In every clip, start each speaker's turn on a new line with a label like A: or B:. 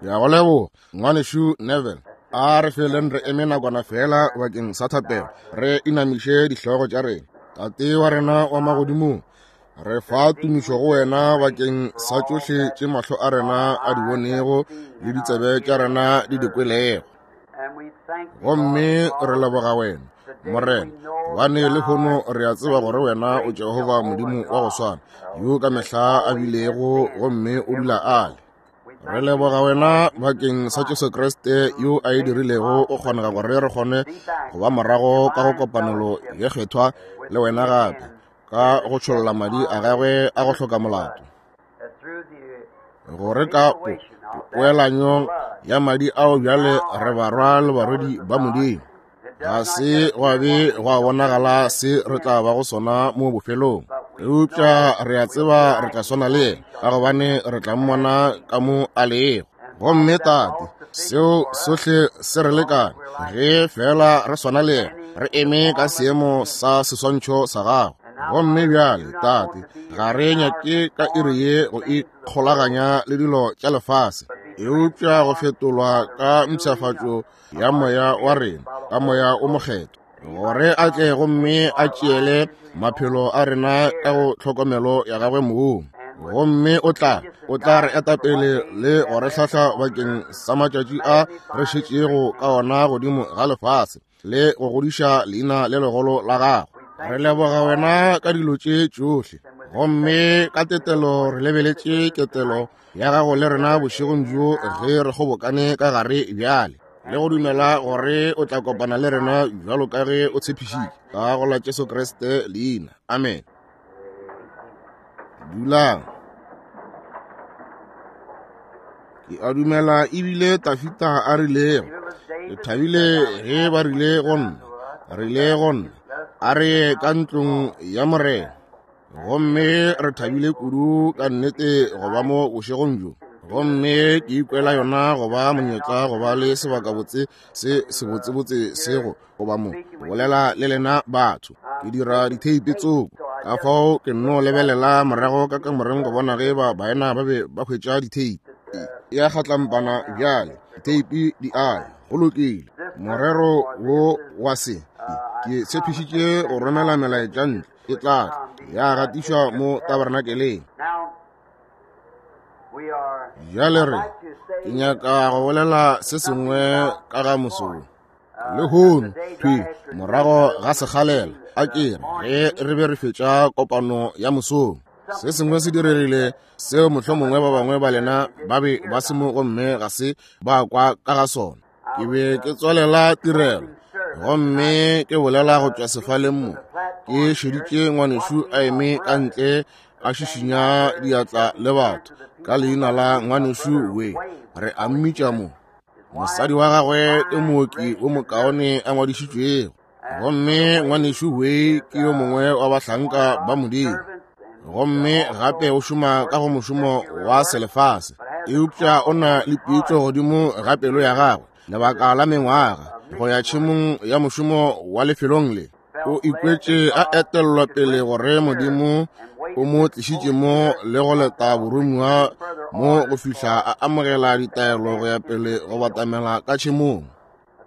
A: Ke a go leboga, Ngwanešu Neville. A re feleng re eme nakwana fela bakeng sa thapelo, re inamiše dihlogo tša rena. Tate wa rena wa magodimong, re fa tumišo go wena bakeng sa tšohle tše mahlo a rena a di bonego le ditsebe tša rena di di kwelego. Gomme re leboga wena, Morena, gobane lehono re a tseba gore wena o Jehofa Modimo wa go swana, yo ka mehla a bilego gomme o dula a le. Re leboga wena bakeng sa Jesu Kriste yo a e dirilego o kgonega gore re kgone go ba morago ka go kopanelo ye kgethwa le wena gape, ka go tšholla madi a gagwe a go hloka molato. Gore ka poelanyo ya madi ao bjale re barwa le barwedi ba Modimo. Ga se gwa be gwa bonagala se re tla bago sona mo bofelong, eupša re a tseba re tla swana le yena, ka gobane re tla mmona ka mo a lego. Gomme Tate, seo sohle se re lekane ge fela re swana le yena, re eme ka seemo sa seswantšho sa gago. Gomme bjale, Tate, ga re nyake ka iri ye go ikgolaganya le dilo tša lefase, eupša go fetolwa ka mpshafatšo ya moya wa rena ka moya o mokgethwa, gore a tle gomme a tšeele maphelo a rena ka go tlhokomelo ya gagwe mong. Gomme o tla o tla re eta pele le go re hlahla bakeng sa matšatši a re šetšego ka ona godimo ga lefase, le go godiša leina le legolo la gago. Re leboga wena ka dilo tše tšohle, gomme ka tetelo re lebeletše ketelo ya gago le rena bošegong bjo ge re kgobokane ka gare bjale, le go dumela gore o tla kopana le rena bjalo ka ge o tshepišitše, ka go la Jesu Kriste leina. Amen. Dulang. Ke a dumela ebile Tafita a rilego, ke thabile ge ba rile go nna, rile go nna, a re ye ka ntlong ya Morena. Gomme re thabile kudu ka nnete go ba mo bošegong bjo. Gomme ke ikwela yona go ba monyetla go ba le sebakabotse se sebotsebotse se go goba mo go bolela le lena batho. Ke dira ditheipi tsoko, ka fao ke nno lebelela morago ka kamoreng go bona ge ba baena ba be ba hwetša ditheipi. E a kgatlampana bjale, ditheipi di a ya. Go lokile. Morero wo wa se, ke tshepišitše go romela melaetša ntle, e tla tla ya gatišwa mo tabernakeleng. Bjale re, ke nyaka go bolela se sengwe ka ga mosong lehono, thwi morago ga sekgalela, a ke re ge re be re fetša kopano ya mosong, se sengwe se diregile seo mohlomongwe ba bangwe ba lena ba be ba se mo gomme ga se ba kwa ka ga sona. Ke be ke tswalela tirelo gomme ke bolela go tšwa sefaleng mo, ke šeditše ngwanešu a eme ka ntle a šišinya diatla le batho ka leina la ngwanešu we, re a mmitša mo. Mosadi wa gagwe ke mooki o mokaone a ngwadišitšwego, gomme ngwanešu we ke yo mongwe wa bahlanka ba Modimo, gomme gape o šoma ka go mošomo wa selefase, eupša o na le pitšo godimo ga pelo ya gagwe lebaka la mengwaga go ya tšhemong ya mošomo wa lefelong le. O ikwetše a etellwa pele gore Modimo o mo tlišitše mo le go leta boromiwa mo go fihla a amogela ditaelo go ya pele go batamela ka tšhemong.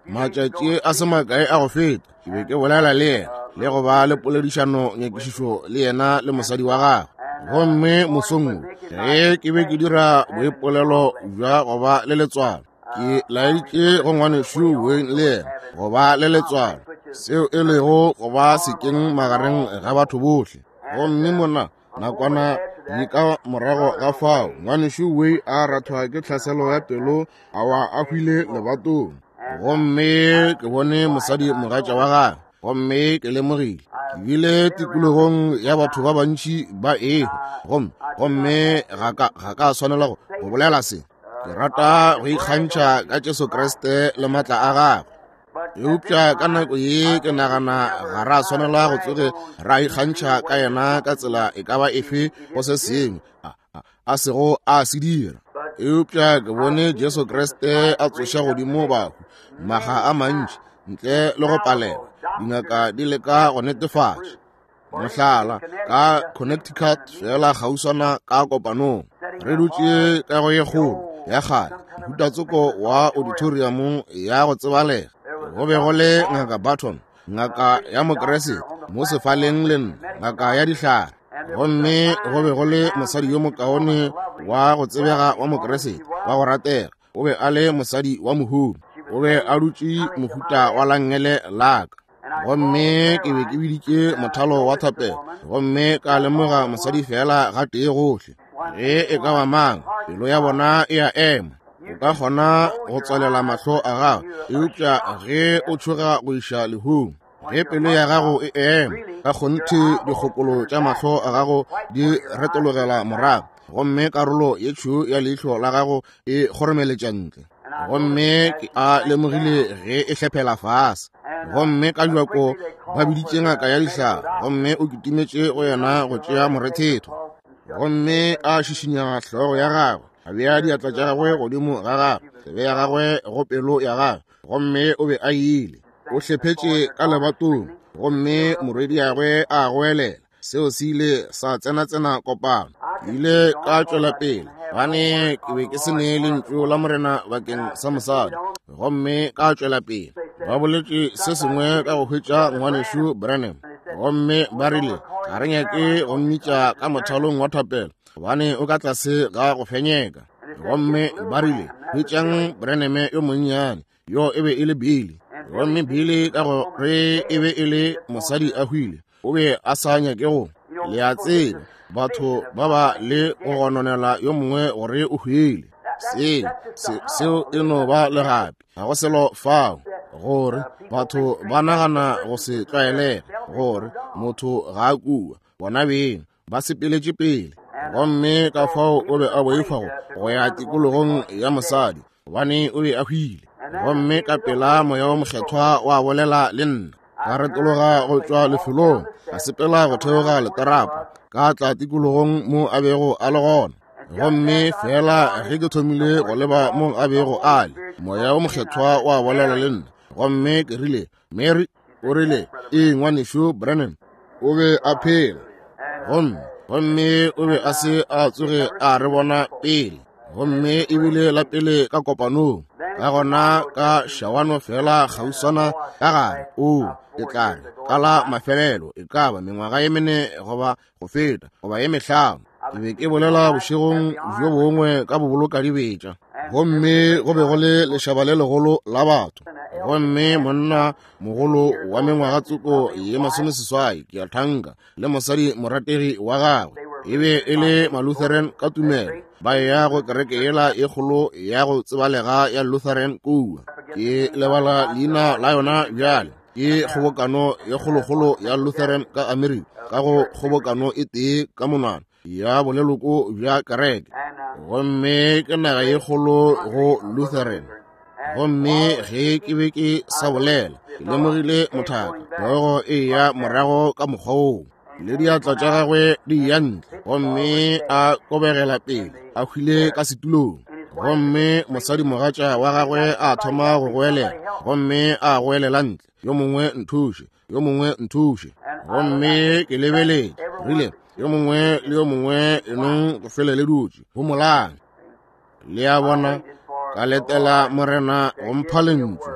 A: Matšatši a se makae a go feta ke be ke bolela le yena le go ba le poledišano nyakišišo le yena le mosadi wa gagwe. Gomme mosong wo ge ke be ke dira boipolelo bja go ba le letswalo, ke laeditše go ngwanešu Wayne le yena go ba le letswalo, seo e lego go ba sekeng magareng ga batho bohle. Gomme mona nakwana ye ka morago ga fao, ngwanešu Way a rathwa ke tlhaselo ya pelo, a wa a hwile lebatong. Gomme ke bone mosadi mogatša wa gagwe, gomme ke lemogile ke bile tikologong ya batho ba bantši ba ehwa, gomme gomme ga ka ga ka swanela go bolela se. Ke rata go ikgantšha ka Jesu Kriste le matla a gagwe, eupša ka nako ye ke nagana ga ra swanela go tsoge ra ikgantšha ka yena ka tsela e ka ba efe go se sengwe a sego a se dira. Eupša ke bone Jesu Kriste a tsoša godimo bahu maga a mantši ntle le go palelwa, dingaka di leka go netefatša. Mohlala, ka Connecticut fela kgauswana ka kopanong, re dutše ka go ye kgolo ya kgale, mohutatsoko wa auditorium ya go tsebalega. Go be go le Ngaka Barton, ngaka ya Mokriste, mo sefaleng le nna, ngaka ya dihlare. Gomme go be go le mosadi yo mokaone wa go tsebega wa Mokriste wa go ratega. O be a le mosadi wa mohumi. O be a dutše mohuta wa langele laka. Gomme ke be ke biditše mothalo wa thapelo, gomme ka lemoga mosadi fela gatee gohle. Ge e ka ba mang, pelo ya bona e a ema. O ka kgona go tswalela mahlo a gago, eupša ge o tšhoga go iša lehung, ge pelo ya gago e ema, ka kgonthe dikgokolo tša mahlo a gago di retologela morago, gomme karolo ye tšhweu ya leihlo la gago e kgoromeletša ntle. Gomme ke a lemogile ge e hlephela fase. Gomme ka bjako ba biditše ngaka ya dihlare, gomme o kitimetše go yena go tšea morethetho. Gomme a šišinya hlogo ya gagwe, a bea diatla tša gagwe godimo ga gagwe, tsebe ya gagwe go pelo ya gagwe, gomme o be a ile. O hlephetše ka lebatong, gomme morwediagwe a goelela. Seo se ile sa tsena-tsena kopano. Ke ile ka tšwela pele, gobane ke be ke se ne lentšu la Morena bakeng sa mosadi, gomme ka tšwela pele. Ba boletše se sengwe ka go hwetša ngwanešu Branham, gomme ba rile ga re nyake go mmitša ka mothalong wa thapelo, gobane o ka tlase ga go fenyeka. Gomme ba rile, hwetšang Branham yo monnyane. Yo e be e le Billy. Gomme Billy, ka gore e be e le mosadi a hwile, o be a sa nyake go, le a tseba, batho ba ba le go gononela yo mongwe gore o hwile. Se, se, seo e no ba legapi, ga go selo fao, gore batho ba nagana go se tlwaelege, gore motho ga a kua, bona beng ba sepeletše pele. Gomme ka fao o be a boifa go ya tikologong ya mosadi, gobane o be a hwile. Gomme ka pela Moya wo Mokgethwa wa bolela le nna. Ka retologa go tšwa lefelong, ka sepela go theoga leterapo, ka tla tikologong mo a bego a le gona. Gomme fela ge ke thomile go leba mo a bego a le, Moya wo Mokgethwa wa bolela le nna. Gomme ke rile, Mary, o rile, ee, ngwanešu Branham, o be a phela. Gomme, gomme o be a se a tsoge a re bona pele. Gomme ebile la pele ka kopanong. Ka gona ka šawano fela kgauswana ka gare, oo, ke tla re, ka la mafelelo, e ka ba mengwaga ye mene goba go feta, goba ye mehlano. Ke be ke bolela bošegong bjo bongwe ka bobolokadibetša, gomme go be go le lešaba le legolo la batho. Gomme monna mogolo wa mengwaga tsoko ye 80, ke a thanka, le mosadi morategi wa gagwe, e be e le Malutheran ka tumelo, ba eya go kereke yela e kgolo ya go tsebalega ya Lutheran kua. Ke lebala leina la yona bjale. Ke kgobokano ye kgolokgolo ya Lutheran ka Amerika, ka go kgobokano e tee ka monwana ya boleloko bja kereke. Gomme ke naga ye kgolo go Lutheran. Gomme ge ke be ke sa bolela, ke lemogile mothaka hlogo e ya morago ka mokgwa woo, le diatla tša gagwe di ya ntle, gomme a kobegela pele, a hwile ka setulong. Gomme mosadimogatša wa gagwe a thoma go goelela, gomme a goelela ntle, yo mongwe nthuše, yo mongwe nthuše. Gomme ke lebeletše, rile, yo mongwe le yo mongwe enong go fele le dutše, homolang. Le a bona, ka letela Morena go mpha lentšu.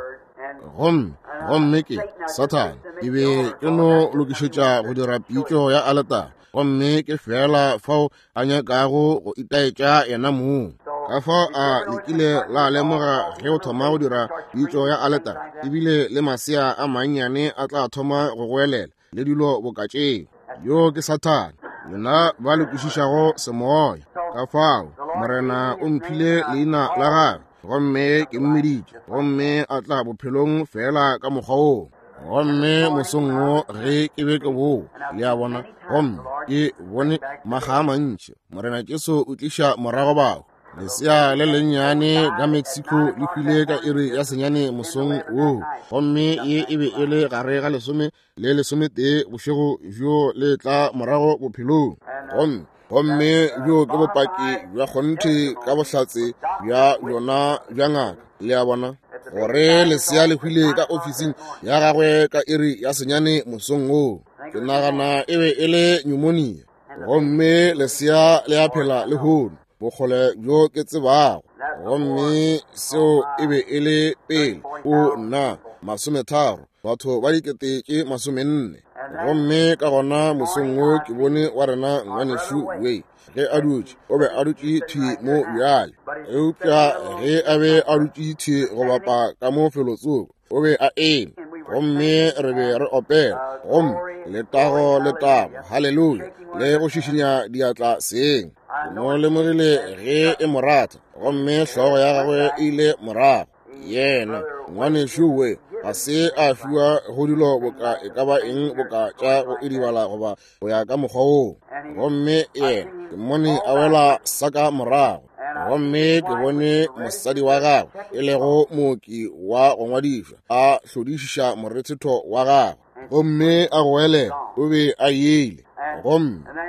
A: Gomme, gomme ke, Sathane, ke be ke no lokišetša go dira pitšo ya aletare, gomme ke fela fao a nyakago go itaetša yena mong. Ka fao a lekile la lemoga ge o thoma go dira pitšo ya aletare, ebile le masea a mannyane a tla thoma go goelela le dilo boka tšeo. Yo ke Sathane, lena ba le kwešišago semoya. Ka fao Morena o mphile leina la gagwe, gomme ke mmiditše, gomme a tla bophelong fela ka mokgwa woo. Gomme mosong wo ge ke be ke boa, le a bona, gomme ke bone makga a mantši Morena Jesu o tliša morago bahu. Lesea le lennyane ka Mexico le hwile ka iri ya 9 mosong woo, gomme ye e be e le gare ga 10 le 11 bošego bjo le tla morago bophelong. Gomme, gomme bjo ke bopaki bja kgonthe ka bohlatse bja bjona bja ngaka, le a bona, gore lesea le hwile ka ofising ya gagwe ka iri ya 9 mosong woo. Ke nagana e be e le pneumonia. Gomme lesea le a phela lehono, bokgole bjo ke tsebago. Gomme seo e be e le pele, o nna, 30, batho ba 40,000. Gomme ka gona mosong wo ke bone wa rena ngwanešu Way ge a dutše, o be a dutše thwi mo bjale, eupša ge a be a dutše thwi go bapa ka mo felotsoko, o be a eme, gomme re be re opela, gomme letago, letago, haleluya, le go šišinya diatla seng. Ke mo lemogile ge e mo rata, gomme hlogo ya gagwe e ile morago. Yena ngwanešu we ga se a fiwa go dilo boka e ka ba eng boka tša go idibala goba go ya ka mokgwa woo. Gomme yena ke mmone a wela saka morago, gomme ke bone mosadi wa gagwe e lego mooki wa go ngwadišwa a hlodišiša morethetho wa gagwe, gomme a goelela, o be a ile.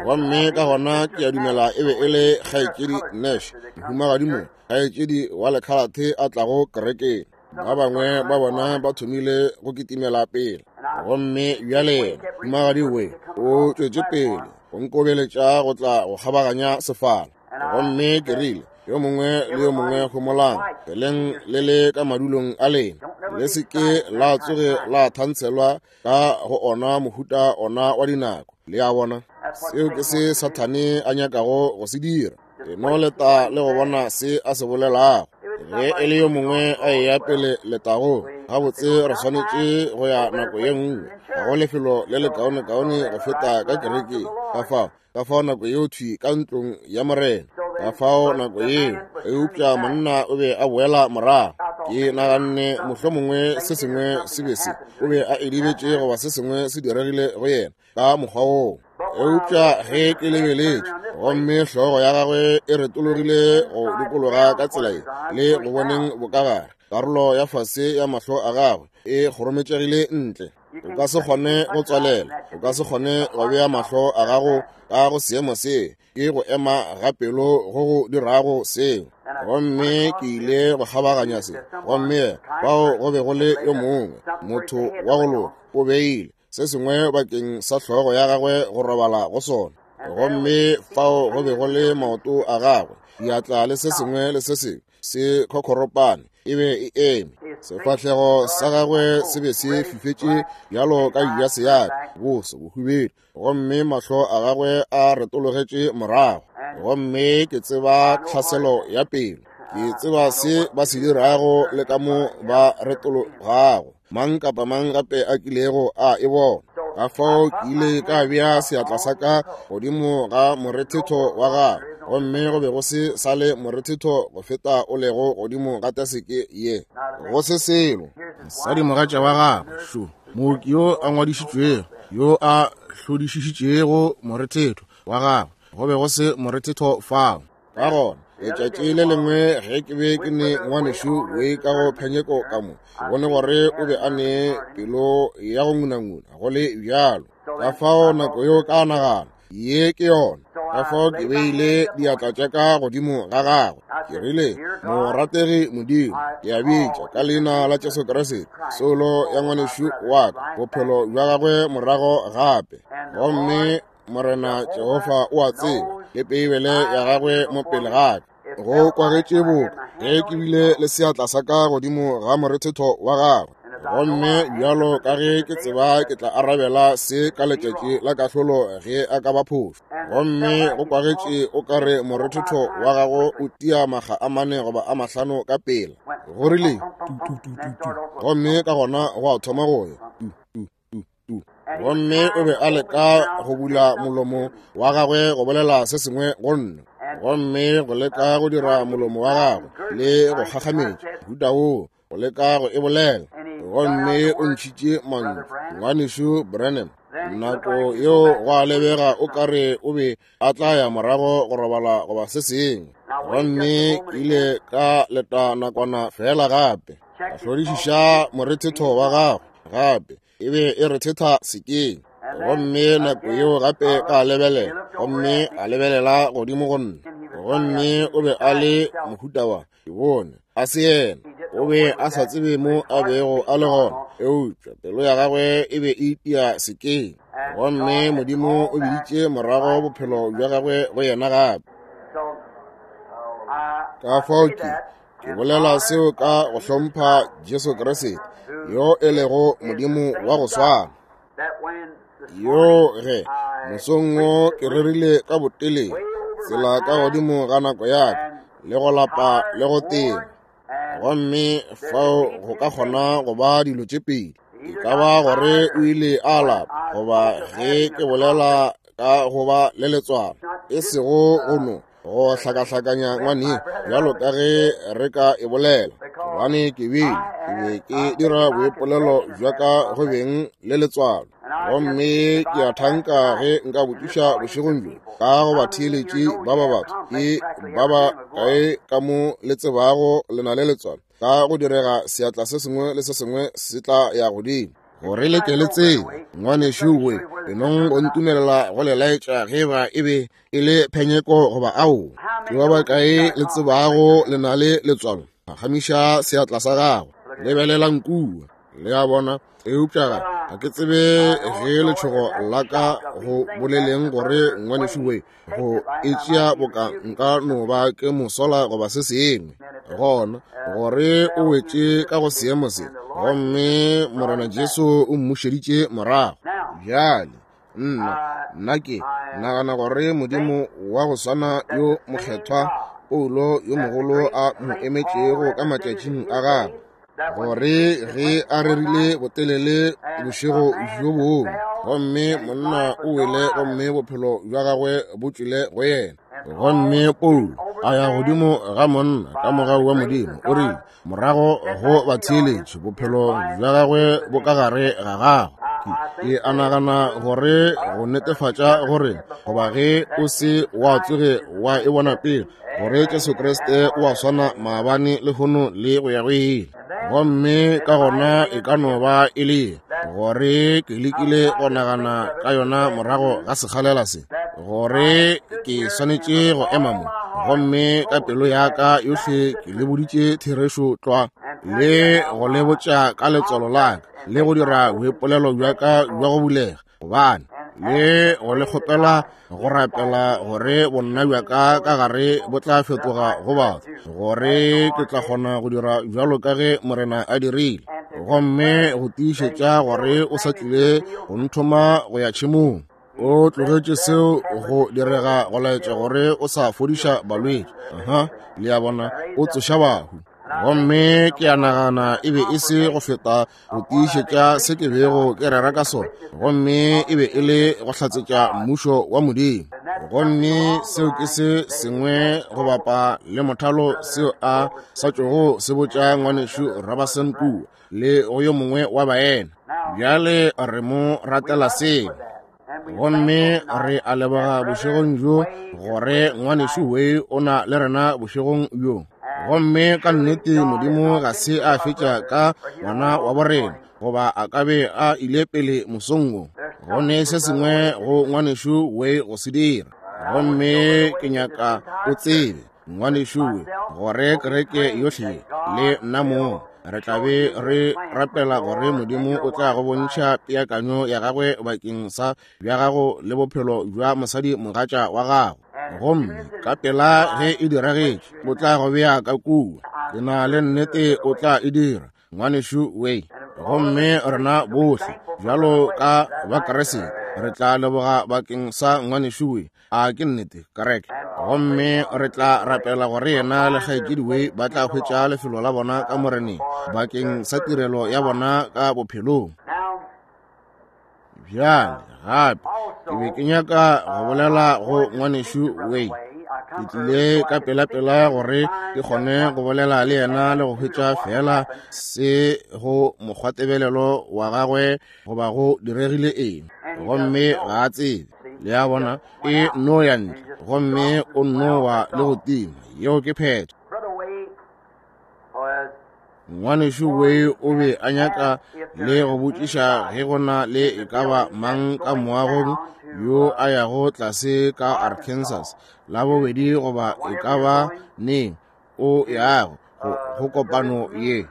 A: Gomme ka gona ke a dumela e be e le kgaetšedi Nash, mohumagadi mo, kgaetšedi wa lekhalathe a tlago kerekeng. Ba bangwe ba bona ba thomile go kitimela pele, gomme bjale mohumagadi we o tšwetše pele go nkobeletša go tla go kgabaganya sefala. Gomme ke rile, yo mongwe le yo mongwe homolang, peleng le le ka madulong a lena, le se ke la tsoge la thantshelwa ka go ona mohuta ona wa dinako. Le a bona, seo ke se Sathane a nyakago go se dira. E no leta le go bona se a se bolelago. Ge e le yo mongwe a eya pele letagong, gabotse re swanetše go ya nako ye nngwe. Ga go lefelo le lekaonekaone go feta ka kerekeng. Ka fao nako yeo thwi ka ntlong ya Morena. Ka fao nako yeo, eupša monna o be a boela morago. Ke naganne mohlomongwe se sengwe se be se, o be a edibetše goba se sengwe se diregile go yena ka mokgwa woo. Eupša ge ke lebeletše, gomme hlogo ya gagwe e retologile go dikologa ka tsela ye, le go boneng bokagare, karolo ya fase ya mahlo a gagwe e kgorometšegile ntle. O ka se kgone go tswalela, o ka se kgone go bea mahlo a gago ka go seemo se, ke go ema ga pelo go go dirago seo. Gomme ke ile go kgabaganya se, gomme fao go be go le yo mongwe motho wa go loka, o beile se sengwe bakeng sa hlogo ya gagwe go robala go sona. Gomme fao go be go le maoto a gagwe, diatla le se sengwe le se sengwe se khokhoropane e be e eme. Sefahlego sa gagwe se be se fifetše bjalo ka jase ya ka, boso bohubedu, gomme mahlo a gagwe a retologetše morago. Gomme ke tseba tlhaselo ya pelo, ke tseba se ba se dirago le ka mo ba retologago, mang kapa mang gape a kilego a e bona. Ka fao ke ile ka bea seatla sa ka godimo ga morethetho wa gagwe, gomme go be go se sa le morethetho go feta o lego godimo ga taseke ye, go se selo. Mosadimogatša wa gagwe šo, mooki yo a ngwadišitšwego, yo a hlodišišitšego morethetho wa gagwe, go be go se morethetho fao. Ka gona letšatši le lengwe ge ke be ke ne ngwanešu we ka go phenyeko ka mo, ke bone gore o be a ne pelo ya go ngunanguna go le bjalo. Ka fao nako yeo ka nagana, ye ke yona. Ka fao ke beile diatla tša ka godimo ga gagwe. Ke rile, morategi Modimo, ke a bitša ka leina la Jesu Kriste, soulo ya ngwanešu wa ka, bophelo bja gagwe morago gape. Gomme Morena Jehofa o a tseba, le Beibele ya gagwe mo pele ga ka. Go kwagetše boka ge ke bile le seatla sa ka godimo ga morethetho wa gagwe. Gomme bjalo ka ge ke tseba ke tla arabela se ka letšatši la kahlolo ge a ka ba phošo. Gomme go kwagetše o ka re morethetho wa gago o tia makga a 4 goba a 5 ka pela. Go rile tu tu tu tu tu, gomme ka gona go a thoma go ya tu tu tu tu. Gomme o be a leka go bula molomo wa gagwe go bolela se sengwe go nna, gomme go leka go dira molomo wa gagwe le go kgakgametša mohuta woo, go leka go e bolela. Gomme o ntšhitše mantšu, ngwanešu Branham. Nako yeo go a lebega o ka re o be a tla ya morago go robala goba se sengwe. Gomme ke ile ka leta nakwana fela gape, ka hlodišiša morethetho wa gagwe gape, e be e rethetha sekeng. Gomme nako yeo gape ka lebelela, gomme a lebelela godimo go nna, gomme o be a le mohuta wa, ke bone a se yena, o be a sa tsebe mo a bego a le gona, eupša pelo ya gagwe e be e itia sekeng. Gomme Modimo o biditše morago bophelo bja gagwe go yena gape. Ka fao ke Ke bolela seo ka go hlompha Jesu Kriste, yo e lego Modimo wa go swana. Yo ge mosong wo ke rerile ka botelele, tsela ka godimo ga nako ya ka, le go lapa le go tena. Gomme fao go ka kgona go ba dilo tše pedi. E ka ba gore o ile a lapa, goba ge ke bolela ka go ba le letswalo, e sego go no go hlakahlakanya ngwane bjalo ka ge re ka e bolela, gobane ke bile ke be ke dira boipolelo bja ka go beng le letswalo. Gomme ke a thanka ge nka botšiša bošegong bjo ka go batheeletši ba ba batho, ke ba ba kae ka mo le tsebago le na le letswalo, ka go direga seatla se sengwe le se sengwe se tla ya godimo gore le ke le tsebe. Ngwanešu we, enong go ntumelela go le laetša ge ba e be e le phenyeko goba ao. Ke ba ba kae le tsebago le na le letswalo? Phagamiša seatla sa gago, lebelelang kua. Le a bona? Eupša ga ke tsebe ge letšhogo la ka go boleleng gore ngwanešu we go e tšea boka nka no ba ke mosola goba se sengwe, gona gore o wetše ka go seemo se, gomme Morena Jesu o mmušeditše morago. Bjale nna ke nagana gore Modimo wa go swana yo mokgethwa Paulo yo mogolo a mo emetšego ka matšatšing a gagwe, gore ge a rerile botelele bošego bjo bongwe, gomme monna o wele gomme bophelo bja gagwe bo tšwele go yena, gomme Paulo a ya godimo ga monna ka mogau wa Modimo, o rile morago go batheeletši, bophelo bja gagwe bo ka gare ga gagwe. Ke a nagana gore go netefatša gore goba ge o se wa tsoge wa e bona pele, gore Jesu Kriste o a swana maabane, lehono le go ya go ile. Gomme ka gona e ka no ba e le gore ke lekile go nagana ka yona morago ga sekgalela se, gore ke swanetše go ema mo, gomme ka pelo ya ka yohle ke le boditše therešo tlwa, le go le botša ka letswalo la ka, le go dira boipolelo bja ka bja go bulega, gobane le go le kgopela go rapela gore bonna bja ka ka gare bo tla fetoga go batho, gore ke tla kgona go dira bjalo ka ge Morena a dirile, gomme go tiišetša gore o sa tlile go nthoma go ya tšhemong. O tlogetše seo go direga go laetša gore o sa fodiša balwetši. Aha, le a bona, o tsoša bahu. Gomme ke a nagana e be e se go feta go tiišetša se ke bego ke rera ka sona, gomme e be e le go hlatsetša mmušo wa Modimo. Gomme seo ke se sengwe go bapa le mothalo seo a sa tšogo se botša ngwanešu Robertson kua le go yo mongwe wa baena. Bjale re mo ratela seo. Gomme re a leboga bošegong bjo gore ngwanešu we o na le rena bošegong bjo. Gomme ka nnete Modimo ga se a fetša ka ngwana wa borena, goba a ka be a ile pele mosong wo. Go ne se sengwe go ngwanešu we go se dira. Gomme ke nyaka o tsebe, ngwanešu we, gore kereke yohle le nna mo re tla be re rapela gore Modimo o tla go bontšha peakanyo ya gagwe bakeng sa bja gago le bophelo bja mosadi mogatša wa gago. Gomme ka pela ge e diragetše, o tla go bea ka kua. Ke na le nnete o tla e dira, ngwanešu we. Gomme rena bohle bjalo ka Bakriste re tla leboga bakeng sa ngwanešu we. A ke nnete, kereke? Gomme re tla rapela gore yena le kgaetšedi we ba tla hwetša lefelo la bona ka Moreneng bakeng sa tirelo ya bona ka bophelong. Bjale gape ke be ke nyaka go bolela go ngwanešu we. Ke tlile ka pelapela gore ke kgone go bolela le yena le go hwetša fela se go mokgwatebelelo wa gagwe goba go diregile eng. Gomme ga a tsebe, le a bona, e no ya ntle gomme o nno wa le go tima. Yeo ke phetho. Ngwanešu we o be a nyaka le go botšiša ge go na le e ka ba mang ka moagong yo a yago tlase ka Arkansas la bobedi goba e ka ba neng o yago go kopano ye.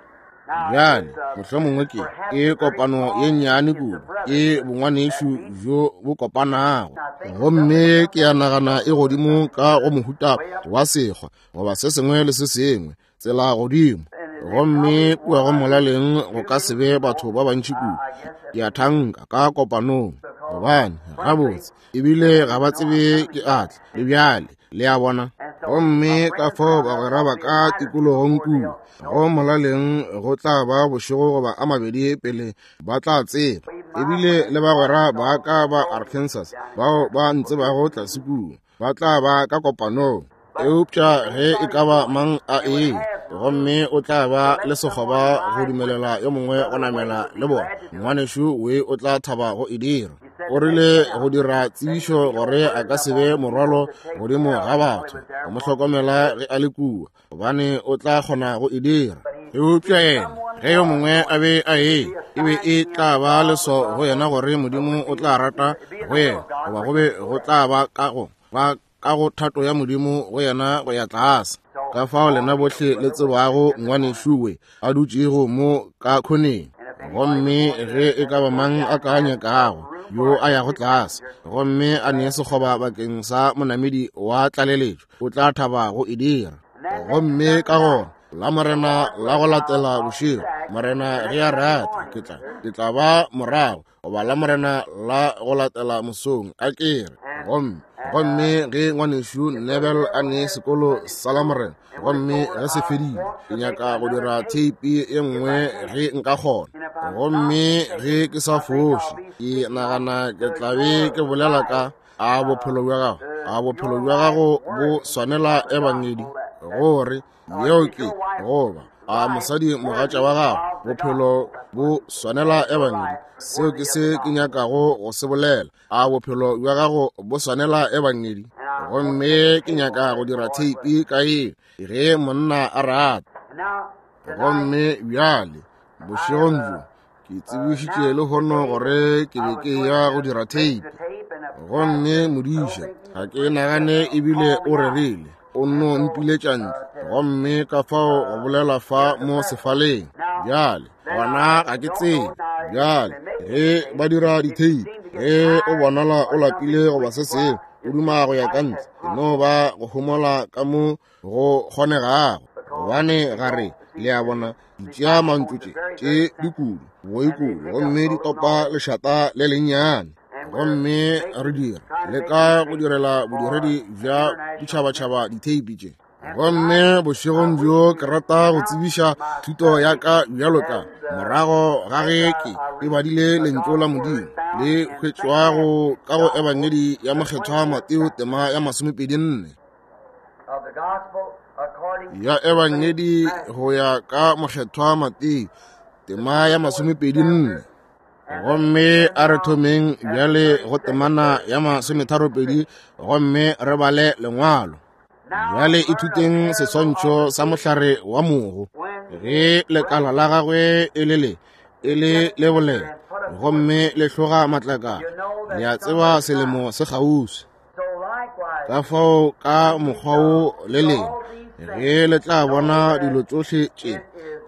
A: Bjale mohlomongwe ke e kopano ye nnyane kudu, ke bongwanešu bjo bo kopanago, gomme ke a nagana e godimo ka go mohuta wa sekgwa goba se sengwe le se sengwe. tsela godimo. Gomme kua go molaleng go ka se be batho ba bantši kudu, ke a thanka, ka kopanong, gobane gabotse ebile ga ba tsebe ke atla le bjale, le a bona. Gomme ka fao bagwera ba ka tikologong kua go molaleng go tla ba bošego goba a mabedi pele ba tla tseba. Ebile le bagwera ba ka ba Arkansas bao ba ntsebago tlase kua ba tla ba ka kopanong. Eupša ge e ka ba mang a ee, gomme o tla ba le sekgoba go dumelela yo mongwe go namela le bona, ngwanešu we o tla thaba go e dira. O rile go dira tsebišo gore a ka se be morwalo godimo ga batho go mo hlokomela ge a le kua, gobane o tla kgona go e dira. Eupša yena, ge yo mongwe a be a ee, e be e tla ba leso go yena gore Modimo o tla rata go yena, goba go be go tla ba ka go ba ka go thato ya Modimo go yena go ya tlase. Ka fao lena bohle le tsebago ngwanešu a dutšego mo ka khoneng, gomme ge e ka ba mang a ka nyakago yo a yago tlase gomme a nee sekgoba bakeng sa monamedi wa tlaleletšo, o tla thaba go e dira. Gomme ka gona la Morena la go latela bošego, Morena ge a rata, ke tla ba morago, goba la Morena la go latela mosong, a ke re. Gomme ge ngwanešu Neville a ne sekolo sa la Morena, gomme ge se fedile, ke nyaka go dira theipi ye nngwe ge nka kgona. Gomme ge ke sa foše, ke nagana ke tla be ke bolela ka a bophelo bja gago, a bophelo bja gago bo swanela ebangedi, gore yeo ke goba a mosadi mogatša wa gago, bophelo bo swanela ebangedi. Seo ke se ke nyakago go se bolela. A bophelo bja gago bo swanela ebangedi? Gomme ke nyaka go dira theipi ka ye ge monna a rata. Gomme bjale bošegong bjo ke tsebišitše lehono gore ke be ke ya go dira theipi, gomme modiša ga ke nagane ebile o rerile, o nno mpiletša ntle, gomme ka fao go bolela fa mo sefaleng. Bjale gona ga ke tsebe. Bjale ge ba dira ditheipi, ge o bonala o lapile goba se sengwe, o duma go ya ka ntle, e no ba go homola ka mo go kgonegago, gobane ga re, le a bona, di tšea mantšu tše tše dikudu boikudu gomme di topa lešata le lennyane, gomme re dira le ka go direla bodiredi bja ditšhabatšhaba ditheipi tše. Gomme bošegong bjo ke rata go tsebiša thuto ya ka bjalo ka morago ga ge ke e badile lentšu la Modimo le hwetšwago ka go Ebangedi ya Mokgethwa Mateo tema ya 24 ya Ebangedi go ya ka Mokgethwa Mateo tema ya 24. Gomme a re thomeng bjale go temana ya 32 gomme re bale lengwalo. Bjale ithuteng seswantšho sa mohlare wa mogo. Ge lekala la gagwe e le le e le le bolela gomme le hloga matlakala, le a tseba selemo se kgauswi. Ka fao ka mokgwa wo le leng ge le tla bona dilo tšohle tše,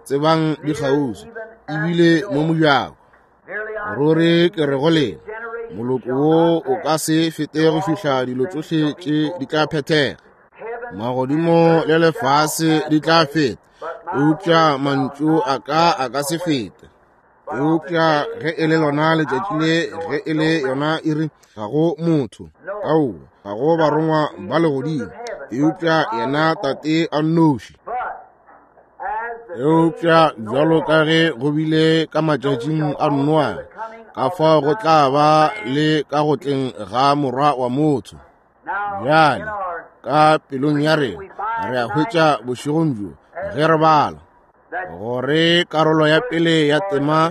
A: tsebang di kgauswi ebile mo mojako. Ruri ke re go lena, moloko wo o ka se fete go fihla dilo tšohle tše di tla phethega. Magodimo le lefase di tla feta, eupša mantšu a ka a ka se fete. Eupša ge e le lona letšatši le, ge e le yona iri, ga go motho, aowa, ga go barongwa ba legodimo, eupša yena Tate a nnoši. Eupša bjalo ka ge go bile ka matšatšing a Noa, ka fao go tla ba le ka go tleng ga Morwa wa motho. Bjale ka pelong ya rena re a hwetša bošegong bjo ge re bala gore karolo ya pele ya tema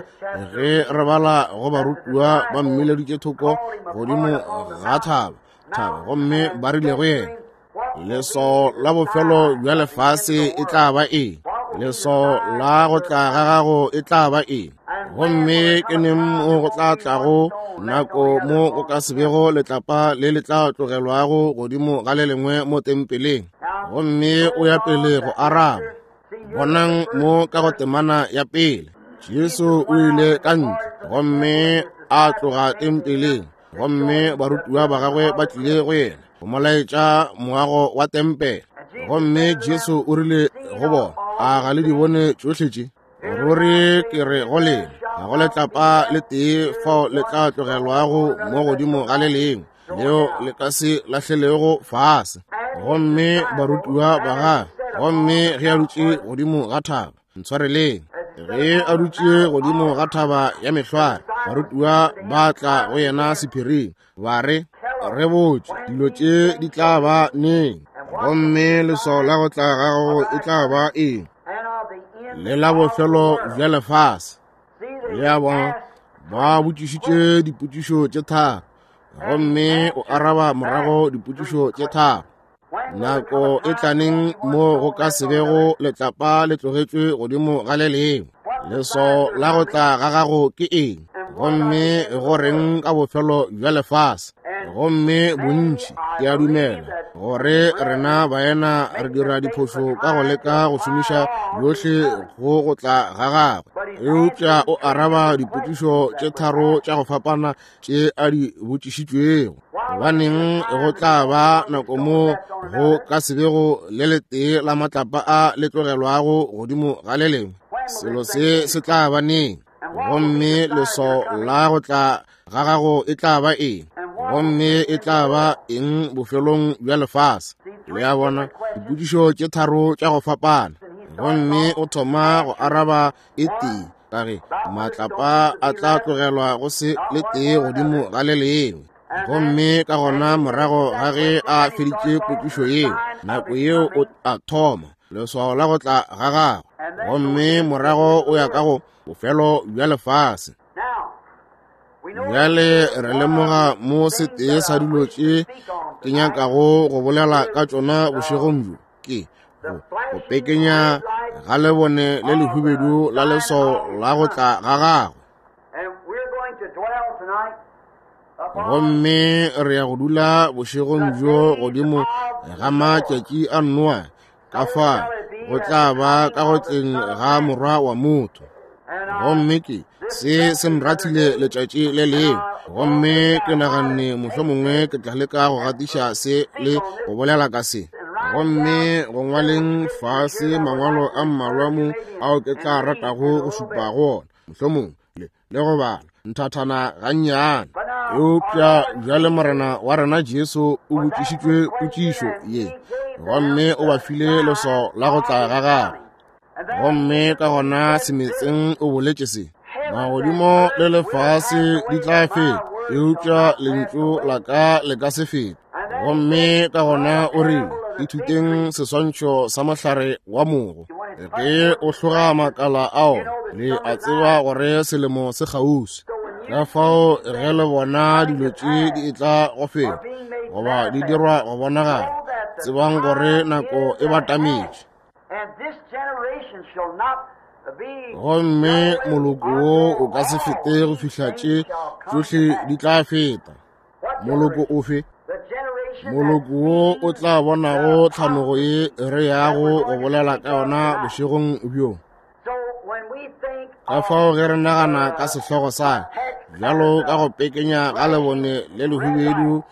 A: ge re bala go barutiwa ba mmileditše thoko godimo ga thaba gomme ba rile go yena, leswao la bofelo bja lefase e tla ba eng? Leswao la go tla ga gago e tla ba eng? Gomme ke neng mo go tla tlago nako mo go ka se bego letlapa le le tla tlogelwago godimo ga le lengwe mo tempeleng? Gomme o ya pele go araba. Bonang mo ka go temana ya pele, Jesu o ile ka ntle gomme a tloga tempeleng, gomme barutiwa ba gagwe ba tlile go yena go mo laetša moago wa tempele. Gomme Jesu o rile go bona, A ga le di bone tšohle tše? Ruri ke re go lena, ga go letlapa le tee fao le tla tlogelwago mo godimo ga le lengwe, leo le ka se lahlelego fase. Gomme barutiwa ba gagwe, gomme ge a dutše godimo ga thaba, ntshwareleng, ge a dutše godimo ga thaba ya mehlware, barutiwa ba tla go yena sephiring, ba re, Re botše dilo tše di tla ba neng, gomme leswao la go tla gago e tla ba eng, le la bofelo bja lefase. Le a bona, ba botšišitše dipotšišo tše tharo, gomme o araba morago dipotšišo tše tharo. Nako e tlaneng mo go ka se bego letlapa le tlogetšwe godimo ga le lengwe. Leswao la go tla ga gago ke eng? Gomme go reng ka bofelo bja lefase? Gomme bontši, ke a dumela gore rena baena re dira diphošo ka go leka go šomiša yohle go go tla ga gagwe. Eupša o araba dipotšišo tše tharo tša go fapana tše a di botšišitšwego. Gobaneng go tla ba nako mo go ka se bego le letee la matlapa a le tlogelwago godimo ga le lengwe? Selo se se tla ba neng? Gomme leswao la go tla ga gago e tla ba eng? Gomme e tla ba eng bofelong bja lefase? Le a bona, dipotšišo tše tharo tša go fapana, gomme o thoma go araba e tee, ka ge matlapa a tla tlogelwa go se le tee godimo ga le lengwe. Gomme ka gona morago ga ge a feditše potšišo yeo, nako yeo o a thoma leswao la go tla ga gagwe, gomme morago o ya ka go bofelo bja lefase. Bjale re lemoga mo setee sa dilo tše ke nyakago go bolela ka tšona bošegong bjo ke go pekenya ga lebone le lehubedu la leswao la go tla ga gagwe. Gomme re ya go dula bošegong bjo godimo ga matšatši a Noa, ka fa go tla ba ka go tleng ga Morwa wa motho. Gomme ke se se nrathile letšatši le lengwe, gomme ke naganne mohlomongwe ke tla leka go gatiša se le go bolela ka se. Gomme go ngwaleng fase mangwalo a mmalwa mo ao ke tla ratago go šupa go ona, mohlomongwe le go bala nthathana gannyane. Eupša bjale Morena wa rena Jesu o botšišitšwe potšišo ye, gomme o ba file leswao la go tla ga gagwe. Gomme ka gona semetseng o boletše se, magodimo le lefase di tla feta, eupša lentšu la ka le ka se fete. Gomme ka gona o rile, ithuteng seswantšho sa mohlare wa mogo. Ge o hloga makala ao, le a tseba gore selemo se kgauswi. Ka fao ge le bona dilo tše di etla go feta, goba di dirwa go bonagala, tsebang gore nako e batametše. Gomme moloko wo o ka se fete go fihla tše tšohle di tla feta. Moloko ofe? Moloko wo o tla bonago tlhanogo ye re yago go bolela ka yona bošegong bjo. Ka fao ge re nagana ka sehlogo sa bjalo ka go pekenya ga lebone le lehubedu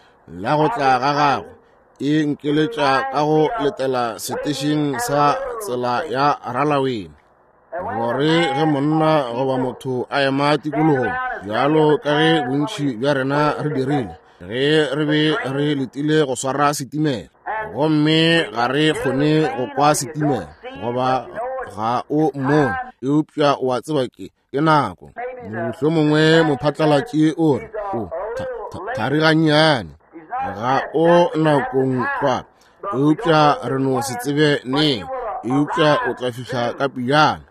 A: la go tla ga gagwe, e nkeletša ka go letela setešeng sa tsela ya Ralawene, gore ge monna goba motho a ema tikologong, bjalo ka ge bontši bja rena re dirile ge re be re letile go swara setimela, gomme ga re kgone go kwa setimela goba ga o mmone, eupša o a tseba ke nako. Mohlomongwe mophatlalatši o re o thari gannyane, ga o nakong tlwa, eupša re no se tsebe neng, eupša o tla fihla ka pejana.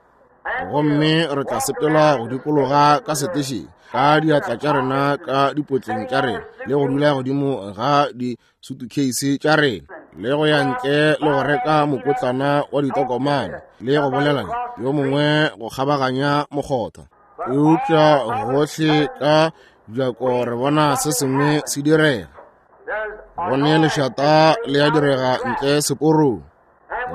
A: Gomme re tla sepela go dikologa ka setešeng ka diatla tša rena ka dipotleng tša rena, le go dula godimo ga disutukheisi tša rena, le go ya ntle le go reka mokotlana wa ditokomane, le go bolela le yo mongwe go kgabaganya mokgotha. Eupša gohle ka bjako re bona se sengwe se direga. Go ne lešata le a direga ntle seporong.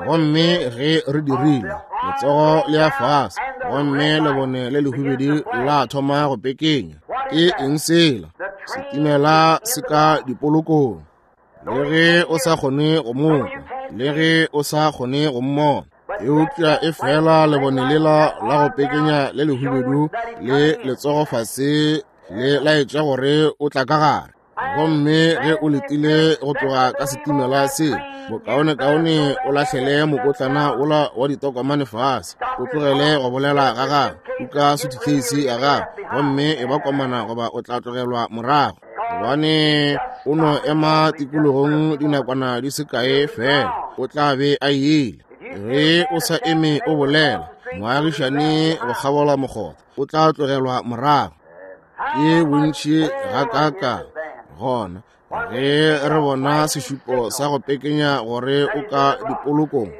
A: Gomme ge re dirile, letsogo le ya fase, gomme lebone le lehubedu la thoma go pekenya. Ke eng sela? Setimela se ka dipolokong. Le ge o sa kgone go mo kwa, le ge o sa kgone go mmona, Eupša e fela lebone lela la go pekenya le lehubedu le letsogo fase le laetša gore o tla ka gare. Gomme ge o letile go tloga ka setimela se, bokaonekaone o lahlele mokotlana wola wa ditokomane fase, o tlogele go bolela ga gago, kuka sutukheisi ya gago, gomme e ba komana goba o tla tlogelwa morago. Gobane o no ema tikologong dinakwana di se kae fela, o tla be a ile. Ge o sa eme o bolela, moagišane go kgabola mokgotha, o tla tlogelwa morago. Ke bontši gakaakang gona ge re bona sešupo sa go pekenya gore o ka dipolokong.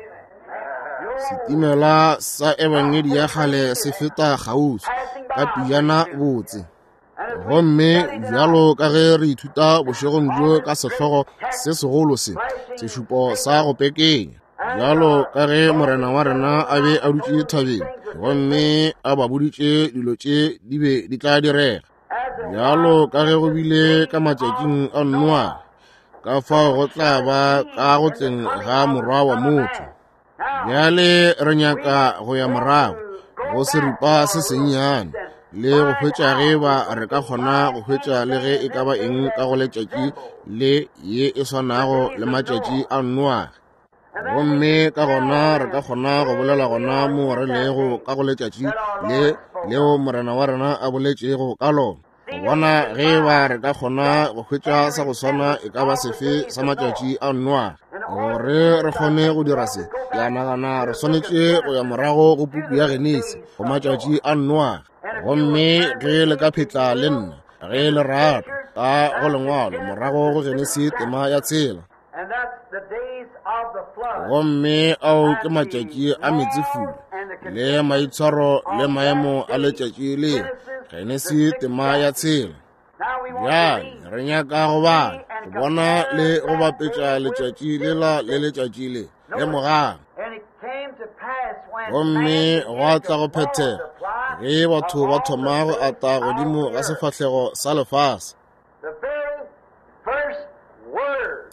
A: Setimela sa ebangedi ya kgale se feta kgauswi ka pijana botse. Gomme bjalo ka ge re ithuta bošegong bjo ka sehlogo se segolo se, sešupo sa go pekenya, bjalo ka ge Morena wa rena a be a dutše thabeng gomme a ba boditše dilo tše di be di tla direga, bjalo ka ge go bile ka matšatšing a Noa, ka fao go tla ba ka go tleng ga Morwa wa motho. Bjale re nyaka go ya morago go seripa se sennyane le go hwetša ge ba re ka kgona go hwetša le ge e ka ba eng ka go letšatši le ye e swanago le matšatši a Noage. Gomme ka gona re ka kgona go bolela gona mo re lego ka go letšatši le leo Morena wa rena a boletšego ka lona. Go bona ge ba re ka kgona go hwetša sa go swana e ka ba sefe sa matšatši a Noage. Gore re kgone go dira se, ke a nagana re swanetše go ya morago go puku ya Genesi, go matšatši a Noage. Gomme ge le ka phetla le nna, ge le rata, ka go lengwalo morago go Genesi tema ya 6. Gomme ao ke matšatši a meetsefula le maitshwaro le maemo a letšatši le, Genesi tema ya 6. Bjale re nyaka go bala, go bona le go bapetša letšatši lela le letšatši le. Lemogang. Gomme gwa tla go phethega ge batho ba thoma go ata godimo ga sefahlego sa lefase,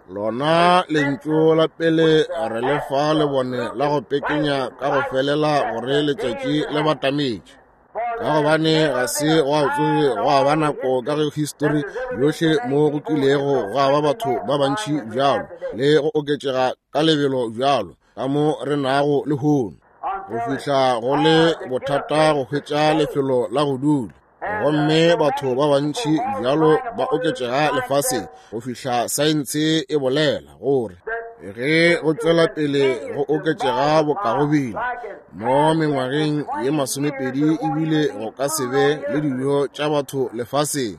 A: lona lentšu la pele re le fa lebone la go pekenya ka go felela gore letšatši le batametše, ka gobane ga se gwa tsoge gwa ba nako ka ge histori yohle mo go kilego gwa ba batho ba bantši bjalo le go oketšega ka lebelo bjalo ka mo re nago lehono, go fihla go le bothata go hwetša lefelo la go dula. Gomme batho ba bantši bjalo ba oketšega lefaseng go fihla saense e bolela gore ge go tšwela pele go oketšega bokagobile mo mengwageng ye 20 ebile go ka se be le dijo tša batho lefaseng.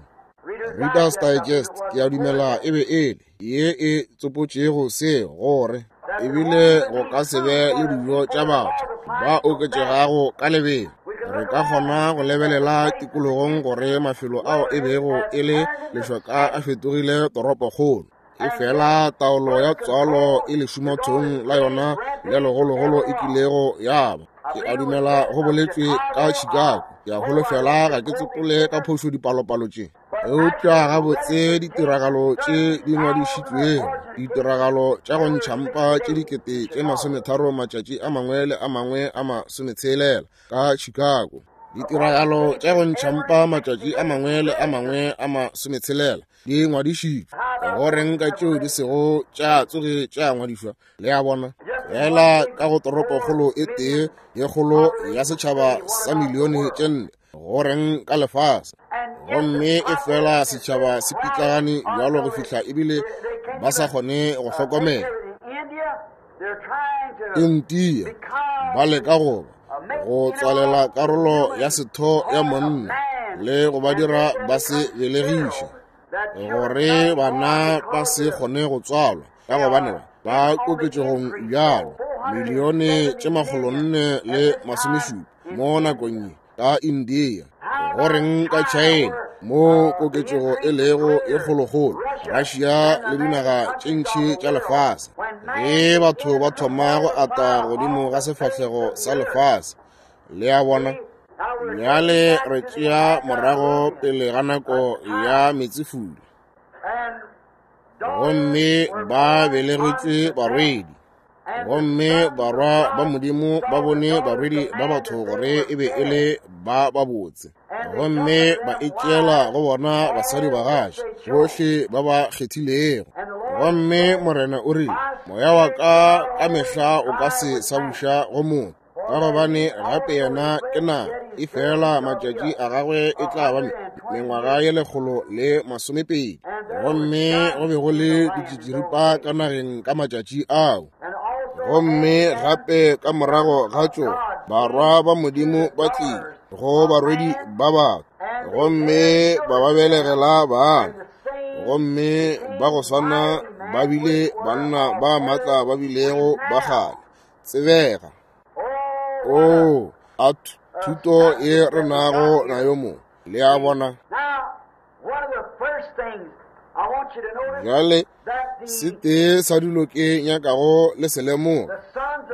A: Reader's Digest, ke a dumela e be e le ye e tsopotšego se, gore ebile go ka se be le dijo tša batho ba oketšegago ka lebelo. Re ka kgona go lebelela tikologong gore mafelo ao e bego e le lešoka a fetogile toropokgolo, efela taolo ya tswalo e lešumathong la yona le legologolo e kilego ya ba. Ke a dumela go boletšwe ka Chicago, ke a holofela ga ke tsopole ka phošo dipalopalo tše, eupša gabotse ditiragalo tše di ngwadišitšwego, ditiragalo tša go ntšha mpa tše 30,000 matšatši a mangwe le a mangwe a 60 ka Chicago, ditiragalo tša go ntšha mpa matšatši a mangwe le a mangwe a 60 di ngwadišitšwe. Go reng ka tšeo di sego tša tsoge tša ngwadišwa? Le a bona, fela ka go toropokgolo e tee ye kgolo ya setšhaba sa milione tše 4, go reng ka lefase? Gomme e fela setšhaba se pitlagane bjalo go fihla ebile ba sa kgone go hlokomela. India ba leka go go tswalela karolo ya setho ya monna le go ba dira ba se belegiše, gore bana ba se kgone go tswalwa, ka gobane ba koketšegong bjalo milione tše 470 mo nakong ye ka India. Go reng ka China mo koketšego e lego e kgolokgolo, Russia le dinaga tše ntši tša lefase? Ge batho ba thoma go ata godimo ga sefahlego sa lefase, le a bona. Bjale re tšea morago pele ga nako ya meetsefula, gomme ba belegetšwe barwedi. Gomme barwa ba Modimo ba bone barwedi ba batho gore e be e le ba babotse, gomme ba itšeela go bona basadi bagatša bohle ba ba kgethilego. Gomme Morena o rile, Moya wa ka ka mehla o ka se sa buša go motho, ka gobane gape yena ke na, efela matšatši a gagwe e tla ba mengwaga ye 120. Gomme go be go le ditšitširipa ka nageng ka matšatši ao. Gomme gape ka morago ga tšo barwa ba Modimo ba tlile go barwedi ba batho, gomme ba ba belegela bana. Gomme ba go swana ba bile banna ba matla ba bilego ba kgale tsebega. Oo, a thuto e re nago nayo mo, le a bona. Bjale, se tee sa dilo ke nyakago le se lemoga,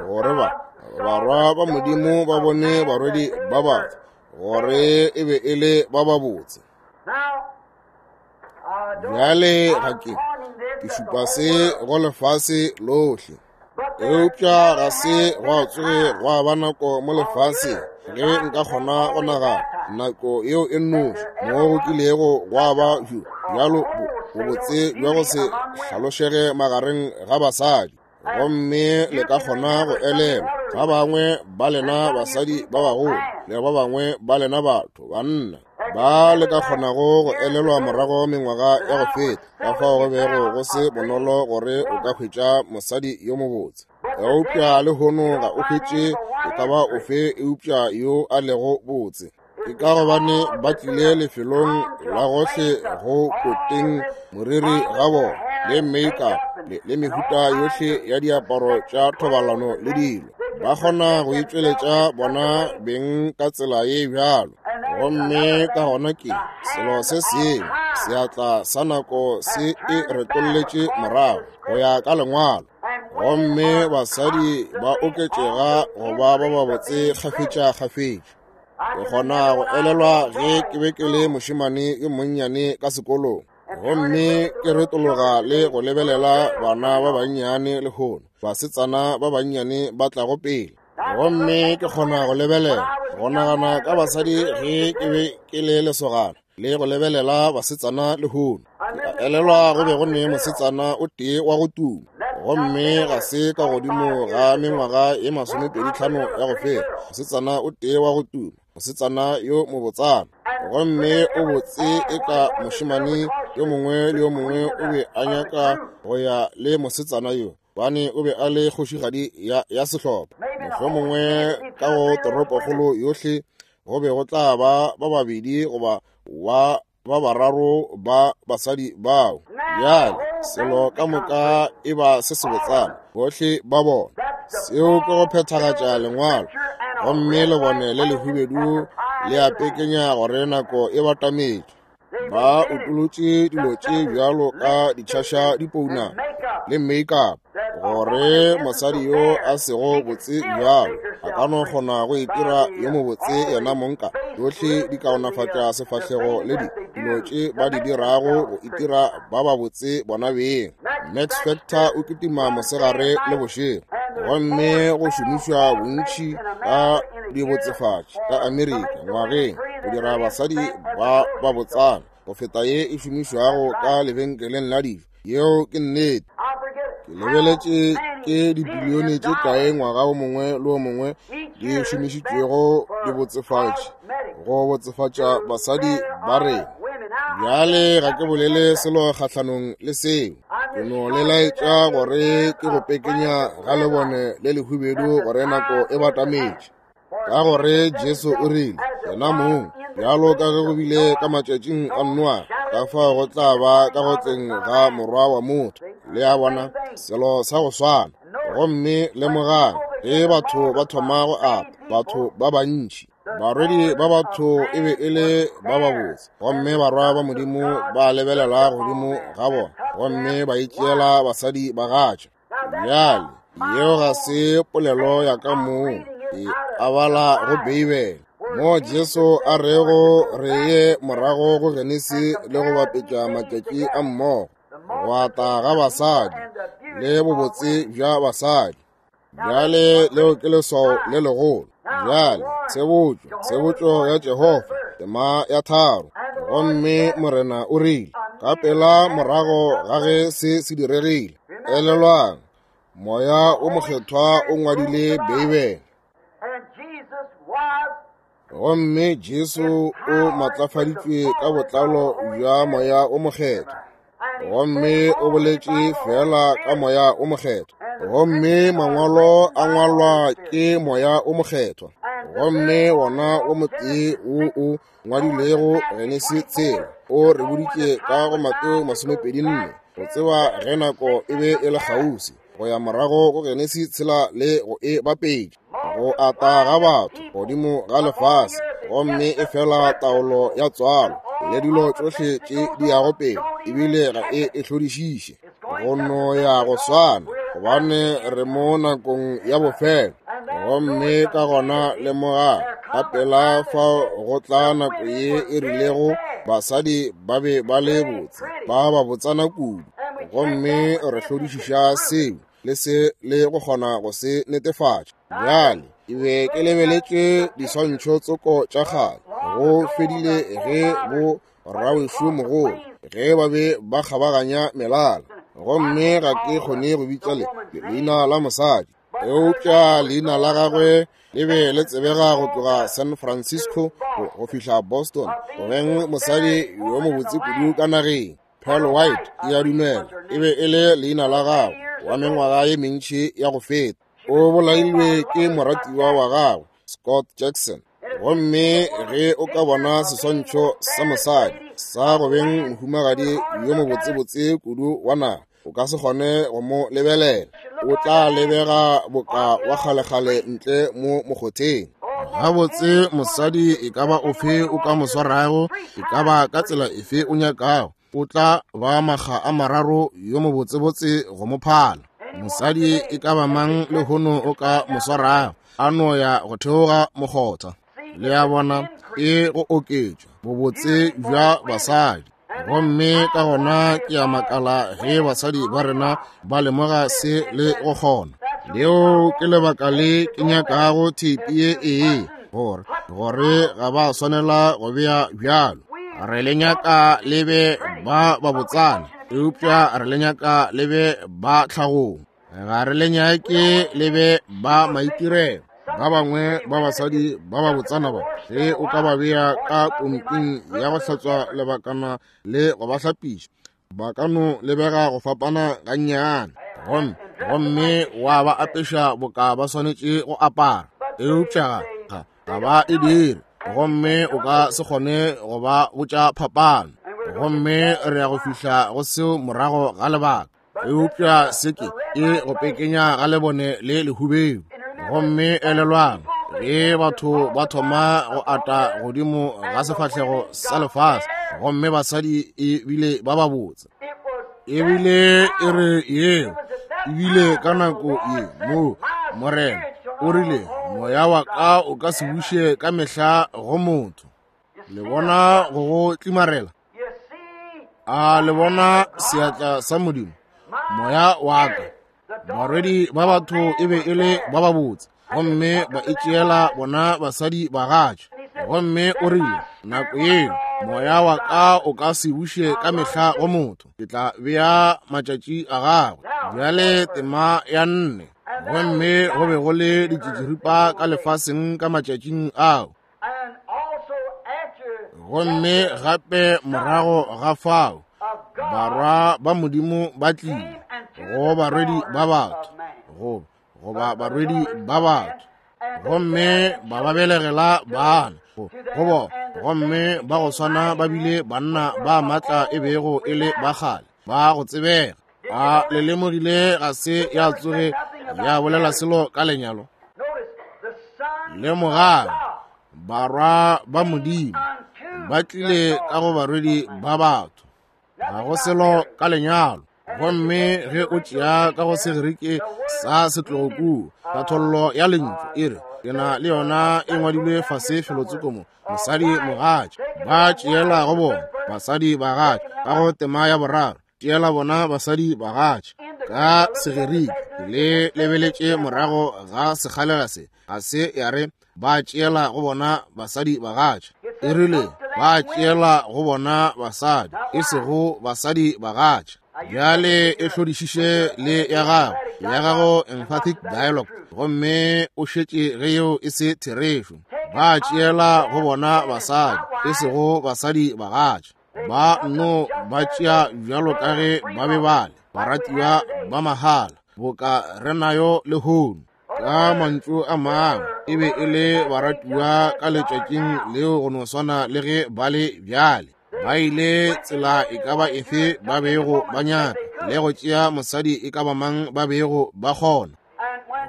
A: gore ba barwa ba Modimo ba bone barwedi ba batho gore e be e le ba babotse. Bjale ga ke šupa se go lefase lohle, eupša ga se gwa tsoge gwa ba nako mo lefaseng ge nka kgona go nagana nako yeo e nnoši mo go kilego gwa ba bjalo bobotse bja go se hlalošege magareng ga basadi. Gomme le ka kgona go elelwa ba bangwe ba lena basadi ba bagolo le ba bangwe ba lena batho banna ba le ka kgonago go elelwa morago mengwaga ya go feta, ka fao go bego go se bonolo gore o ka hwetša mosadi yo mobotse. Eupša lehono ga o hwetše e ka ba ofe eupša yo a lego botse. Ke ka gobane ba tlile lefelong la gohle go koteng moriri ga bona le makeup le mehuta yohle ya diaparo tša thobalano le dilo. Ba kgona go itšweletša bona beng ka tsela ye bjalo. Gomme ka gona ke selo se sengwe, seatla sa nako se e retolletše morago go ya ka lengwalo. Gomme basadi ba oketšega go ba ba babotse kgafetša-kgafetša. Ke kgona go elelwa ge ke be ke le mošemane yo monnyane ka sekolong, gomme ke retologa le go lebelela bana ba bannyane lehono, basetsana ba bannyane ba tlago pele. Gomme ke kgona go lebelela, go nagana ka basadi ge ke be ke le lesogana, le go lebelela basetsana lehono. Ke elelwa go be go ne mosetsana o tee wa go tuma, gomme ga se ka godimo ga mengwaga ye 25 ya go feta, mosetsana o tee wa go tuma, mosetsana yo mobotsana. Gomme o botse e ka mošemane yo mongwe le yo mongwe o be a nyaka go ya le mosetsana yo, bane o be a le kgošigadi ya sehlopha. Mohlomongwe ka go toropokgolo yohle go be go tla ba ba babedi goba wa ba bararo ba basadi bao. Bjale selo ka moka e ba se sebotsana bohle ba bona. Seo ke go phethagatša lengwalo, gomme lebone le lehubedu le a pekenya gore nako e batametše. Ba utolotše dilo tše bjalo ka ditšhaša dipouna le makeup, gore mosadi yo a sego botse bjalo a ka no kgona go itira yo mobotse yena mong ka tšohle di kaonafatša sefahlego le dilo tše ba di dirago go itira ba babotse bona beng. Max Factor o kitima mosegare le bošego, gomme go šomišwa bontši ka dibotsefatši ka Amerika ngwageng go dira basadi ba babotsana go feta ye e šomišwago ka lebenkeleng la dijo. Yeo ke nnete. Ke lebeletše ke dibilione tše kae ngwaga o mongwe le o mongwe di šomišitšwego dibotsefatši go botsefatša basadi ba rena. Bjale ga ke bolele selo kgahlanong le seo, ke no le laetša gore ke go pekenya ga lebone le lehubedu gore nako e batametše. Ka gore Jesu o rile, yena mong, bjalo ka ge go bile ka matšatšing a Noa, ka fao go tla ba ka go tleng ga Morwa wa motho. Le a bona, selo sa go swana. Gomme lemogang, ge batho ba thoma go ata, batho ba bantši, barwedi ba batho e be e le ba babotse, gomme barwa ba Modimo ba lebelela godimo ga bona, gomme ba itšeela basadi bagatša. Bjale, yeo ga se polelo ya ka mong, e a bala go Beibele, mo Jesu a rego re ye morago go Genesi le go bapetša matšatši a mmogo, go ata ga basadi le bobotse bja basadi. Bjale leo ke leswao le legolo. Bjale tshebotšo, tshebotšo ya Jehofa, tema ya tharo. Gomme Morena o rile, ka pela morago ga ge se se diregile, elelwang, Moya o Mokgethwa o ngwadile Beibele. Gomme Jesu o matlafaditšwe ka botlalo bja Moya o Mokgethwa. Gomme o boletše feela ka Moya o Mokgethwa. Gomme mangwalo a ngwalwa ke Moya o Mokgethwa. Gomme wona o motee wo o ngwadilego Genesi tshela o re boditše ka go Mateo 24 go tseba ge nako e be e le kgauswi go ya morago go Genesi tshela le go e bapetša go ata ga batho godimo ga lefase, gomme e fela taolo ya tswalo le dilo tšohle tše di yago pele, ebile ga e e hlodišiše go no ya go swana, gobane re mo nakong ya bofelo. Gomme ka gona lemoga ka pela fao go tla nako ye e rilego basadi ba be ba le botse, ba ba botsana kudu, gomme re hlodišiša seo le se le go kgona go se netefatša. Bjale ke be ke lebeletše diswantšho tsoko tša kgale, go fedile ge bo rawešu mogolo ge ba be ba kgabaganya melala, gomme ga ke kgone go bitša le leina la mosadi, eupša leina la gagwe le be le tsebega go tloga San Francisco go fihla Boston, go beng mosadi yo mobotse kudu ka nageng. Pearl White, ke a dumela e be e le leina la gagwe, wa mengwaga ye mentši ya go feta. O bolailwe ke moratiwa wa gagwe, Scott Jackson. Gomme ge o ka bona seswantšho sa mosadi sa go beng mohumagadi yo mobotsebotse kudu wa naga, o ka se kgone go mo lebelela. O tla lebega boka wa kgalekgale ntle mo mokgotheng. Gabotse, mosadi e ka ba ofe o ka mo swarago, e ka ba ka tsela efe o nyakago, o tla ba makga a mararo yo mobotsebotse go mo phala. Mosadi e ka ba mang lehono o ka mo swarago, a no ya go theoga mokgotha. Le a bona, e go oketšwa bobotse bja basadi. Gomme ka gona ke a makala ge basadi ba rena ba lemoga se le go kgona. Leo ke lebaka le ke nyakago theipi ye ee, gore, gore ga ba swanela go bea bjalo. Re le nyaka le be ba babotsana, eupša re le nyaka le be ba tlhagong. Ga re le nyake le be ba maitirelo. Ba bangwe ba basadi ba ba botsana ba, ge o ka ba bea ka pomping ya go hlatswa lebakana le go ba hlapiša, ba ka no lebega go fapana gannyane, gomme, gomme wa ba apeša boka ba swanetše go apara, eupša ga, ga ba e dire, gomme o ka se kgone go ba botša phapano. Gomme re ya go fihla go seo morago ga lebaka. Eupša se ke e go pekenya ga lebone le lehubedu. Gomme elelwang, ge batho ba thoma go ata godimo ga sefahlego sa lefase, gomme basadi e bile ba babotse, ebile e re yeo ebile ka nako ye mo Morena o rile, moya wa ka o ka se buše ka mehla go motho. Le bona go go tlimarela? A le bona seatla sa Modimo? Moya wa ka. Barwedi ba batho e be e le ba babotse, gomme ba itšeela bona basadi bagatša. Gomme o rile, nako yeo moya wa ka o ka se buše ka mehla go motho, ke tla bea matšatši a gagwe. Bjale tema ya nne. Gomme go be go le ditšitširipa ka lefaseng ka matšatšing ao. Gomme gape morago ga fao barwa ba Modimo ba tlile go barwedi ba batho, go goba barwedi ba batho, gomme ba ba belegela bana go bona, gomme ba go swana ba bile banna ba matla e bego e le ba kgale ba go tsebega. A le lemogile ga se ya tsoge ya bolela selo ka lenyalo? Lemogang, barwa ba Modimo ba tlile ka go barwedi ba batho, ga go selo ka lenyalo. Gomme ge o tšea ka go Segerike sa setlogo kua, tlhathollo ya lentšu e re, ke na le yona e ngwadilwe fase felotsoko mo, mosadi mogatša, ba tšeela go bona basadi bagatša, ka go tema ya boraro, tšeela bona basadi bagatša. Ka Segerike, le lebeletše morago ga sekgalela se, ga se ya re ba tšeela go bona basadi bagatša. E rile ba tšeela go bona basadi, e sego basadi bagatša. Bjale e hlodišiše le ya gago, ya gago emphatic dialogue, gomme o šetše ge yeo e se therešo. Ba tšeela go bona basadi, e sego basadi bagatša. Ba nno ba tšea bjalo ka ge ba be ba le, baratiwa ba mahala, boka re nayo lehono. Ka mantšu a mangwe, e be e le baratiwa ka letšatšing leo go no swana le ge ba le bjale. Ba ile tsela e ka ba efe ba bego ba nyaka, le go tšea mosadi e ka ba mang ba bego ba kgona.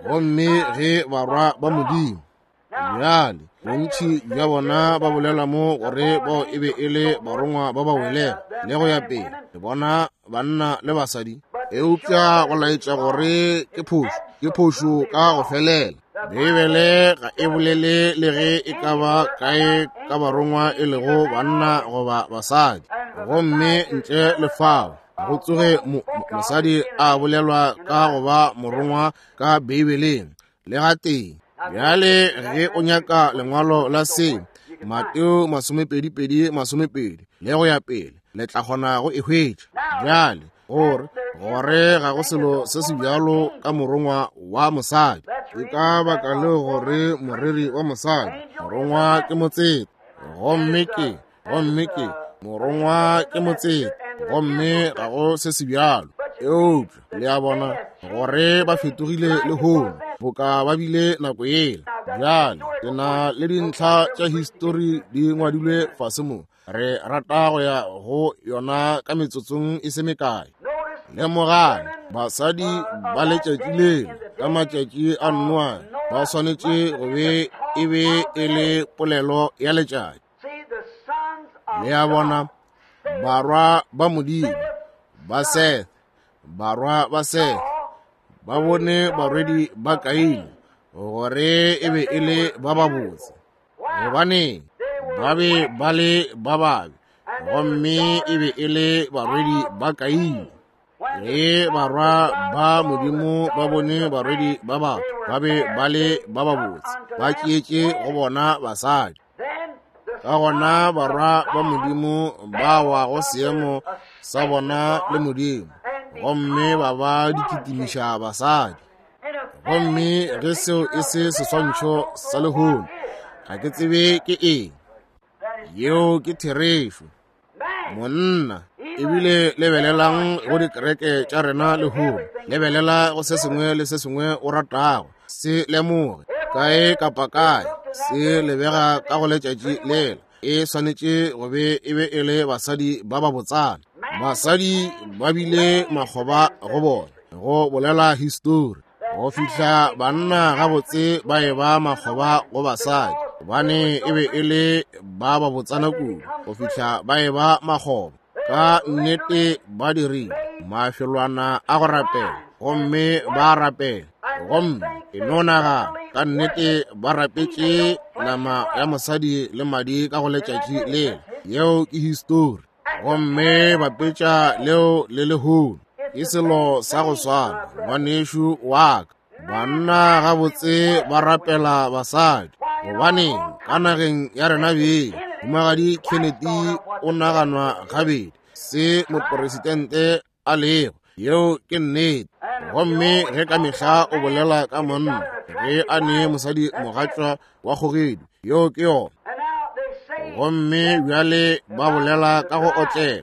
A: Gomme ge barwa ba Modimo, bjale bontši bja bona ba bolela mo gore bao e be e le barongwa ba ba welego le go ya pele, le bona banna le basadi, eupša go laetša gore ke phošo, ke phošo ka go felela. Beibele ga e bolele le ge e ka ba kae ka barongwa e lego banna goba basadi, gomme ntle le fao go tsoge mosadi a bolelwa ka go ba morongwa ka Beibeleng le gatee. Bjale ge o nyaka lengwalo la se, Mateo 22:20 le go ya pele, le tla kgona go e hwetša. Bjale gore gore ga go selo se se bjalo ka morongwa wa mosadi, ke ka baka leo gore moreri wa mosadi, morongwa ke motseta, gomme ke gomme ke morongwa ke motseta, gomme ga go se se bjalo. Eupša le a bona gore ba fetogile lehono boka ba bile nako yela. Bjale ke na le dintlha tša histori di ngwadilwe fase mo, re rata go ya go yona ka metsotsong e se mekae. Lemogang, basadi ba letšatši leo ka matšatši a Noa ba swanetše go be e be e le polelo ya letšatši. Le a bona, barwa ba Modimo ba Seth, barwa ba Seth ba bone barwedi ba Kaine gore e be e le ba babotse, gobaneng ba be ba le ba babe, gomme e be e le barwedi ba Kaine. Ge barwa ba Modimo ba bone barwedi ba batho ba be ba le ba babotse, ba tšeetše go bona basadi. Ka gona barwa ba Modimo ba wa go seemo sa bona le Modimo, gomme ba ba dikitimiša basadi. Gomme ge seo e se seswantšho sa lehono, ga ke tsebe ke eng. Yeo ke therešo. Monna, ebile lebelelang go dikereke tša rena lehono, lebelela go se sengwe le se sengwe o ratago se lemoge, kae kapa kae se lebega ka go letšatši lela, e swanetše go be e be e le basadi ba ba botsana. Basadi ba bile makgoba go bona, go bolela histori, go fihla banna gabotse ba e ba makgoba go basadi, gobane e be e le ba ba botsana kudu go fihla ba e ba makgoba. Ka nnete ba dirile mafelwana a go rapela, gomme ba rapela, gomme e no nagana, ka nnete ba rapetše nama ya mosadi le madi ka go letšatši lela. Yeo ke histori. Gomme bapetša leo le lehono, ke selo sa go swana, ngwanešu wa ka. Banna gabotse ba rapela basadi, gobaneng ka nageng ya rena beng, Mohumagadi Kennedy o naganwa gabedi se moporesidente a lego. Yeo ke nnete. Gomme ge ka mehla o bolela ka monna ge a nee mosadi mogatšwa wa kgogedi, yeo ke yona. Gomme bjale ba bolela ka go otlela,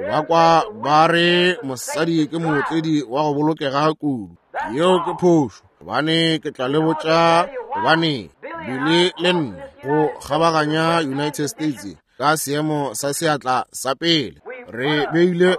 A: ba kwa ba re mosadi ke mootledi wa go bolokega kudu. Yeo ke phošo, gobane ke tla le botša gobane bile le nna go kgabaganya United States ka seemo sa seatla sa pele. Re beile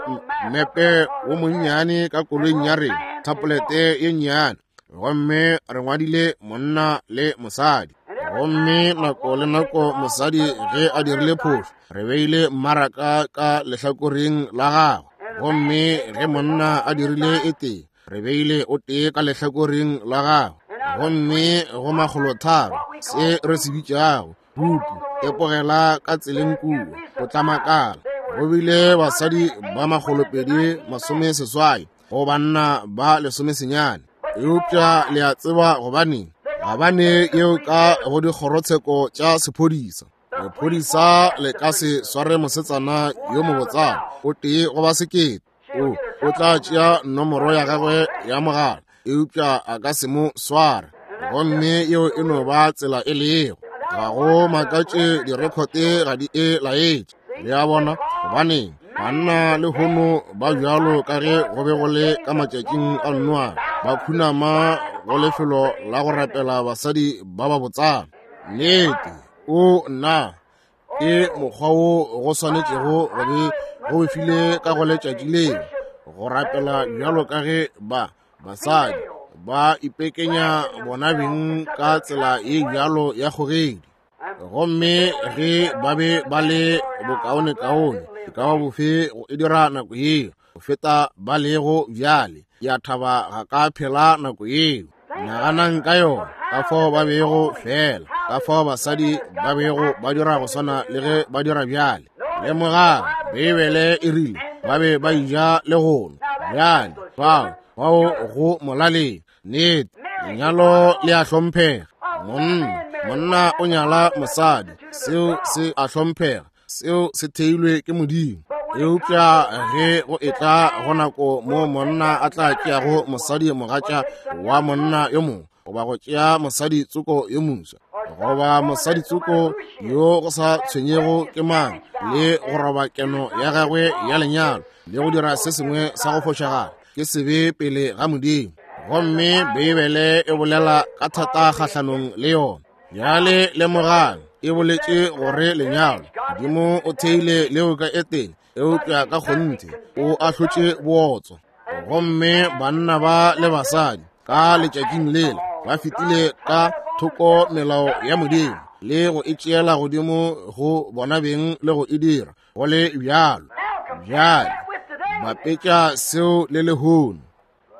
A: mmepe wo monnyane ka koloing ya rena, thapolete ye nnyane, gomme re ngwadile monna le mosadi. Gomme nako le nako mosadi ge a dirile phošo, re beile mmaraka ka lehlakoreng la gagwe. Gomme ge monna a dirile e tee, re beile o tee ka lehlakoreng la gagwe. Gomme go makgolotharo, se re se bitšago bupi, epogela ka tseleng kua, o tla makala. Go bile basadi ba 286, go banna ba lesomesenyane. Eupša le a tseba gobaneng? Gabane yeo ka go dikgorotsheko tša sephodisa. Lephodisa le ka se sware mosetsana yo mobotsana o tee goba sekete. O, o tla tšea nomoro ya gagwe ya mogala, eupša a ka se mo sware. Gomme yeo e no ba tsela e lego. Ga go makatše direkhote ga di e laetše. Le a bona? Gobaneng? Banna lehono ba bjalo ka ge go be go le ka matšatšing a Noa, ba khunama go lefelo la go rapela basadi ba ba botsana. Nnete, o nna, ke mokgwa wo go swanetšego go be go befile ka go letšatši leo, go rapela bjalo ka ge ba basadi ba ipekenya bona beng ka tsela ye bjalo ya kgogedi. Gomme ge ba be ba le bokaonekaone e ka ba bofe go e dira nako yeo go feta ba lego bjale, ke a thaba ga ka phela nako yeo. Naganang ka yona, ka fao ba bego fela, ka fao basadi ba bego ba dira go swana le ge ba dira bjale. Lemogang, Beibele e rile ba be ba ija le go nwa. Bjale fao, fao go molaleng. Nnete, lenyalo le a hlomphega. Monna, monna o nyala mosadi, seo se a hlomphega, seo se theilwe ke Modimo. Eupša ge go etla go nako mo monna a tla tšeago mosadi mogatša wa monna yo mongwe, goba go tšea mosadi tsoko yo moswa, goba mosadi tsoko yo go sa tshwenyego ke mang, le go roba keno ya gagwe ya lenyalo, le go dira se sengwe sa go fošagala, ke sebe pele ga Modimo. Gomme Beibele e bolela ka thata kgahlanong le yona. Bjale lemogang, e boletše gore lenyalo Modimo o theile leo ka Etene, eupša ka kgonthe o ahlotše bootswa. Gomme banna ba le basadi ka letšatšing lela ba fetile ka thoko melao ya Modimo le go e tšeela godimo go bona beng le go e dira go le bjalo. Bjale bapetša seo le lehono.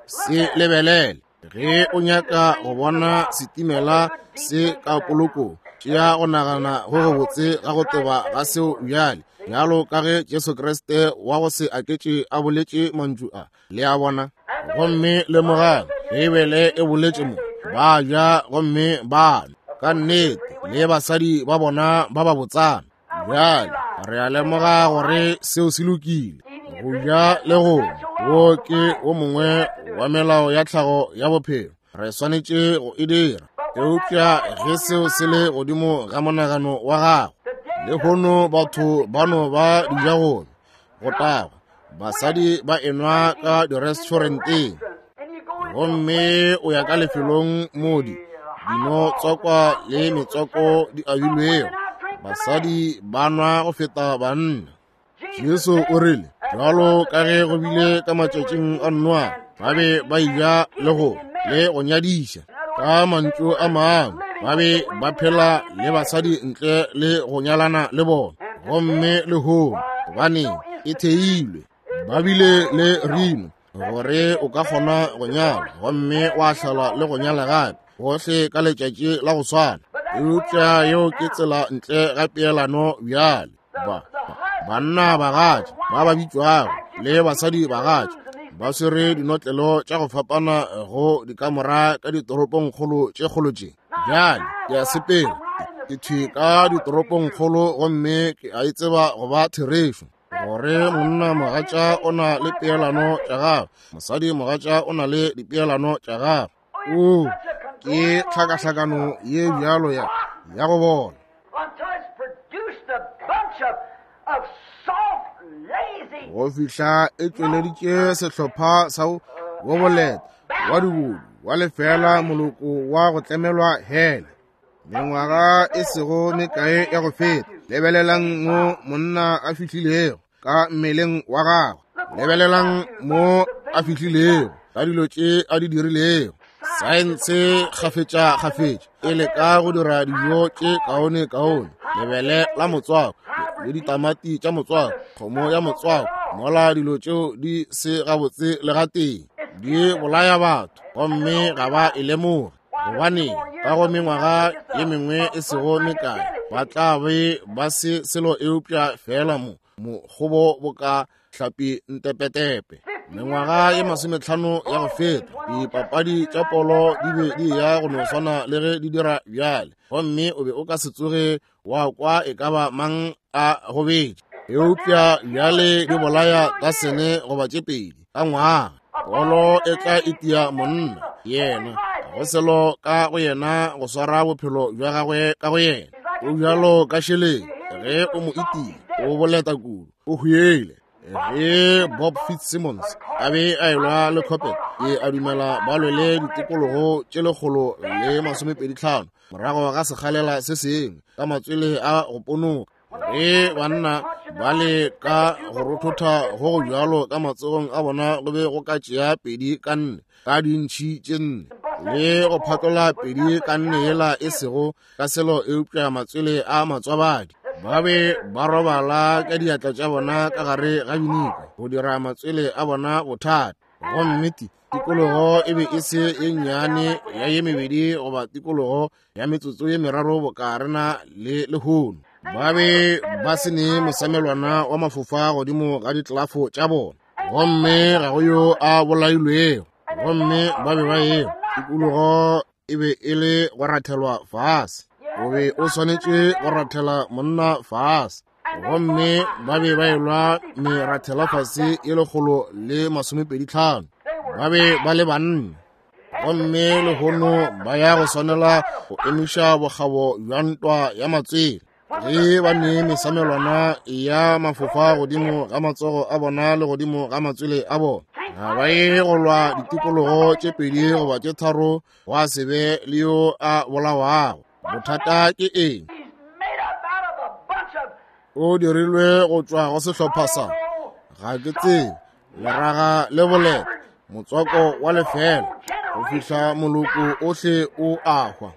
A: Se lebelele. Ge o nyaka go bona setimela se ka polokong, tšea go nagana go gobotse ga go teba ga seo bjale, bjalo ka ge Jesu Kriste wa go se aketše a boletše mantšu a. Le a bona? Gomme lemogang, Beibele e boletše mo, ba ja gomme ba nwa, ka nnete, le basadi ba bona ba ba botsana. Bjale re a lemoga gore seo se lokile, go ja le go nwa. Wo ke wo mongwe wa melao ya tlhago ya bophelo, re swanetše go e dira. Eupša ge seo se le godimo ga monagano wa gago, lehono batho ba no ba dijagong, go tagwa, basadi ba enwa ka direstauranteng, gomme o ya ka lefelong mo di dino tswakwa le metswako di abilwego, basadi ba nwa go feta banna. Jesu o rile, bjalo ka ge go bile ka matšatšing a Noa, ba be ba eja le go le go nyadiša. Ka mantšu a mangwe, ba be ba phela le basadi ntle le go nyalana le bona. Gomme lehono, gobaneng e theilwe, ba bile le rino gore o ka kgona go nyala gomme wa hlala le go nyala gape gohle ka letšatši la go swana. Eupša yeo ke tsela ntle ga peelano bjale. Ba, banna bagatša ba ba bitšwago le basadi bagatša ba swere dinotlelo tša go fapana go dikamora ka ditoropongkgolo tše kgolo tše. Bjale ke a sepela, ke thwi ka ditoropongkgolo, gomme ke a e tseba go ba therešo gore monna mogatša o na le peelano tša gagwe, mosadi mogatša o na le dipeelano tša gagwe. O, ke tlhakahlakano ye bjalo ya, ya go bola. Go fihla e tšweleditše sehlopha sa wo boleta wa dibodu wa lefela moloko wa go tlemelwa hele. Mengwaga e sego mekae ya go feta, lebelelang mo monna a fihlilego ka mmeleng wa gagwe, lebelelang mo a fihlilego ka dilo tše a di dirilego. Saense kgafetša-kgafetša e leka go dira dijo tše kaone-kaone, lebele la motswako le ditamati tša motswako, kgomo ya motswako, mola dilo tšeo di se gabotse le gatee, di bolaya batho gomme ga ba e lemoge. Gobane ka go mengwaga ye mengwe e sego mekae ba tla be ba se selo eupša feela mo mokgobo boka hlapi ntepetepe. Mengwaga ye 50 ya go feta, dipapadi tša polo di be di ya go no swana le ge di dira bjale, gomme o be o ka se tsoge wa kwa e ka ba mang a gobetše. Eupša bjale di bolaya tasene goba tše pedi ka ngwaga. Polo e tla itia monna, yena ga go selo ka go yena go swara bophelo bja gagwe ka go yena. O bjalo ka šeleng, ge o mo itia, o boleta kudu, o hwele. Ge Bob Fitzsimmons a be a elwa le Coppet, ke a dumela ba lwele ditikologo tše 125 morago ga sekgalela se sengwe ka matswele a go ponoka. Ge banna ba le ka go rothotha go go bjalo ka matsogong a bona go be go ka tšea 2 ka 4 ka dintšhi tše 4 le go phatlola 2 ka 4 yela e sego ka selo eupša matswele a matswabadi. Ba be ba robala ka diatla tša bona ka gare ga binika go dira matswele a bona bothata. Gomme tikologo e be e se ye nnyane ya ye mebedi goba tikologo ya metsotso ye meraro boka rena le lehono. Ba be ba se ne mosamelwana wa mafofa godimo ga ditlelafo tša bona, gomme ga go yo a bolailwego. Gomme ba be ba ewa tikologo e be e le go rathelwa fase. O be o swanetše go rathela monna fase, gomme ba be ba elwa merathela fase ye 125. Ba be ba le banna, gomme lehono ba ya go swanela go emiša bokgabo bja ntwa ya matswele. Ge ba ne mesamelwana ya mafofa godimo ga matsogo a bona le godimo ga matswele a bona, ga ba ye go lwa ditikologo tše 2 goba tše 3 gwa se be le yo a bolawago. Bothata ke eng? O dirilwe go tšwa go sehlopha sa, ga ke tsebe, leraga le boleta, motswako wa lefela, go fihla moloko ohle o a hwa.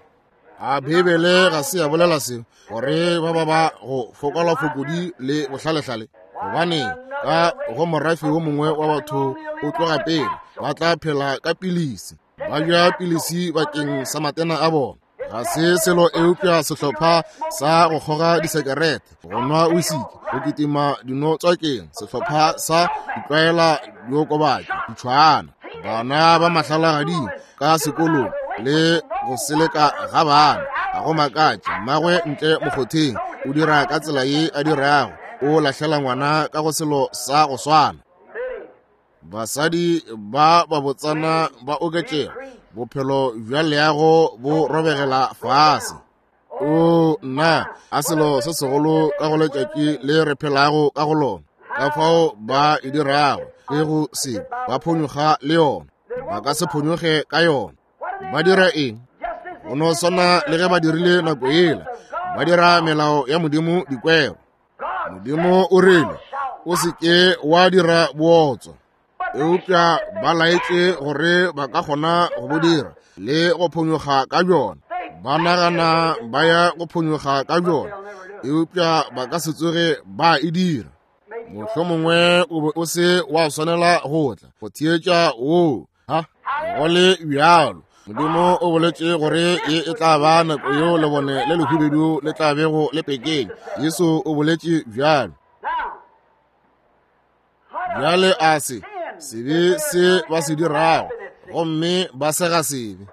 A: A Beibele ga se ya bolela seo, gore ba ba ba go fokola fokodi le bohlalehlale? Gobane ka go morafe wo mongwe wa batho o tloga pele, ba tla phela ka pilisi, ba ja pilisi bakeng sa matena a bona. Ga se selo eupša sehlopha sa go kgoga disekerete, go nwa wisiki, go kitima dinotswakeng, sehlopha sa ditlwaela diokobatši, ditšhwana, bana ba mahlalagading ka sekolong le go seleka ga bana. Ga go makatše mmagwe ntle mokgotheng o dira ka tsela ye a dirago, o lahlela ngwana ka go selo sa go swana. Basadi ba babotsana ba oketšega, bophelo bja leago bo robegela fase. O nna, a selo se segolo ka go letšatši le re phelago ka go lona, ka fao ba e dirago ke go se ba phonyokga le yona, ba ka se phonyokge ka yona. Ba dira eng? Go no swana le ge ba dirile nako yela, ba dira melao ya Modimo dikwero. Modimo o rile, o se ke wa dira bootswa, eupša ba laetše gore ba ka kgona go bo dira le go phonyokga ka bjona. Ba nagana ba ya go phonyokga ka bjona, eupša ba ka se tsoge ba e dira. Mohlomongwe o be o se wa swanela go tla go theetša woo. Ha go le bjalo, Modimo o boletše gore ye e tla ba nako yeo lebone le lehubedu le tla bego le pekeng. Jesu o boletše bjalo. Bjale a se sebe se ba se dirago, gomme ba sega sebe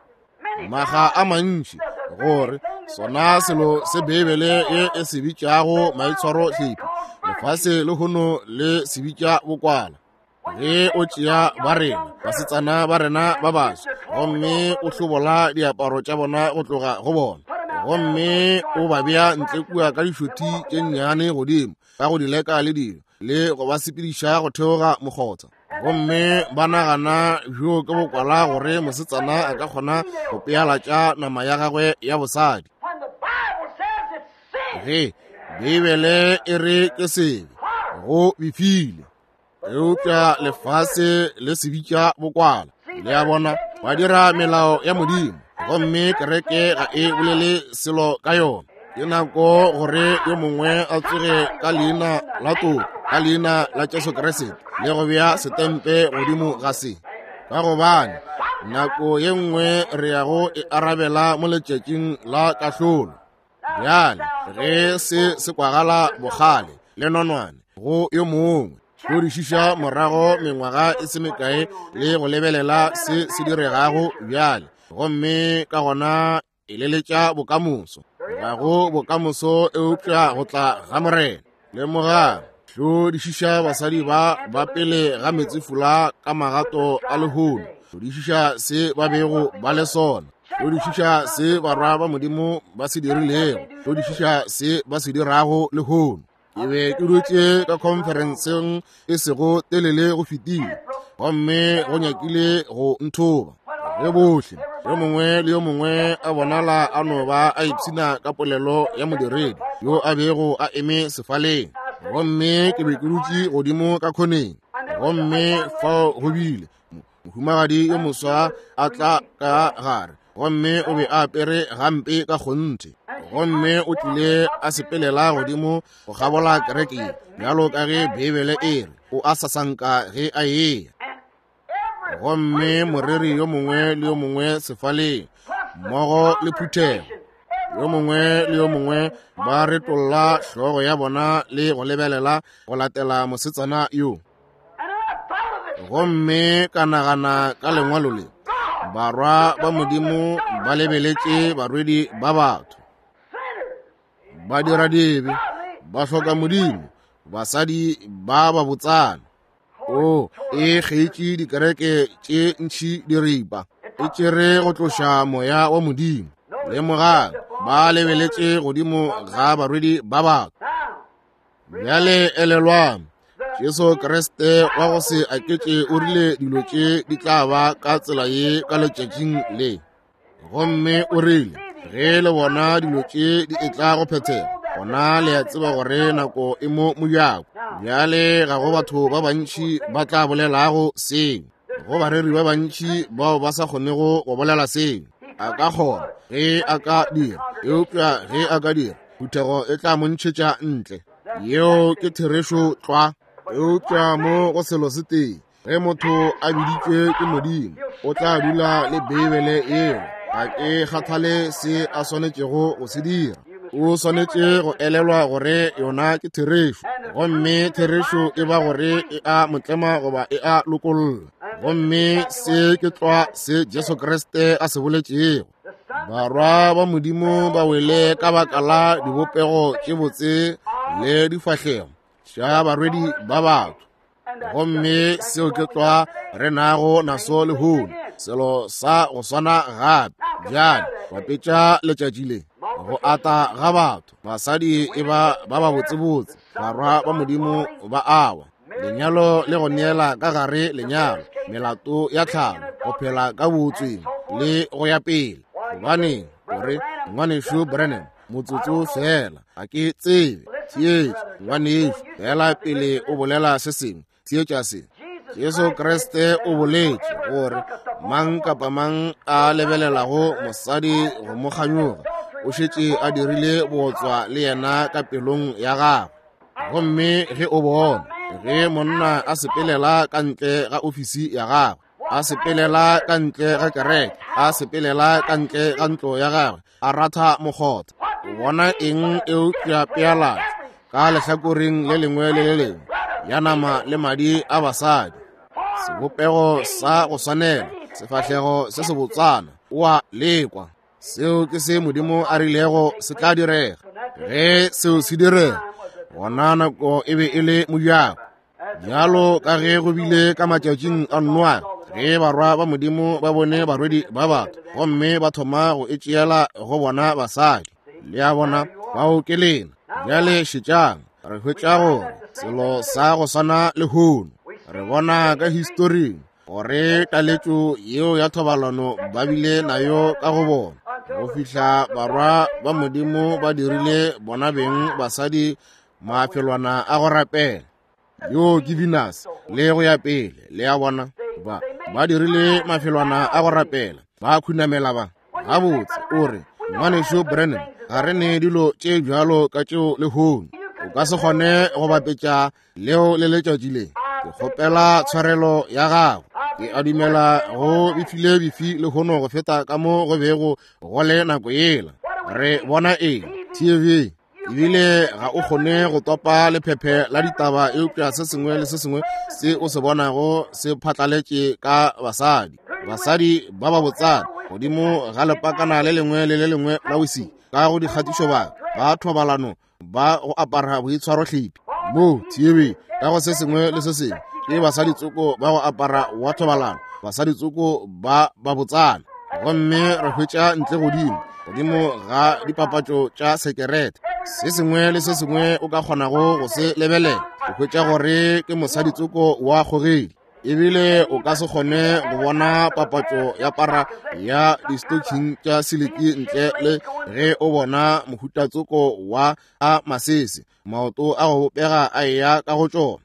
A: maga a mantši, gore sona selo se Beibele ye e se bitšago maitshwaro hlephi, lefase lehono le se bitša bokwala. Ge o tšea ba rena, basetsana ba rena ba baswa, gomme o hlobola diaparo tša bona go tloga go bona, gomme o ba bea ntle kua ka dišothi tše nnyane godimo ka go di leka le dilo, le go ba sepediša go theoga mokgotha, gomme ba nagana bjo ke bokwala gore mosetsana a ka kgona go pealatša nama ya gagwe ya bosadi. Ge Beibele e re ke sebe, go befile, eupša lefase le se bitša bokwala. Le a bona, ba dira melao ya Modimo, gomme kereke ga e bolele selo ka yona. Ke nako gore yo mongwe a tsoge ka leina la toko, ka leina la Jesu Kriste, le go bea setempe godimo ga se, ka gobane nako ye nngwe re yago e arabela mo letšatšing la kahlolo. Bjale ge se se kwagala bogale le nonwane go yo mongwe. Hlodišiša morago mengwaga e se mekae le go lebelela se se diregago bjale, gomme ka gona eleletša bokamoso. Ga go bokamoso eupša go tla ga Morena. Lemogang, hlodišiša basadi ba ba pele ga metsefula ka magato a lehono. Hlodišiša se ba bego ba le sona. Hlodišiša se barwa ba Modimo ba se dirilego. Hlodišiša se ba se dirago lehono. Ke be ke dutše ka khonferenseng e sego telele go fetile, gomme go nyakile go nthoba. Ge bohle, yo mongwe le yo mongwe a bonala a no ba a ipshina ka polelo ya modiredi yo a bego a eme sefaleng, gomme ke be ke dutše godimo ka khoneng, gomme fao go bile mohumagadi yo moswa a tla ka gare, gomme o be a apere gampe ka kgonthe, gomme o tlile a sepelela godimo go kgabola kereke ye, bjalo ka ge Beibele e re o a sasanka ge a eya. Gomme moreri yo mongwe le yo mongwe sefaleng mmogo le phuthego, yo mongwe le yo mongwe ba retolla hlogo ya bona le go lebelela go latela mosetsana yo. Gomme ka nagana ka lengwalo le, barwa ba Modimo ba lebeletše barwedi ba batho, ba dira dibe, ba hloka Modimo, basadi ba ba botsana. O e kgeitše dikereke tše ntši diripa, e tšere go tloša moya wa Modimo. Lemogang, ba lebeletše godimo ga barwedi ba batho. Bjale elelwang, Jesu Kriste wa go se aketše o rile dilo tše di tla ba ka tsela ye ka letšatšing le. Gomme o rile, ge le bona dilo tše di etla go phethega, gona le a tseba gore nako e mo mojako. Bjale ga go batho ba bantši ba tla bolelago seo. Go bareri ba bantši bao ba sa kgonego go bolela seo. A ka kgona ge a ka dira, eupša ge a ka dira, phuthego e tla mo ntšhetša ntle. Yeo ke therešo tlwa. Eupša mo go selo se tee, ge motho a biditšwe ke Modimo, o tla dula le Beibele yeo. Ga ke kgathale se a swanetšego go se dira, o swanetše go elelwa gore yona ke therešo, gomme therešo e ba gore e a motlema goba e a lokolla. Gomme se ke tlwa se Jesu Kriste a se boletšego. Barwa ba Modimo ba wele ka baka la dibopego tše botse le difahlego tša barwedi ba batho. Gomme seo ke tlwa re nago naso lehono, selo sa go swana gape. Bjale bapetša letšatši le go ata ga batho, basadi e ba ba ba botsebotse, barwa ba Modimo ba awa. Lenyalo le go neela ka gare lenyalo, melato ya tlhalo, go phela ka bootsweng le go ya pele. Gobaneng o re, Ngwanešu Branham, motsotso fela, ga ke tsebe. Theetša, ngwanešu, fela pele o bolela se sengwe, theetša se. Jesu Kriste o boletše gore mang kapa mang a lebelelago mosadi go mo kganyoga, o šetše a dirile bootswa le yena ka pelong ya gagwe. Gomme ge o bona ge monna a sepelela ka ntle ga ofisi ya gagwe, a sepelela ka ntle ga kereke, a sepelela ka ntle ga ntlo ya gagwe, a ratha mokgotha, o bona eng eupša pealatšo ka lehlakoreng le lengwe le le lengwe ya nama le madi a basadi, sebopego sa go swanela, sefahlego se sebotsana, o a lekwa. Seo ke se Modimo a rilego se tla direga. Ge seo se direga, gona nako e be e le mojako. Bjalo ka ge go bile ka matšatšing a Noa, ge barwa ba Modimo ba bone barwedi ba batho, gomme ba thoma go e tšeela go bona basadi. Le a bona, bao ke lena. Bjale šetšang, re hwetša gore selo sa go swana lehono, re bona ka historing gore taletšo yeo ya thobalano ba bile nayo ka go bona, go fihla barwa ba Modimo ba dirile bona beng basadi mafelwana a go rapela. Yo ke Venus le go ya pele, le a bona, ba dirile mafelwana a go rapela, ba khunamela ba. Gabotse, o re, Ngwanešu Branham, ga re ne dilo tše bjalo ka tšeo lehono. O ka se kgone go bapetša leo le letšatši le. Ke kgopela tshwarelo ya gago. Ke a dumela go befile bifi lehono go feta ka mo go bego go le nako yela. Re bona eng? TV. Ebile ga o kgone go topa lephephe la ditaba, eupša se sengwe le se sengwe se o se bonago se phatlaletše ka basadi. Basadi ba ba botsana godimo ga lepakana le lengwe le le lengwe la wisi, ka go dikgatišobaka, ba thobalano, ba go apara boitshwarohlephi mo TV, ka go se sengwe le se sengwe ke basadi tsoko ba go apara wa thobalano, basadi tsoko ba ba botsana. Gomme re hwetša ntle godimo godimo ga dipapatšo tša sekerete, se sengwe le se sengwe o ka kgonago go se lebelela, o hwetša gore ke mosadi tsoko wa kgogedi. Ebile o ka se kgone go bona papatšo ya para ya di-stocking tša siliki ntle le ge o bona mohutatsoko wa a masese, maoto a go bopega a eya ka go tšona.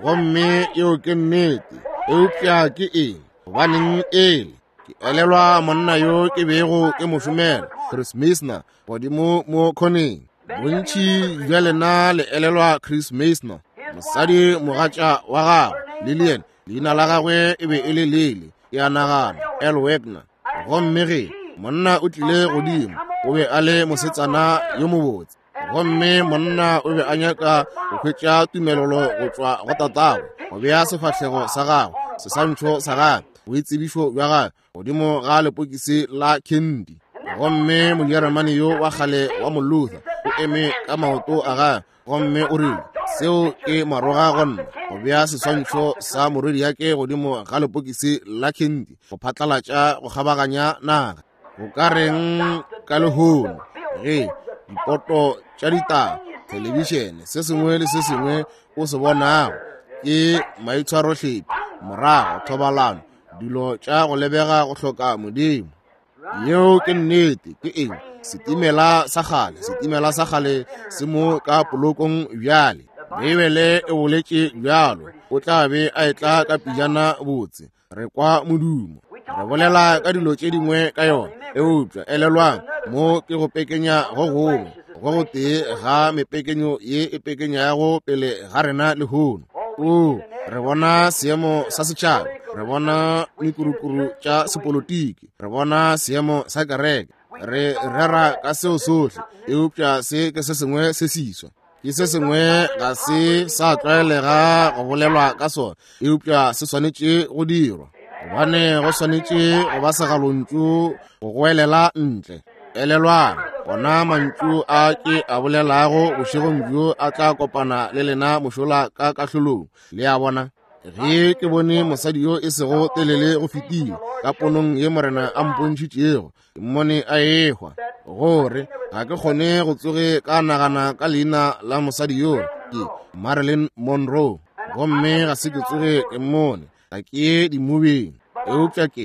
A: Gomme yeo ke nnete. Eupša ke eng? Gobaneng ele? Ke elelwa monna yo ke bego ke mo šomela, Chris Meisner, godimo mo khoneng. Bontši bja lena le elelwa Chris Meisner, mosadi mogatša wa gagwe Lillian, leina la gagwe e be e le Lily, ke a nagana, L. Wagner. Gomme ge monna o tlile godimo, o be a le mosetsana yo mobotse, gomme monna o be a nyaka go hwetša tumelelo go tšwa go tatagwe go bea sefahlego sa gagwe, seswantšho sa gagwe, boitsebišo bja gagwe godimo ga lepokisi la candy. Gomme Mojeremane yo wa kgale wa Moluther o eme ka maoto a gagwe gomme o rile, seo ke maroga go nna go bea seswantšho sa morwedi yake godimo ga lepokisi la candy go phatlalatša go kgabaganya naga. Go ka reng ka lehono ge dipoto tša ditaba, thelebišene, se sengwe le se sengwe o se bonago ke maitshwarohlephi, morago thobalano, dilo tša go lebega go hloka Modimo. Yeo ke nnete. Ke eng? Setimela sa kgale, setimela sa kgale se mo ka polokong bjale. Beibele e boletše bjalo, o tla be a etla ka pejana botse. Re kwa modumo, re bolela ka dilo tše dingwe ka yona, eupša elelwang, mo ke go pekenya go gongwe go go tee ga mepekenyo ye e pekenyago pele ga rena lehono. O, re bona seemo sa setšhaba, re bona mekurukuru tša sepolotiki, re bona seemo sa kereke, re rera ka seo sohle, eupša se ke se sengwe se siswa. Ke se sengwe ga se sa tlwaelega go bolelwa ka sona, eupša se swanetše go dirwa, gobane go swanetše go ba segalontšu go goelela ntle. Elelwang, ona mantšu a ke a bolelago bošegong bjo a tla kopana le lena mošola ka kahlolong. Le a bona? Ge ke bone mosadi yo e sego telele go fetile ka ponong ye Morena a mpontšhitšego, ke mmone a ehwa, gore ga ke kgone go tsoge ka nagana ka leina la mosadi yo, ke Marilyn Monroe, gomme ga se ke tsoge ke mmone, ga ke ye dimobeng, eupša ke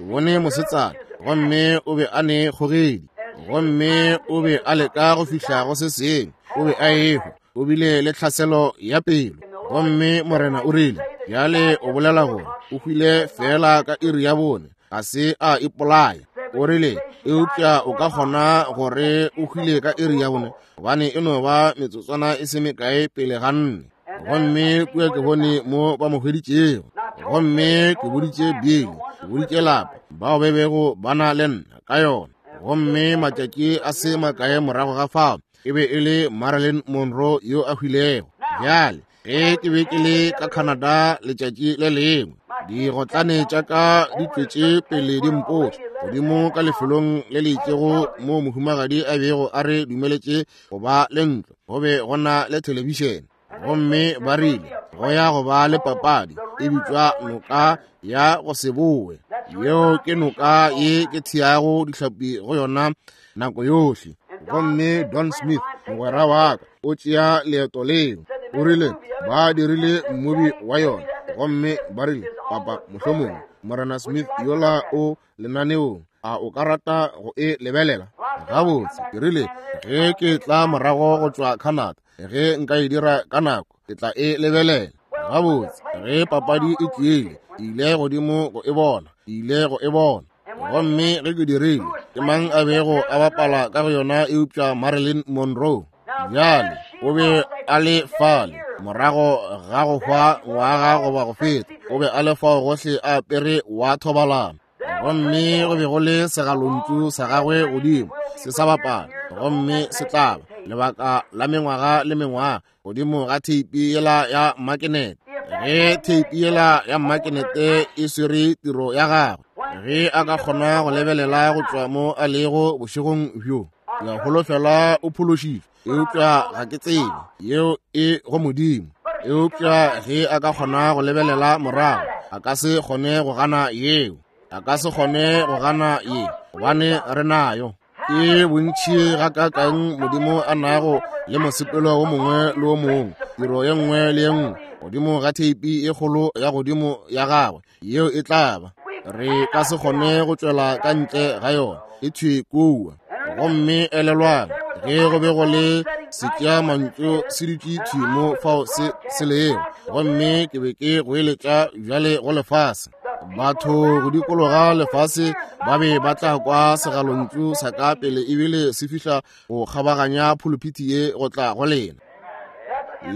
A: bone mosetsana, gomme o be a ne kgogedi, gomme o be a leka go fihla go se sengwe, o be a ehwa, o bile le tlhaselo ya pelo. Gomme Morena o rile, bjale o bolela gore o hwile feela ka iri ya 4, ga se a ipolaya. O rile, eupša o ka kgona gore o hwile ka iri ya 4, gobane e no ba metsotswana e se mekae pele ga 4. Gomme kua ke bone mo ba mo hweditšego. Gomme ke boditše Billy, ke boditše lapa bao ba bego ba na le nna ka yona. Gomme matšatši a se makae morago ga fao, e be e le Marilyn Monroe yo a hwilego. Bjale, ge ke be ke le ka Canada letšatši le lengwe, digotlane tša ka di tšwetše pele di mpotša godimo ka lefelong le le itšego mo mohumagadi a bego a re dumeletše go ba le ntlo, go be go na le thelebišene. Gomme ba rile go ya go ba le papadi e bitšwa noka ya go se bowe. Yeo ke noka ye ke theago dihlapi go yona nako yohle. Gomme Don Smith, mogwera wa ka, o tšea leeto leo. O rile ba dirile mmobi wa yona, gomme ba rile, papa, mohlomongwe Morena Smith yola o lenaneong, a o ka rata go e lebelela? Gabotse, ke rile, ge ke tla morago go tšwa Canada, ge nka e dira ka nako, ke tla e lebelela. Gabotse, ge papadi e tliile, ke ile godimo go e bona, ke ile go e bona. Gomme ge ke dirile, ke mang a bego a bapala ka go yona eupša Marilyn Monroe? Bjale, o be a le fale morago ga go hwa ngwaga goba go feta, o be a le fao gohle a apere wa thobalano. Gomme go be go le segalontšu sa gagwe godimo se sa bapala, gomme se tlaba. lebaka la mengwaga le mengwaga godimo ga theipi yela ya makenete. Ge theipi yela ya makenete e swere tiro ya gagwe, ge a ka kgona go lebelela go tšwa mo a lego bošegong bjo, ke a holofela o phološitšwe, eupša ga ke tsebe, yeo e go Modimo. Eupša ge a ka kgona go lebelela morago, a ka se kgone go gana yeo, a ka se kgone go gana ye, gobane re nayo. Ke bontši gakaakang Modimo a nago le mosepelo wo mongwe le wo mongwe, tiro ye nngwe le ye nngwe godimo ga theipi e kgolo ya godimo ya gagwe, yeo e tla ba. Re ka se kgone go tšwela ka ntle ga yona, e thwi kua. Gomme elelwang, ge go be go le setšea mantšu se dutše thwi mo fao se se lego, gomme ke be ke goeletša bjale go lefase. Batho go dikologa lefase ba be ba tla kwa segalontšu sa ka pele ebile se fihla go kgabaganya phuluphithi ye go tla go lena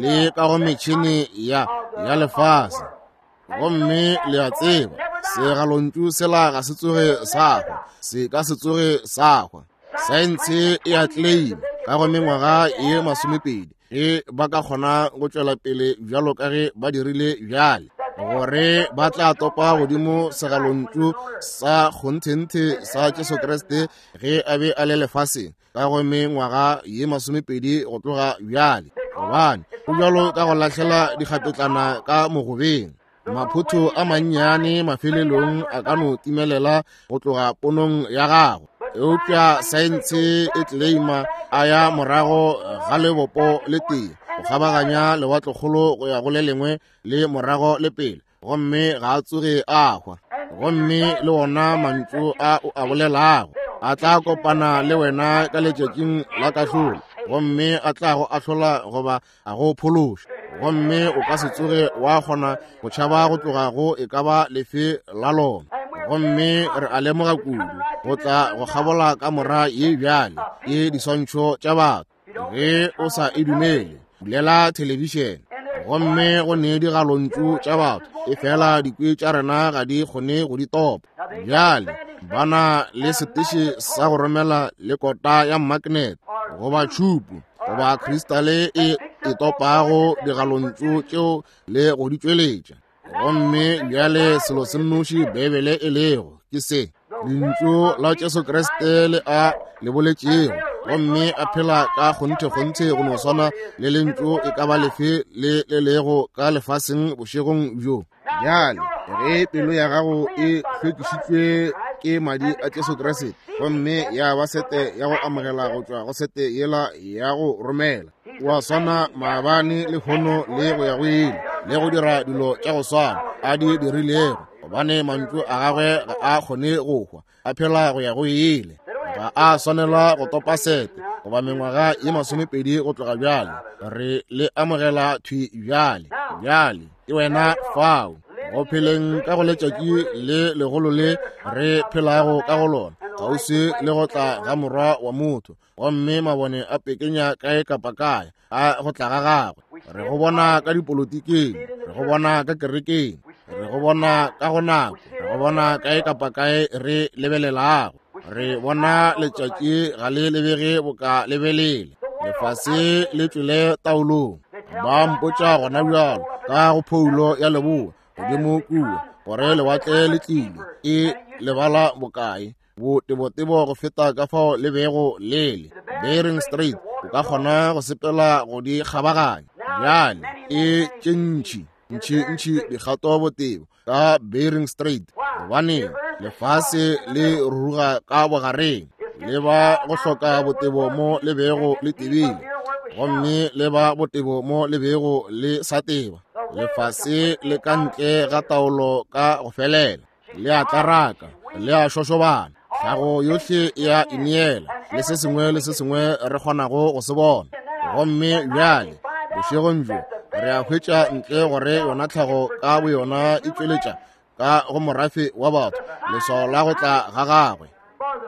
A: le ka go metšhene ya ya lefase. Gomme le a tseba, segalontšu sela ga se tsoge sa hwa, se ka se tsoge sa hwa. Saense e a claim ka go mengwaga ye 20 ge ba ka kgona go tšwela pele bjalo ka ge ba dirile bjale, gore ba tla topa godimo segalontšu sa kgonthenthe sa Jesu Kriste ge a be a le lefaseng ka go mengwaga ye 20 go tloga bjale, gobane go bjalo ka go lahlela dikgapetlana ka mogobeng. Maphotho a mannyane mafelelong a ka no timelela go tloga ponong ya gago, eupša saense e claima a ya morago ga lebopo le tee go kgabaganya lewatlekgolo go ya go le lengwe le morago le pele, gomme ga a tsoge a hwa. Gomme le wona mantšu a o a bolelago a tla kopana le wena ka letšatšing la kahlolo, gomme a tla go ahlola goba a go phološa, gomme o ka se tsoge wa kgona go tšhaba go tloga go e ka ba lefe la lona. Gomme re a lemoga kudu go tla go kgabola kamora ye bjale ke diswantšho tša batho. Ge o sa e dumele, bulela thelebišene, gomme go ne digalontšu tša batho, efela dikwe tša rena ga di kgone go di topa. Bjale ba na le seteše sa go romela le kota ya magnet goba tšhupu goba kristale e e topago digalontšu tšeo le go di tšweletša. Gomme bjale selo se nnoši Beibele e lego ke se, lentšu la Jesu Kriste le a le boletšego, gomme a phela ka kgonthe-kgonthe go no swana le lentšu e ka ba lefe le le lego ka lefaseng bošegong bjo. Bjale ge pelo ya gago e hlwekišitšwe ke madi a Jesu Kriste, gomme ya ba sete ya go amogela go tšwa go sete yela ya go romela, wa swana maabane lehono le go ya go ile, le go dira dilo tša go swana a di dirilego, gobane mantšu a gagwe ga a kgone go hwa, a phela go ya go ile. Ga a swanelwa go topa sete goba mengwaga ye 20 go tloga bjale. Re le amogela thwi bjale. Bjale ke wena fao go pheleng ka go letšatši le legolo le re phelago ka go lona, kgauswi le go tla ga Morwa wa motho, gomme mabone a pekenya kae kapa kae a go tla ga gagwe. Re go bona ka dipolotikeng, re go bona ka kerekeng, re go bona ka go nako, re go bona kae kapa kae re lebelelago. Re bona letšatši ga le lebege boka lebelele, lefase le tšwele taolong. Ba mpotša gona bjalo ka go phoulo ya leboa godimo kua gore lewatle le tlile e lebala bokae botebotebo go feta ka fao le bego le le. Bering Strait o ka kgona go sepela go di kgabaganya. Bjale e tše ntši ntši ntši dikgato botebo ka Bering Strait, gobane lefase le ruruga ka bogareng, le ba go hloka botebo mo le bego le tebile, gomme le ba botebo mo le bego le sa teba. Lefase le ka ntle ga taolo ka go felela, le a tlaraka, le a šošobana, tlhago yohle ya ineela, le se sengwe le se sengwe re kgonago go se bona. Gomme bjale bošegong bjo re a hwetša ntle gore yona tlhago ka boyona e tšweletša ka go morafe wa batho leswao la go tla ga gagwe,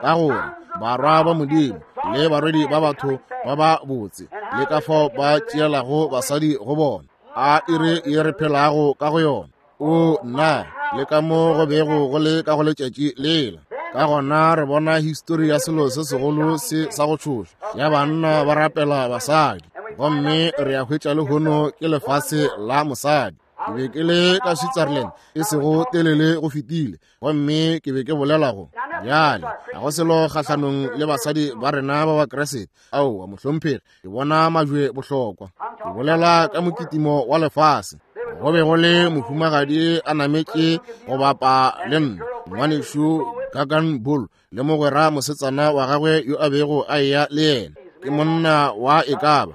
A: ka gore barwa ba Modimo le barwedi ba batho ba ba botse le ka fao ba tšeelago basadi go bona, a iri ye re phelago ka go yona. O nna, le ka mo go bego go le ka go letšatši lela. Ka gona re bona histori ya selo se segolo se sa go tšhoša ya banna ba rapela basadi, gomme re a hwetša lehono ke lefase la mosadi. Ke be ke le ka Switzerland e sego telele go fetile, gomme ke be ke bolela go bjale ga go selo kgahlanong le basadi ba rena ba Bakriste. Aowa, mohlomphegi, ke bona majwe bohlokwa. Ke bolela ka mokitimo wa lefase. Go be go le mohumagadi a nametše go bapa le nna, ngwanešu Gagan Bull, le mogwera mosetsana wa gagwe yo a bego a eya le yena. Ke monna wa e ka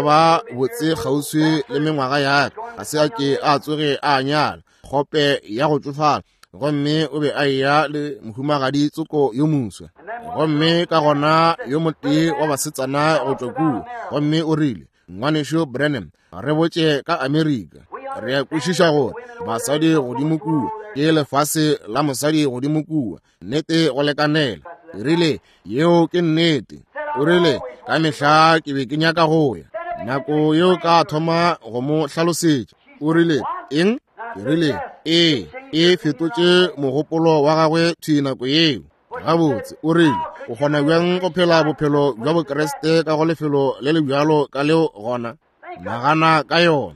A: ba botse kgauswi le mengwaga ya ka, ga se a ke a tsoge a nyala, kgope ya go tšofala, gomme o be a eya le mohumagadi tsoko yo moswa. Gomme ka gona yo motee wa basetsana go tšwa kua, gomme o rile, Ngwanešu Branham, re botše ka Amerika. Re a kwešiša gore basadi godimo kua ke lefase la mosadi godimo kua, nnete go lekanela. Ke rile, yeo ke nnete. O rile, ka mehla ke be ke nyaka go ya. Nako yeo ka thoma go mo hlalosetša. O rile, eng? Ke rile, ee, e fetotše mogopolo wa gagwe thwi nako yeo. Gabotse, o rile, o kgona bjang go phela bophelo bja Bokriste ka go lefelo le le bjalo ka leo gona? Nagana ka yona.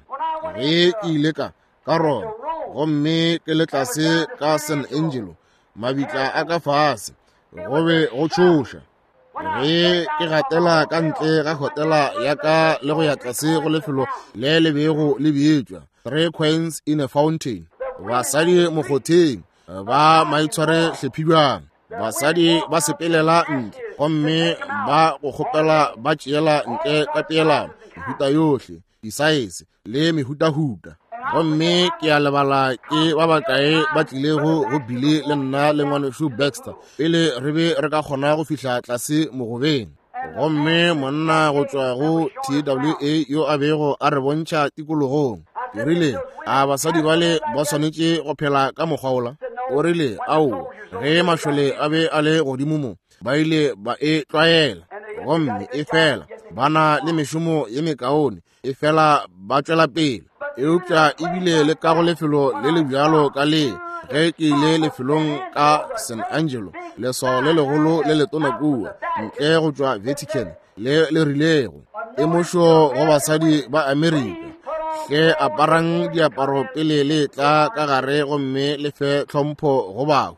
A: Ge ke ile ka Roma, gomme ke le tlase ka San Angelo, mabitla a ka fase, go be go tšhoša. Ge ke gatela ka ntle ga hotela ya ka le go ya tlase go lefelo le le bego le bitšwa Three Coins in a Fountain, basadi mokgotheng ba maitshware hlephi bjang, basadi ba sepelela ntle gomme ba go kgopela ba tšeela ntle ka peelano, mehuta yohle, disaese le mehutahuta. Gomme ke a lebala ke ba bakae ba tlilego go Billy le nna le ngwanešu Baxter pele re be re ka kgona go fihla tlase mogobeng. Gomme monna go tšwa go TWA yo a bego a re bontšha tikologong, ke rile, a basadi bale ba swanetše go phela ka mokgwa wola? O rile, aowa, ge mašole a be a le godimo mo, ba ile ba e tlwaela, gomme e fela ba na le mešomo ye mekaone, e fela ba tšwela pele. Eupša ebile le ka go lefelo le le bjalo ka le, ge ke ile lefelong ka San Angelo, leswao le legolo le letona kua ntle go tšwa Vatican le le rilego, temošo go basadi ba Amerika, hle aparang diaparo pele le tla ka gare gomme le fe tlhompho go bahu.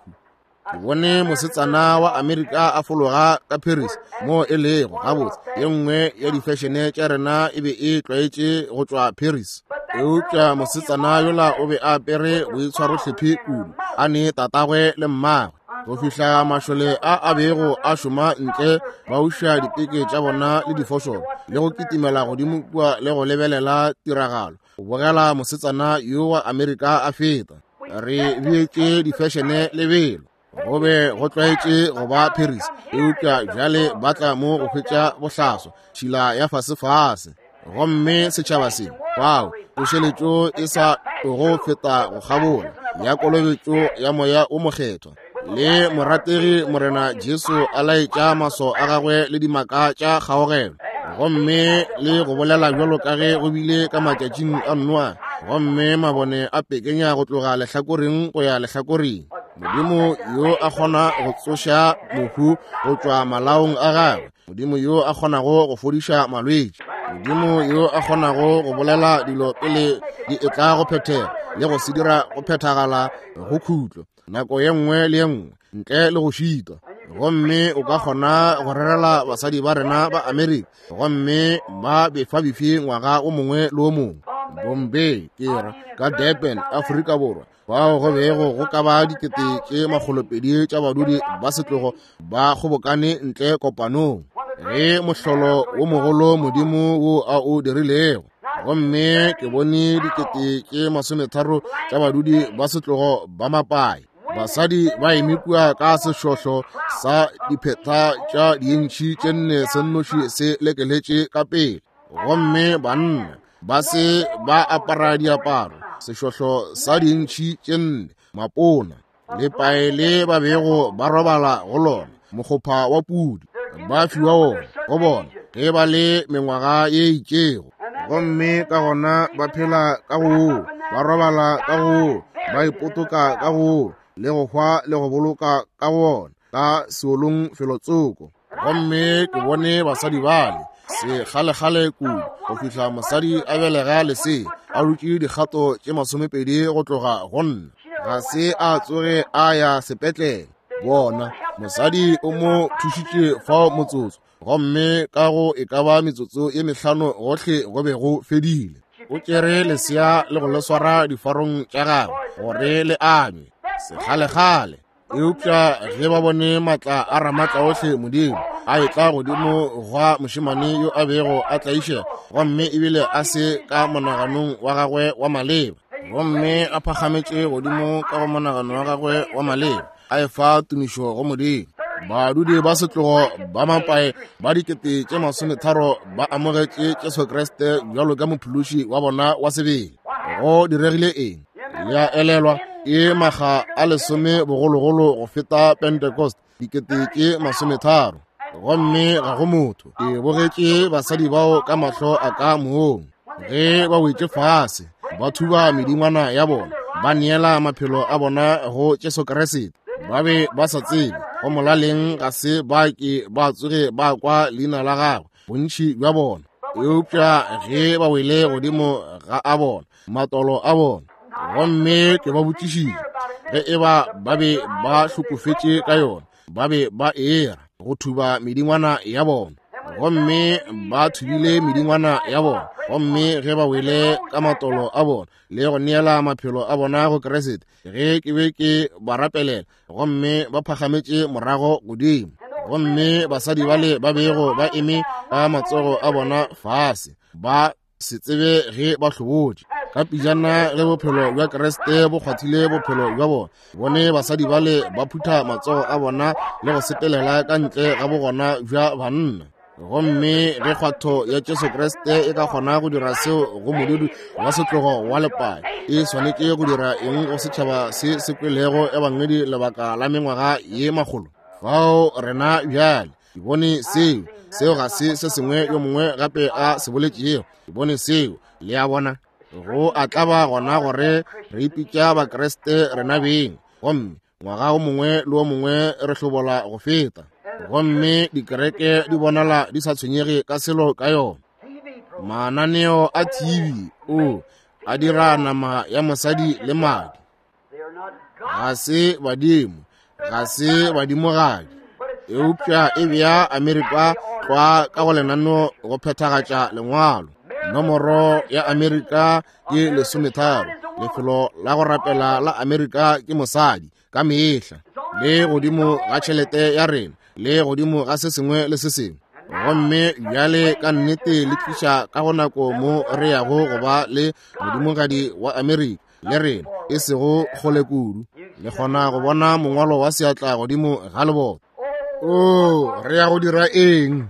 A: Ke bone mosetsana wa Amerika a fologa ka Paris, mo e lego gabotse ye nngwe ya difešene tša rena e be e tlwaetše go tšwa Paris. Eupša mosetsana yola o be a apere boitshwarohlephi kudu, a ne tatagwe le mmagwe, go fihla mašole a a bego a šoma ntle ba uša dipeke tša bona le difošolo le go kitimela godimo kua le go lebelela tiragalo, go bogela mosetsana yo wa Amerika a feta. Re beetše difešene lebelo, go be go tlwaetše go ba Paris, eupša bjale ba tla mo go hwetša bohlaswa, tšhila ya fasefase. Gomme setšhaba se, fao tsošeletšo e sa tlogo feta go kgabola ya kolobetšo ya Moya o Mokgethwa, le morategi Morena Jesu a laetša maswao a gagwe le dimaka tša kgaogelo, gomme le go bolela bjalo ka ge go bile ka matšatšing a Noa, gomme mabone a pekenya go tloga lehlakoreng go ya lehlakoreng. Modimo yo a kgona go tsoša mohu go tšwa malaong a gagwe, Modimo yo a kgonago go fodiša malwetši, Modimo yo a kgonago go bolela dilo pele di etla go phethega le go se dira go phethagala go khutlo nako ye nngwe le ye nngwe ntle le go šitwa. Gomme o ka kgona go rerela basadi ba rena ba Amerika, gomme ba befabefi ngwaga o mongwe le o mongwe. Bombay, ke ra, ka Durban, Afrika Borwa, fao go bego go ka ba 220 tša badudi ba setlogo ba kgobokane ntle kopanong, ge mohlolo wo mogolo Modimo wo a o dirilego. Gomme ke bone 30,000 tša badudi ba setlogo ba mapai, basadi ba eme kua ka sehlohlo sa dipheta tša diintšhi tše 4 se nnoši se lekeletše ka pele, gomme banna ba se ba apara diaparo sehlohlo sa diintšhi tše 4, mapona, lepae le ba bego ba robala go lona, mokgopha wa pudi, ba fiwa wona go bona ge ba le mengwaga ye itšego. Gomme ka gona ba phela ka go woo, ba robala ka go woo, ba ipotoka ka go woo, le go hwa le go boloka ka go wona. ka seolong felotsoko. Gomme ke bone basadi bale sekgalekgale kudu go fihla mosadi a belega lesea a dutše dikgato tše 20 go tloga go nna, ga se a tsoge a ya sepetlele. Bona, mosadi o mo thušitše fao motsotso, gomme ka go e ka ba metsotso ye 5 gohle go be go fedile. O tšere lesea le go le swara difarong tša gagwe gore le anywe sekgalekgale. Eupša ge ba bone maatla a Ramatlaohle Modimo a etla godimo gwa mošemane yo a bego a tlaišega, gomme ebile a se ka monaganong wa gagwe wa maleba, gomme a phagametše godimo ka go monagano wa gagwe wa maleba, a efa tumišo go Modimo. Badudi ba setlogo ba mapae ba 30,000 ba amogetše Jesu Kriste bjalo ka mophološi wa bona wa sebele. Go diregile eng? Le a elelwa, ke makga a 10 bogologolo go feta Pentecost, 30,000. Gomme ga go motho. Ke bogetše basadi bao ka mahlo a ka mong ge ba wetše fase, ba thuba medingwana ya bona, ba neela maphelo a bona go Jesu Kriste. Ba be ba sa tsebe go molaleng, ga se ba ke ba tsoge ba kwa leina la gagwe, bontši bja bona. Eupša ge ba wele godimo ga a bona matolo a bona, gomme ke ba botšišitše ge e ba ba be ba hlokofetše ka yona, ba be ba era go thuba medingwana ya bona, gomme ba thubile medingwana ya bona. Gomme ge ba wele ka matolo a bona le go neela maphelo a bona go Kriste, ge ke be ke ba rapelela, gomme ba phagametše morago godimo, gomme basadi bale ba bego ba eme ka matsogo a bona fase, ba se tsebe ge ba hlobotše. Ka pijana ge bophelo bja Kriste bo kgwathile bophelo bja bona, bone basadi bale ba phutha matsogo a bona le go sepelela ka ntle ga bogona bja banna. Gomme ge kgwatho ya Jesu Kriste e ka kgona go dira seo go modudi wa setlogo wa lepae, e swanetše go dira eng go setšhaba se se kwelego ebangedi lebaka la mengwaga ye makgolo? Fao rena bjale ke bone seo. Seo ga se se sengwe yo mongwe gape a se boletšego. Ke bone seo. Le a bona, go a tlaba gona gore re ipitša Bakriste rena beng, gomme ngwaga o mongwe le o mongwe re hlobola go feta, gomme dikereke di bonala di sa tshwenyege ka selo ka yona. Mananeo a TV o a dira nama ya mosadi le madi. Ga se badimo, ga se badimogadi, eupša e bea Amerika tlwa ka go lenaneo go phethagatša lengwalo. Nomoro ya Amerika ke 13. Lefelo la go rapela la Amerika ke mosadi ka mehla, le godimo ga tšhelete ya rena, le godimo ga se sengwe le se sengwe. Gomme bjale ka nnete le tliša ka go nako mo re yago go ba le modimogadi wa Amerika le rena, e sego kgole kudu. Le kgona go bona mongwalo wa seatla godimo ga lebota. Oo, re ya go dira eng?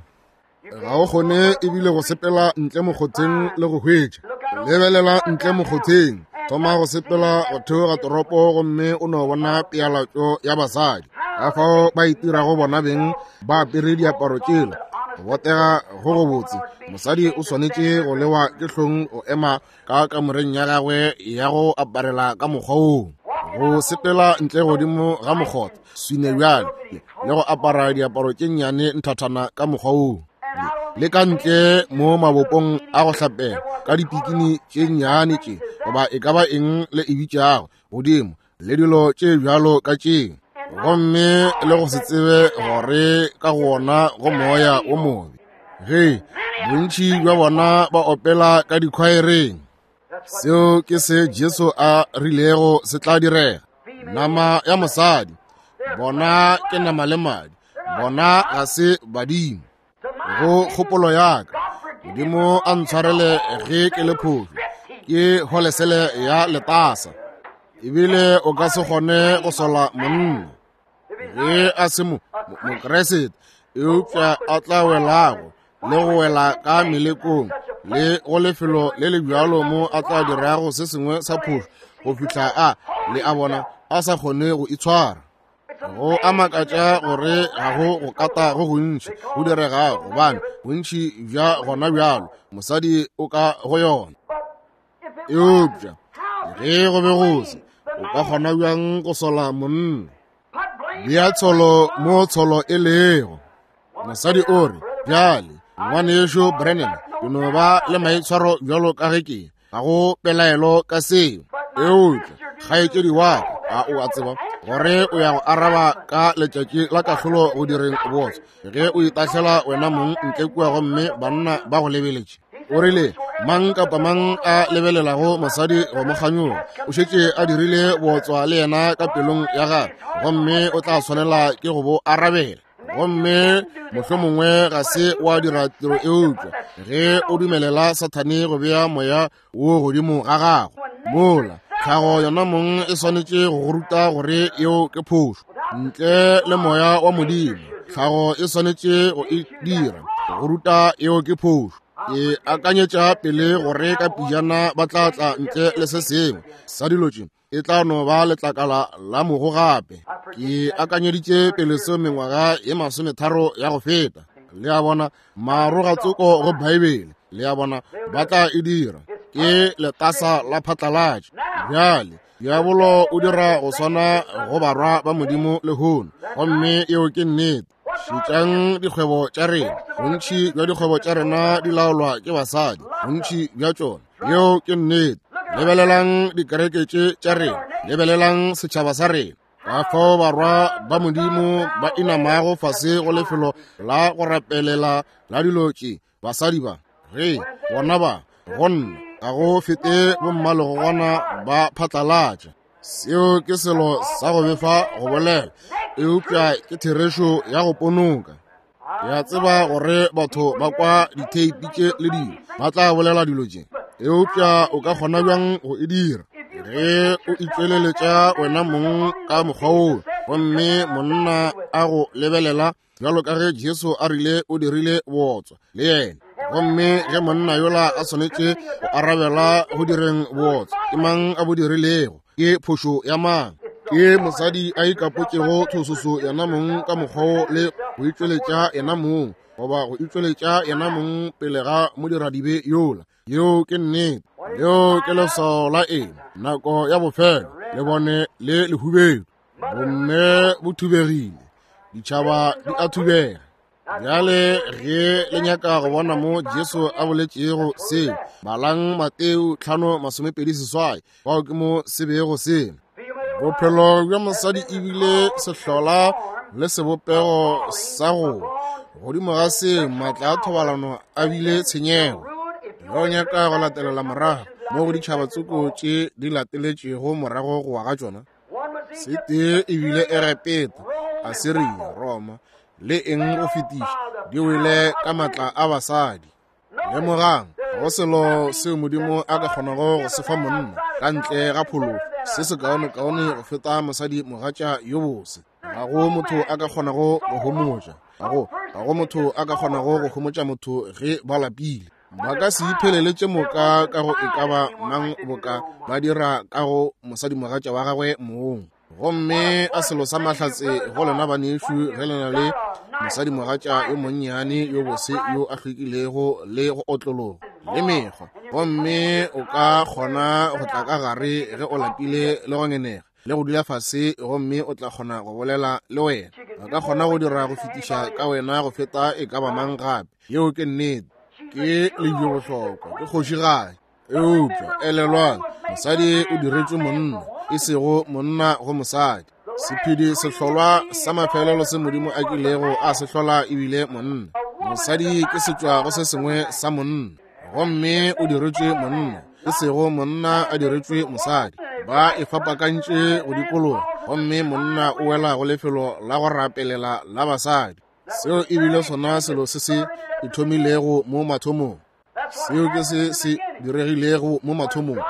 A: Ga o kgone ebile go sepela ntle mokgotheng le go hwetša. Lebelela ntle mokgotheng, thoma go sepela go theoga toropo, gomme o no bona pealatšo ya basadi ka fao ba itirago bona beng ba apere diaparo tšela. Go botega go go botse, mosadi o swanetše go lewa ke hlong go ema ka kamoreng ya gagwe ya go aparela ka mokgwa woo, go sepela ntle godimo ga mokgotha swine bjale le go apara diaparo tše nnyane nthathana ka mokgwa woo, le ka ntle mo mabopong a go hlapela ka dipikini tše nnyane tše, goba e ka ba eng le e bitšago godimo, le dilo tše bjalo ka tše, gomme le go se tsebe gore ka go ona go moya wo mobe. Ge bontši bja bona ba opela ka dikhwaereng, seo ke se Jesu a rilego se tla direga. Nama ya mosadi, bona ke nama le madi, bona ga se badimo. Go kgopolo ya ka, Modimo a ntshwarele ge ke le phošo, ke holesele ya letasa. Ebile o ka se kgone go sola monna ge a se Mokriste, eupša a tla welago le go wela ka melekong le go lefelo le le bjalo mo a tla dirago se sengwe sa phošo go fihla a le a bona a sa kgone go itshwara. Go a makatša gore ga go go kata go gontši go diregago, gobane bontši bja gona bjalo mosadi o ka go yona. Eupša ge go be go se, o ka kgona bjang go sola monna? Bea tsholo mo tsholo e lego. Mosadi o re, Bjale, Ngwanešu Branham, ke no ba le maitshwaro bjalo ka ge ke, ga go pelaelo ka seo. Eupša, kgaetšedi wa ka, a o a tseba gore o ya go araba ka letšatši la kahlolo go direng bootswa ge o itahlela wena mong ntle kua gomme banna ba go lebeletše? O rile, Mang kapa mang a lebelelago mosadi go mo kganyoga o šetše a dirile bootswa le yena ka pelong ya gagwe, gomme o tla swanela ke go bo arabela. Gomme mohlomongwe ga se wa dira tiro, eupša ge o dumelela Sathane go bea moya wo godimo ga gago, mola tlhago yona mong e swanetše go go ruta gore yeo ke phošo. Ntle le moya wa Modimo, tlhago e swanetše go e dira go ruta yeo ke phošo. Ke akanyetša pele gore ka pijana ba tla tla ntle le se sengwe sa dilo tše, e tla no ba letlakala la mogo gape. Ke akanyeditše pele seo mengwaga ye 30 ya go feta. Le a bona, marogatsoko go Baebele, le a bona, ba tla e dira. Ke letasa la phatlalatša. Bjale, diabolo o dira go swana go barwa ba Modimo lehono, gomme yeo ke nnete. Šetšang dikgwebo tša rena. Bontši bja dikgwebo tša rena di laolwa ke basadi, bontši bja tšona. Yeo ke nnete. Lebelelang dikereke tše tša rena, lebelelang setšhaba sa rena. Ka fao barwa ba Modimo ba inamago fase go lefelo la go rapelela la dilo tše, basadi ba, ge bona ba, go nna, ga go fete bommalegogwana ba phatlalatša. Seo ke selo sa go befa go bolela, eupša ke therešo ya go ponoka. Ke a tseba gore batho ba kwa ditheipi tše le dilo, ba tla bolela dilo tše, eupša o ka kgona bjang go e dira ge o itšweleletša wena mong ka mokgwa woo, gomme monna a go lebelela bjalo ka ge Jesu a rile o dirile bootswa le yena? Gomme ge monna yola a swanetše go arabela go direng bootswa, ke mang a bo dirilego? Ke phošo ya mang? Ke mosadi a ikapotšego thososo yena mong ka mokgwa wo le go itšweletša yena mong, goba go itšweletša yena mong pele ga modiradibe yola. Yeo ke nnete. Leo ke leswao la eng? Nako ya bofelo, lebone le lehubedu. Bomme bo thubegile, ditšhaba di a thubega. Bjale ge le nyaka go bona mo Jesu a boletšego seo, balang Mateo 5:28, fao ke mo se bego se. Bophelo bja mosadi ebile sehlola le sebopego sa go godimo ga seo maatla a thobalano a bile tshenyego. Ge o nyaka go latelela morago mo go ditšhaba tsoko tše di lateletšego morago go wa ga tšona, se tee ebile Egepeta, Asiria, Roma le eng go fetiša, di wele ka maatla a basadi. Lemogang, ga go selo seo Modimo a ka kgonago go se fa monna ka ntle ga phološo se se kaonekaone go feta mosadi mogatša yo bose. Ga go motho a ka kgonago go homotša, ga go motho a ka kgonago go homotša motho ge ba lapile. Ba ka se iphelele tše moka ka go e ka ba mang boka ba dira ka go mosadimogatša wa gagwe mong. Gomme a selo sa mahlatse go lena banešu ge le na le mosadimogatša yo monnyane yo bose yo a hlwekilego le go otlologa le mekgwa, gomme o ka kgona go tla ka gare ge o lapile le go ngenega le go dula fase, gomme o tla kgona go bolela le wena. A ka kgona go dira go fetiša ka wena go feta e ka ba mang gape. Yeo ke nnete. Ke lejwebohlokwa, ke kgošigadi. Eupša elelwang, mosadi o diretšwe monna, e sego monna go mosadi. Sephedi sehlolwa sa mafelelo se Modimo a kilego a se hlola ebile monna. Mosadi ke setšwa go se sengwe sa monna, gomme o diretšwe monna, e sego monna a diretšwe mosadi. Ba e fapakantše go dikologa, gomme monna o wela go lefelo la go rapelela la basadi. Seo ebile sona selo se se ithomilego mo mathomong. Seo ke se se diregilego mo mathomong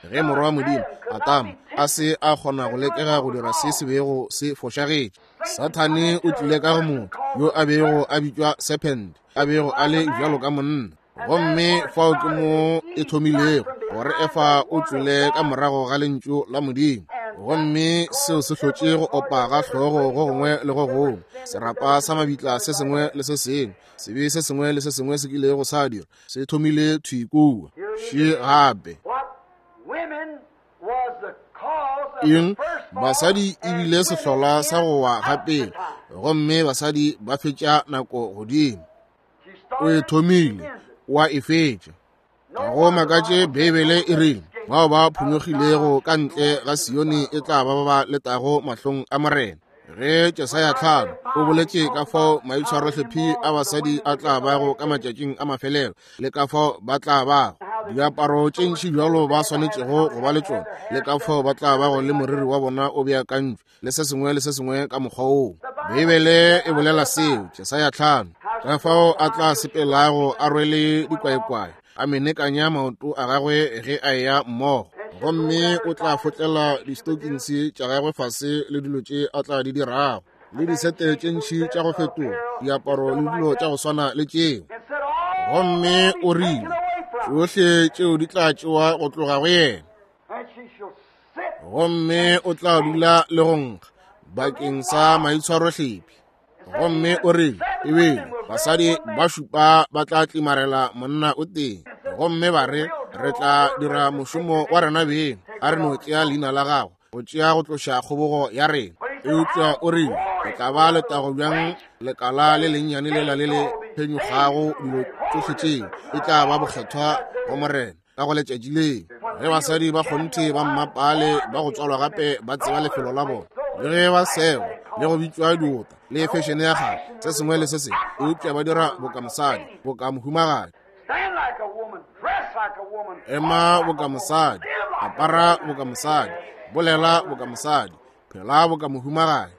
A: ge morwa wa Modimo Adama a se a kgona go lekega go dira se se bego se fošagetše. Sathane o tlile ka go motho yo a bego a bitšwa serpent, a bego a le bjalo ka monna. Gomme fao ke mo e thomilego, gore Efa o tšwele ka morago ga lentšu la Modimo. Gomme seo se hlotše go opa ga hlogo go gongwe le go gongwe, serapa sa mabitla se sengwe le se sengwe, sebe se sengwe le se sengwe se kilego sa dira, se thomile thwi kua. Še gape. Eng? Basadi e bile sehlola sa go wa ga pele, gomme basadi ba fetša nako godimo. O e thomile, o a e fetša. Ga go makatše Beibele e rile, bao ba phonyokgilego ka ntle ga Sione e tla ba ba ba letago mahlong a Morena. Ge Jesaya 5 o boletše ka fao maitshwarohlephi a basadi a tla bago ka matšatšing a mafelelo, le ka fao ba tla bago diaparo tše ntši bjalo ba swanetšego go ba le tšona, le ka fao ba tla bago le moriri wa bona o beakantšwe, le se sengwe le se sengwe ka mokgwa woo. Beibele e bolela seo, Jesaya 5, ka fao a tla sepelago a rwele dikwaekwae, a menekanya maoto a gagwe ge a eya mmogo, gomme o tla fotlela di-stockings tša gagwe fase le dilo tše a tla di dirago, le disete tše ntši tša go fetoga diaparo le dilo tša go swana le tšeo. Gomme o rile tšohle tšeo di tla tšewa go tloga go yena, gomme o tla dula le go nkga bakeng sa maitshwarohlephi. Gomme o rile ebile basadi ba šupa ba tla tlimarela monna o tee, gomme ba re re tla dira mošomo wa rena beng, a re no tšea leina la gago go tšea go tloša kgobogo ya rena. Eupša o rile e tla ba letago bjang lekala le lennyane lela le le phenyokgago dilo tšohle tšeo, e tla ba bokgethwa go Morena ka go letšatši leo, ge basadi ba kgonthe ba mmapale ba go tswalwa gape ba tseba lefelo la bona, le ge ba segwa le go bitšwa diota le fešene ya kgale, se sengwe le se sengwe, eupša ba dira boka mosadi, boka mohumagadi. Ema boka mosadi, apara boka mosadi, bolela boka mosadi, phela boka mohumagadi.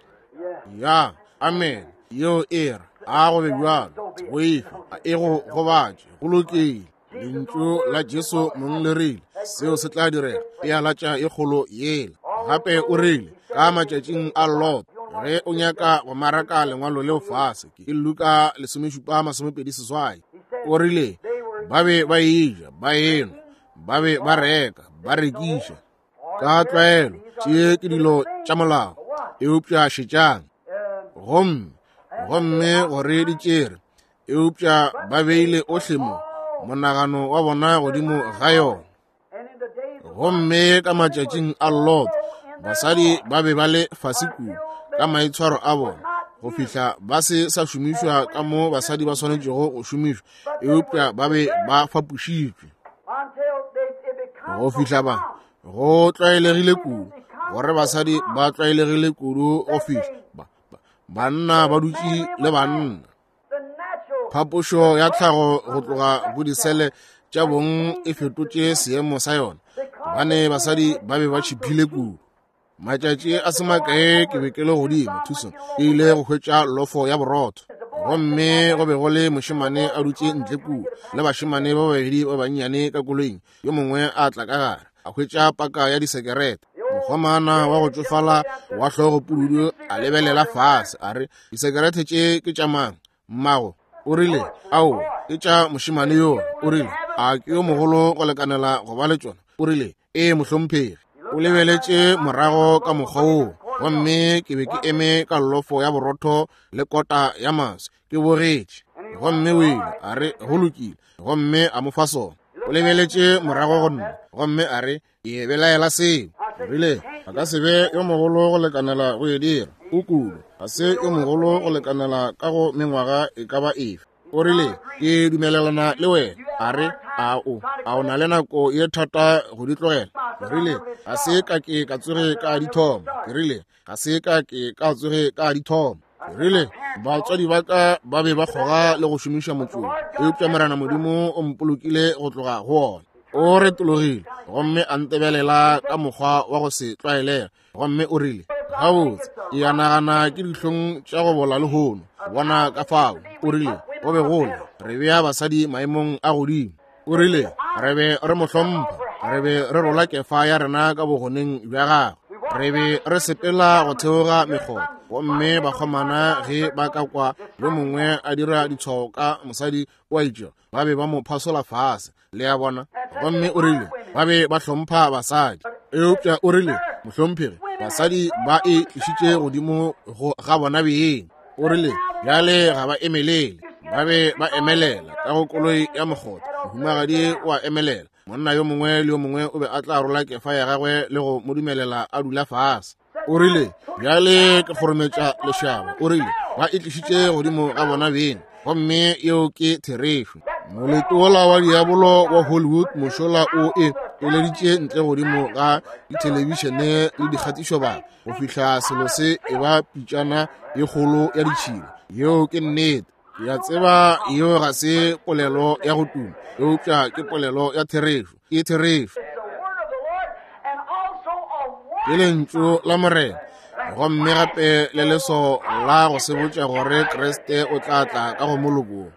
A: Ya, amen. Yeo e re a go be bjalo, boifa a e go gobatše, go lokile. Lentšu la Jesu mong le rile seo se tla direga, pealatša e kgolo yela. Gape o rile ka matšatšing a Lot, ge o nyaka go maraka lengwalo leo fase, ke Luka 17:28, o rile ba be ba eja, ba enwa, ba be ba reka, ba rekiša. Ka tlwaelo tše ke dilo tša molao, eupša šetšang, gomme gomme gore di tšere, eupša ba beile ohle mo monagano wa bona godimo ga yona. Gomme ka matšatšing a Lot, basadi ba be ba le fase kudu ka maitshwaro a bona go fihla ba se sa šomišwa ka mo basadi ba swanetšego go šomišwa, eupša ba be ba fapošitšwe go fihla ba go tlwaelegile kudu gore basadi ba tlwaelegile kudu go fihla banna ba dutše le banna. Phapošo ya tlhago go tloga go disele tša bong e fetotše seemo sa yona, gobane basadi ba be ba tšhiphile kudu. Matšatši a se makae ke be ke le godimo Tucson, ke ile go hwetša lofo ya borotho, gomme go be go le mošemane a dutše ntle kua le bašemane ba babedi ba bannyane ka koloing. Yo mongwe a tla ka gare a hwetša paka ya disekerete. Mokgomana wa go tšofala wa hlogo pududu a lebelela fase a re, disekerete tše ke tša mang, mmago? O rile, ao, ke tša mošemane yo. O rile, a ke yo mogolo go lekanela go ba le tšona? O rile, ee mohlomphegi. O lebeletše morago ka mokgwa woo, gomme ke be ke eme ka lofo ya borotho le kota ya maswi ke bogetše. Gomme o ile a re, go lokile, gomme a mo fa sona. O lebeletše morago go nna gomme a re, ke belaela seo. O rile, a ka se be yo mogolo go lekanela go e dira. O kudu, ga se yo mogolo go lekanela ka go mengwaga e ka ba efe. O rile, ke dumelelana le wena. A re, a o, a o na le nako ye thata go di tlogela? Ke rile, ga se ka ke ka tsoge ka di thoma. Ke rile, ga se ka ke ka tsoge ka di thoma. Ke rile, batswadi ba ka ba be ba kgoga le go šomiša motsoko, eupša Morena Modimo o mpolokile go tloga go ona. O retologile gomme a ntebelela ka mokgwa wa go se tlwaelega, gomme o rile, gabotse, ke a nagana ke dihlong tša go bola lehono, bona ka fao. O rile, go be gole re bea basadi maemong a godimo. O rile, re be re mo hlompha, re be re rola kefa ya rena ka bogoneng bja gagwe, re be re sepela go theoga mekgotha, gomme bakgomana ge ba ka kwa yo mongwe a dira ditshwao ka mosadi o a itšego, ba be ba mo phasola fase, le a bona. Gomme o rile ba be ba hlompha basadi, eupša o rile, mohlomphegi, basadi ba e tlišitše godimo ga bona beng. O rile bjale ga ba emelele, ba be ba emelela ka go koloi ya mokgotha, mohumagadi o a emelela, monna yo mongwe le yo mongwe o be a tla rola kefa ya gagwe le go mo dumelela a dula fase. O rile, Bjale ke kgorometša lešaba. O rile, Ba e tlišitše godimo ga bona beng. Gomme yeo ke therešo. Molete wola wa diabolo wa Hollywood mošola o e eleditše ntle godimo ga dithelebišene le dikgatišobaka go fihla selo se e ba pitšana ye kgolo ya ditšhila. Yeo ke nnete. Ke a tseba yeo ga se polelo ya go tuma, eupša ke polelo ya therešo. Ke therešo. Ke lentšu la Morena, gomme gape le leso la go sebotša gore Kriste o tla tla ka go moloko wo.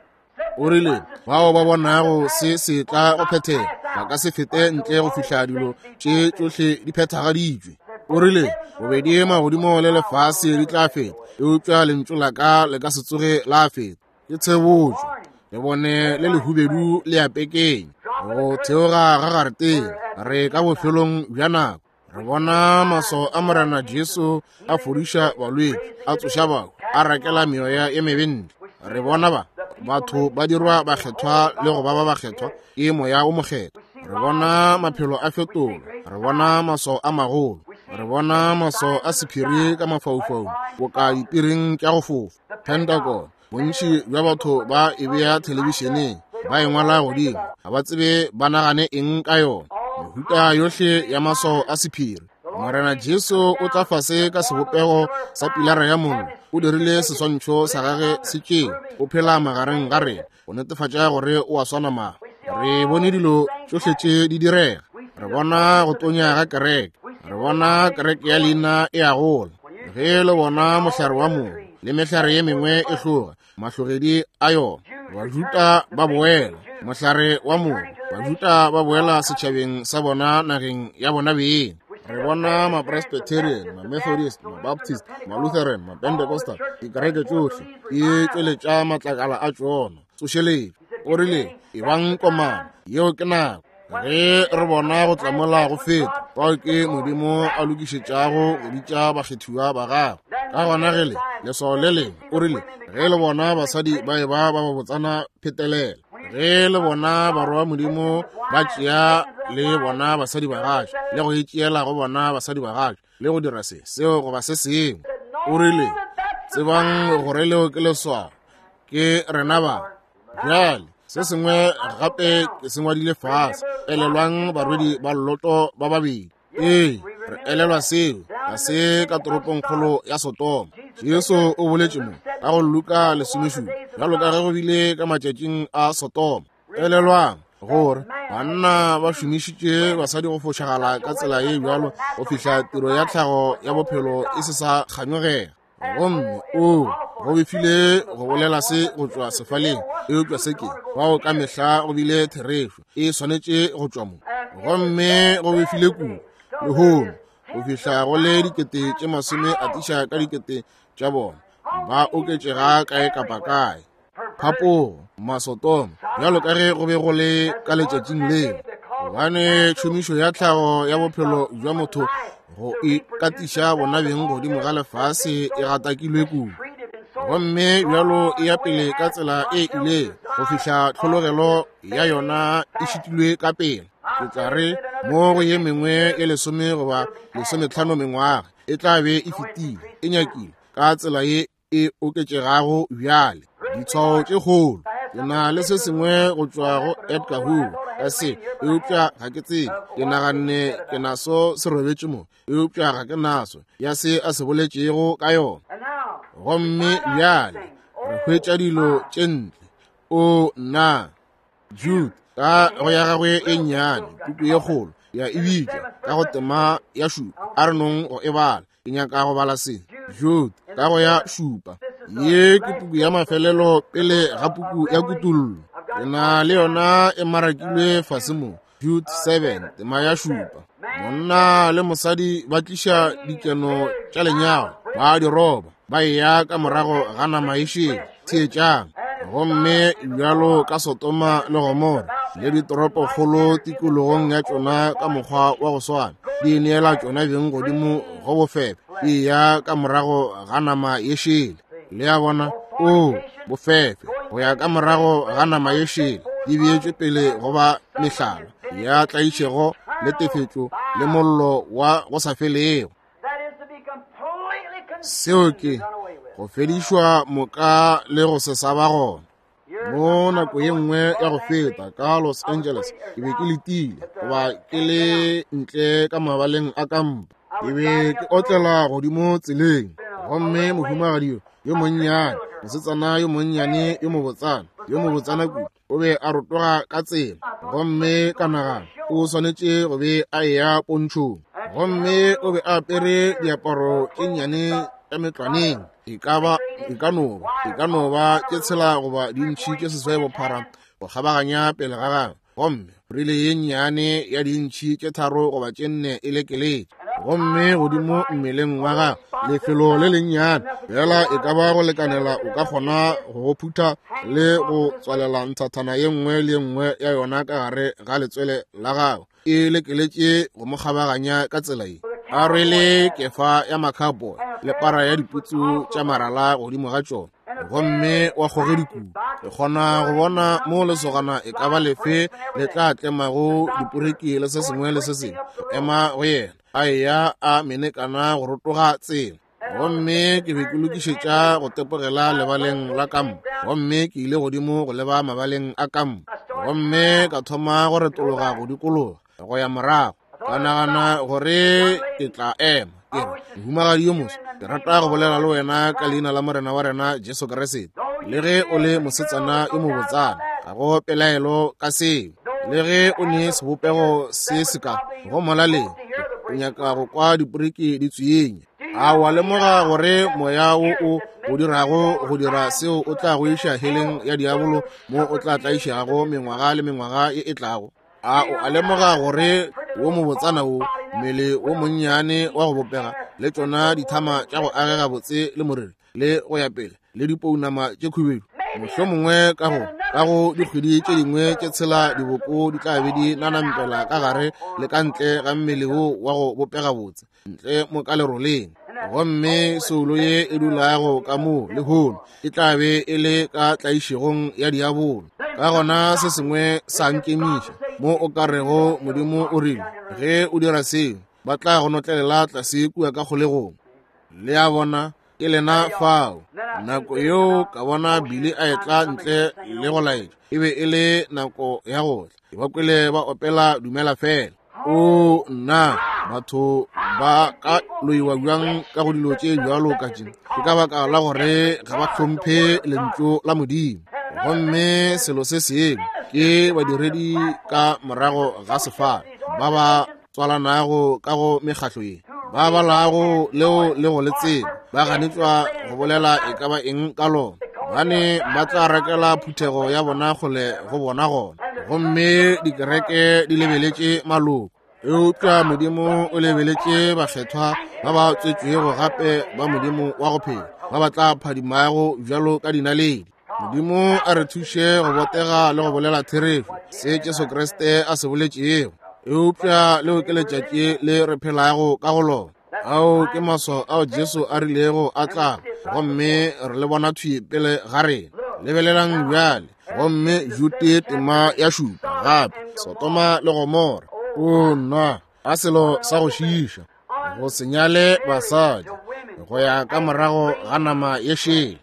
A: O rile, bao ba bonago se se tla go phethega ba ka se fete ntle go fihla dilo tše tšohle di phethagaditšwe. O rile, bobedi magodimo le lefase di tla feta, eupša lentšu la ka le ka se tsoge la feta. Ke tshebotšo, lebone le lehubedu le a pekeng, go theoga ga gareteng, re ka bofelong bja nako. Re bona maso a Morena Jesu a fodiša balwetši, a tsoša bahu, a rakela meoya ye mebe ntle. Re bona ba batho ba dirwa bakgethwa le go ba ba bakgethwa ke Moya o Mokgethwa. Re bona maphelo a fetolwa, re bona maswao a magolo, re bona maswao a sephiri ka mafaufaung boka dipiring tša go fofa. Pentagon, bontši bja batho ba e bea thelebišeneng, ba e ngwala godimo, ga ba tsebe ba nagane eng ka yona. Mehuta yohle ya maswao a sephiri. Morena Jesu o tla fase ka sebopego sa pilara ya mollo, o dirile seswantšho sa gage se tšeo, o phela magareng ga rena go netefatša gore o a swana ma. Re bone dilo tšohle tše di direga, re bona go tonya ga kereke, re bona kereke ya leina e a gola. Ge le bona mohlare wa mogo le mehlare ye mengwe e hloga, mahlogedi a yona, Bajuda ba boela mohlare wa mogo, Bajuda ba boela setšhabeng sa bona nageng ya bona beng. Re bona ma-Presbyterian, ma-Methodist, ma-Baptist, ma-Lutheran, ma-Pentecostal, dikereke tšohle di tšweletša matlakala a tšona. Tsošeletšo. O rile, Ebang komana, yeo ke nako. Ge re bona go tlamola go feta, fao ke Modimo a lokišetšago go bitša bakgethiwa ba gagwe. Ka gona ge le leswao le lengwe, o rile, ge le bona basadi ba eba ba babotsana phetelela, ge le bona barwa ba Modimo ba tšea le bona basadi ba gagwe le go itšeela go bona basadi ba gagwe le go dira se seo goba se sengwe, o rile, tsebang gore leo ke leswao, ke rena ba. Bjale se sengwe gape ke se ngwadile fase, elelwang barwedi ba Loto ba babedi. Ee, re elelwa seo ga se ka toropongkgolo ya Sodoma. Jesu o boletše mo ka go Luka 17, bjalo ka ge go bile ka matšatšing a Sodoma. Elelwang gore banna ba šomišitše basadi go fošagala ka tsela ye bjalo go fihla tiro ya tlhago ya bophelo e se sa kganyogega. Gomme o go befile go bolela se go tšwa sefaleng, eupša se ke bao ka mehla go bile therešo, e swanetše go tšwa mo. Gomme go befile kudu lehono go fihla go le dikete tše masome atiša ka dikete tša bona ba oketšega kae kapa kae. Phapogo, Masotoma, bjalo ka ge go be go le ka letšatšing leo, gobane tšhomišo ya tlhago ya bophelo bja motho go ikatiša bona beng godimo ga lefase e gatakilwe kudu, gomme bjalo e ya pele ka tsela e ilego go fihla tlhologelo ya yona e šitilwe ka pele. Ke tla re mo go ye mengwe ye 10 goba 15 mengwaga e tla be e fetile, e nyakile ka tsela ye e oketšegago bjale. Ditshwao tše kgolo. Ke na le se sengwe go tšwa go Edgar Hoover ka se, eupša ga ke tsebe. Ke naganne ke naso se robetše mo, eupša ga ke naso ya se a se boletšego ka yona. Gomme bjale re hwetša dilo tše ntle. O nna! Jude ka go ya gagwe e nnyane, puku ye kgolo ya e bitšwa ka go tema ya šupa. A re nong go e bala, ke nyaka go bala se. Jude ka go ya šupa. Ye ke puku ya mafelelo pele ga puku ya Kutollo. Ke na le yona e marakilwe fase mo. Jude 7, tema ya šupa. Monna le mosadi ba tliša dikeno tša lenyalo, ba di roba, ba eya ka morago ga nama e šele. Theetšang. Gomme bjalo ka Sodoma le Gomora le ditoropokgolo tikologong ya tšona ka mokgwa wa go swana, di neela tšona beng godimo go bofebe, di eya ka morago ga nama ye šele. Le a bona? O bofefe go ya ka morago ga nama ye šele, di beetšwe pele go ba mehlala ya tlaišego le tefetšo le mollo wa go sa felego. Seo ke go fedišwa moka le go se sa ba gona. Mo nako ye nngwe ya go feta ka Los Angeles, ke be ke letile goba ke le ntle ka mabaleng a kampa. Ke be ke otlela godimo tseleng, gomme mohumagadi yo yo monnyane, mosetsana yo monnyane yo mobotsana, yo mobotsana kudu, o be a rotoga ka tsela. Gomme ka nagana o swanetše go be a eya pontšhong. Gomme o be a apere diaparo tše nnyane tša metlwaneng, e ka ba, e ka no ba, e ka no ba tše tshela goba dintšhi tše seswai bophara go kgabaganya pele ga gagwe. Gomme rile ye nnyane ya dintšhi tše 3 goba tše 4 e lekeletše, gomme godimo mmeleng wa gagwe lefelo le lennyane fela e ka ba go lekanela o ka kgona go go phutha le go tswalela nthathana ye nngwe le ye nngwe ya yona ka gare ga letswele la gagwe, e lekeletše go mo kgabaganya ka tsela ye, a rwele kefa ya makhapo le para ya diputsu tša marala godimo ga tšona, gomme wa kgogedi kudu. Ke kgona go bona mo lesogana e ka ba lefe le tla tlemago diporeki le se sengwe le se sengwe go ema go yena, a eya a menekana go rotoga tsela. Gomme ke be ke lokišetša go tepogela lebaleng la kampo, gomme ke ile godimo go leba mabaleng a kampo, gomme ka thoma go retologa go dikologa go ya morago. Ka nagana gore ke tla ema, ke re, mohumagadi yo moswa, ke rata go bolela le wena ka leina la Morena wa rena Jesu Kriste. Le ge o le mosetsana yo mobotsana, ga go pelaelo ka seo. Le ge o ne sebopego se se ka go molaleng, o nyaka go kwa diporiki di tswinya. A wa lemoga gore moya wo o o dirago go dira seo o tla go iša heleng ya diabolo, mo o tla tlaišago mengwaga le mengwaga ye e tlago? A o a lemoga gore wo mobotsana wo, mmele wo monnyane wa go bopega, le tšona dithama tša go agega botse le moriri le go ya pele, le dipounama tše khubedu, mohlomongwe ka go ka go dikgwedi tše dingwe tše tshela diboko di tla be di nanampela ka gare le ka ntle ga mmele wo wa go bopega botse, ntle mo ka leroleng. Gomme soulo ye e dulago ka moo lehono e tla be e le ka tlaišegong ya diabolo. Ka gona se sengwe sa nkemiša mo o ka rego Modimo o rile, ge o dira seo, ba tla go notlelela tlase kua ka kgolegong. Le a bona, ke lena fao. Nako yeo ka bona Billy a etla ntle le go laetša, e be e le nako ya go tla. Ke ba kwele ba opela Dumela Fela. O nna, batho ba ka loiwa bjang ka go dilo tše bjalo ka tše? Ke ka baka la gore ga ba hlomphe lentšu la Modimo. Gomme selo se sengwe ke badiredi ka morago ga sefala ba ba tswalanago ka go mekgatlo ye, ba balago leo le go le tseba, ba ganetšwa go bolela e ka ba eng ka lona, bane ba tla rakela phuthego ya bona kgole go bona gona. Gomme dikereke di lebeletše maloko, eupša Modimo o lebeletše bakgethwa ba ba tswetšwego gape ba Modimo wa go phela, ba ba tla phadimago bjalo ka dinaledi. Modimo a re thuše go botega le go bolela therešo se Jesu Kriste a se boletšego. Eupša leo ke letšatši le re phelago ka go lona. Ao ke maswao ao Jesu a rilego a tla, gomme re le bona thwi pele ga rena. Lebelelang bjale, gomme Jude tema ya 7 gape, Sodoma le Gomora. O nna, a selo sa go šiiša, go se nyale basadi go ya ka morago ga nama ye šele.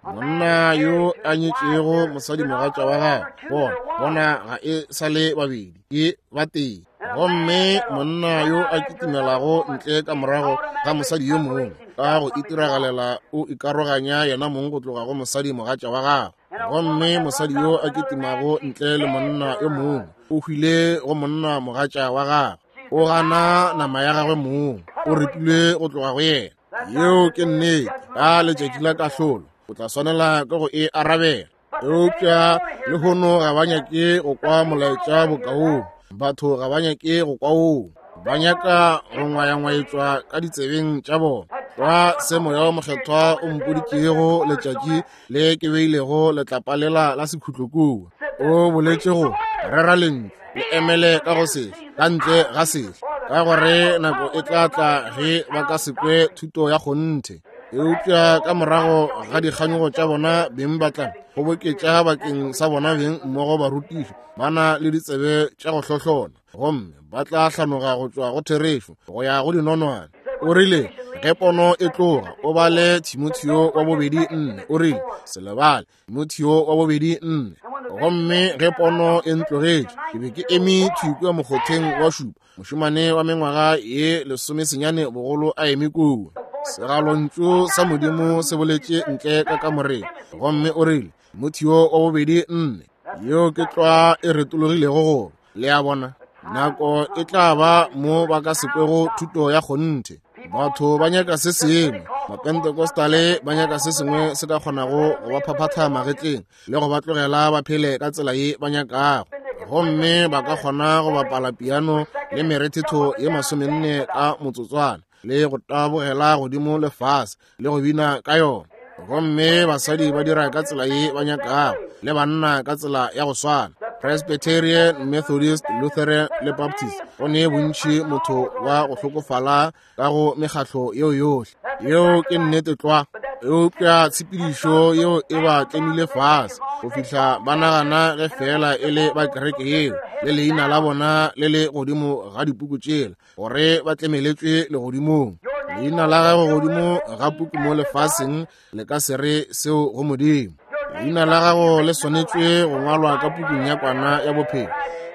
A: Monna yo a nyetšego mosadimogatša wa gagwe, bona, bona ga e sa le babedi, ke ba tee. Gomme monna yo a kitimelago ntle ka morago ga mosadi yo mongwe ka go itiragalela o ikaroganya yena mong go tloga go mosadimogatša wa gagwe. Gomme mosadi yo a kitimago ntle le monna yo mongwe o hwile go monna mogatša wa gagwe, o gana nama ya gagwe mong, o repilwe go tloga go yena. Yeo ke nnete. Ka letšatši la kahlolo o tla swanela ke go e arabela. Eupša lehono ga ba nyake go kwa molaetša bokaong, batho ga ba nyake go kwa woo, ba nyaka go ngwayangwayetšwa ka ditsebeng tša bona. Kwa se Moya wo Mokgethwa o mpoditšego letšatši le ke beilego letlapa lela la sekhutlo kua, o boletše go rera lentšu le emele ka go sehla, ka ntle ga sehla, ka gore nako e tla tla ge ba ka se kwe thuto ya kgonthe. Eupša ka morago ga dikganyogo tša bona beng ba tla kgoboketša bakeng sa bona beng mmogo barutiši ba na le ditsebe tša go hlohlona, gomme ba tla hlanoga go tšwa go therešo go ya go dinonwane. O rile, Ge pono e tloga, o bale Timotheo wa bobedi 4. O rile, se lebale, Timotheo wa bobedi 4. Gomme ge pono e ntlogetše, ke be ke eme thwi kua mokgotheng wa šupa, mošemane wa mengwaga ye 19 bogolo a eme kua. Segalontšu sa Modimo se boletše ntle ka kamoreng, gomme o rile, Timotheo wa bobedi 4. Yeo ke tlwa e retologilego go, le a bona. Nako e tla ba mo ba ka se kwego thuto ya kgonthe. Batho ba nyaka se sengwe. Mapentecostale ba nyaka se sengwe se ka kgonago go ba phaphatha magetleng le go ba tlogela ba phele ka tsela ye ba nyakago. Gomme ba ka kgona go bapala piano le merethetho ye 40 ka motsotswana le go tabogela godimo le fase le go bina ka yona. Gomme basadi ba dira ka tsela ye ba nyakago, le banna ka tsela ya go swana. Presbyterian, Methodist, Lutheran le Baptist, go ne bontši motho wa go hlokofala ka go mekgatlo yeo yohle. Yeo ke nnete tlwa. Eupša tshepedišo yeo e ba tlemile fase go fihla ba nagana ge feela e le ba kereke yeo le leina la bona le le godimo ga dipuku tšela, gore ba tlemeletšwe legodimong. Leina la gago godimo ga puku mo lefaseng le ka se re seo go Modimo. Leina la gago le swanetšwe go ngwalwa ka pukung ya kwana ya bophelo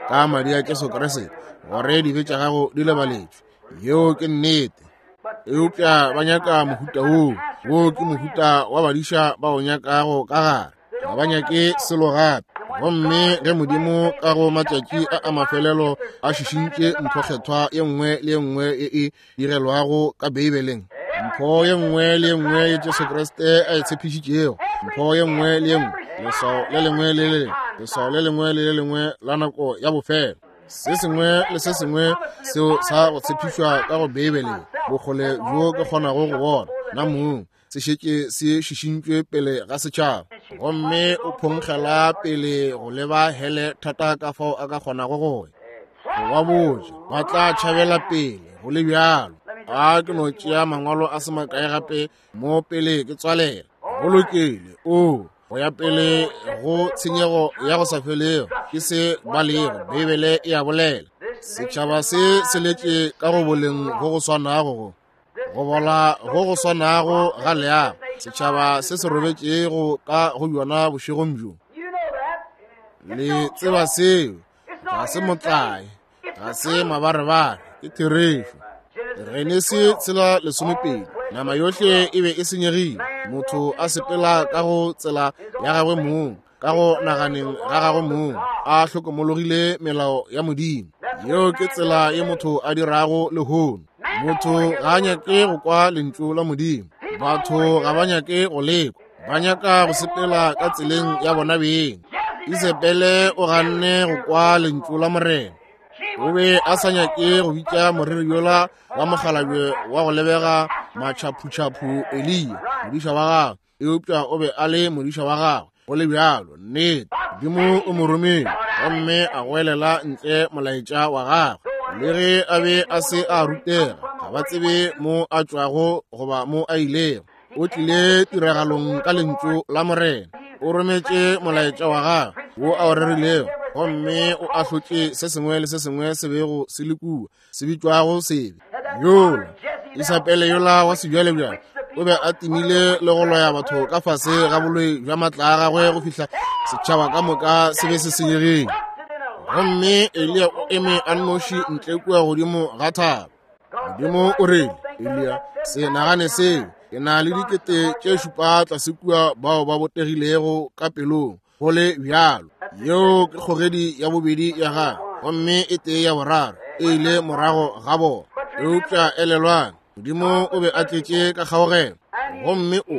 A: ka madi a Jesu Kriste, gore dibe tša gago di lebaletšwe. Yeo ke nnete. Eupša ba nyaka mohuta woo. Woo ke mohuta wa badiša ba o nyakago ka gare. Ga ba nyake selo gape. Gomme ge Modimo ka go matšatši a a mafelelo a šišintše mpho kgethwa ye nngwe le ye nngwe ye e direlwago ka Beibeleng, mpho ye nngwe le ye nngwe ye Jesu Kriste a e tshepišitšego, mpho ye nngwe le ye nngwe, leswao le lengwe le le lengwe, leswao le lengwe le le lengwe la nako ya bofelo, se sengwe le se sengwe seo sa go tshepišwa ka go Beibeleng, bokgole bjo ke kgonago go bona nna mong, se šetše se šišintšwe pele ga setšhaba. Gomme o phonkgela pele go leba hele thata ka fao a ka kgonago go ya. Go ba botša, ba tla tšhabela pele go le bjalo. A ke no tšea mangwalo a se makae gape mo pele ke tswalela. Go lokile. O go ya pele go tshenyego ya go sa felego ke se ba lego. Beibele e a bolela. Setšhaba se se letše ka go boleng go go swanago go. Go bola go go swanago ga leago. Setšhaba se se robetšego ka go bjona bošegong bjo. Le tseba seo. Ga se motlae, ga se mabarebare, ke therešo. Genesi 3:12, nama yohle e be e senyegile, motho a sepela ka go tsela ya gagwe mong, ka go naganeng ga gagwe mong, a hlokomologile melao ya Modimo. Yeo ke tsela ye motho a dirago lehono. Motho ga a nyake go kwa lentšu la Modimo. Batho ga ba nyake go lekwa. Ba nyaka go sepela ka tseleng ya bona beng. Isebele o ganne go kwa lentšu la Morena. O be a sa nyake go bitša moreri yola wa mokgalabje wa go lebega matšhaputšhapu Eliya, modiša wa gagwe, eupša o be a le modiša wa gagwe go le bjalo. Nnete, Modimo o mo romile gomme a goelela ntle molaetša wa gagwe. Le ge a be a se a rutega, ga ba tsebe mo a tšwago goba mo a ilego. O tlile tiragalong ka lentšu la Morena. O rometše molaetša wa gagwe wo a o rerilego, gomme o ahlotše se sengwe le se sengwe se bego se le kua, se bitšwago sebe. Yola Isabele yola wa sebjalebjale o be a timile le go loya batho ka fase ga boloi bja matla a gagwe go fihla setšhaba ka moka se be se senyegile. Gomme Eliya o eme a nnoši ntle kua godimo ga thaba. Modimo o rile, Eliya, se nagane seo. Ke na le 7,000 tlase kua bao ba botegilego ka pelong. Go le bjalo, yeo ke kgogedi ya bobedi ya gagwe, gomme e tee ya boraro e ile morago ga bona. Eupša elelwang, Modimo o be a tletše ka kgaogelo, gomme o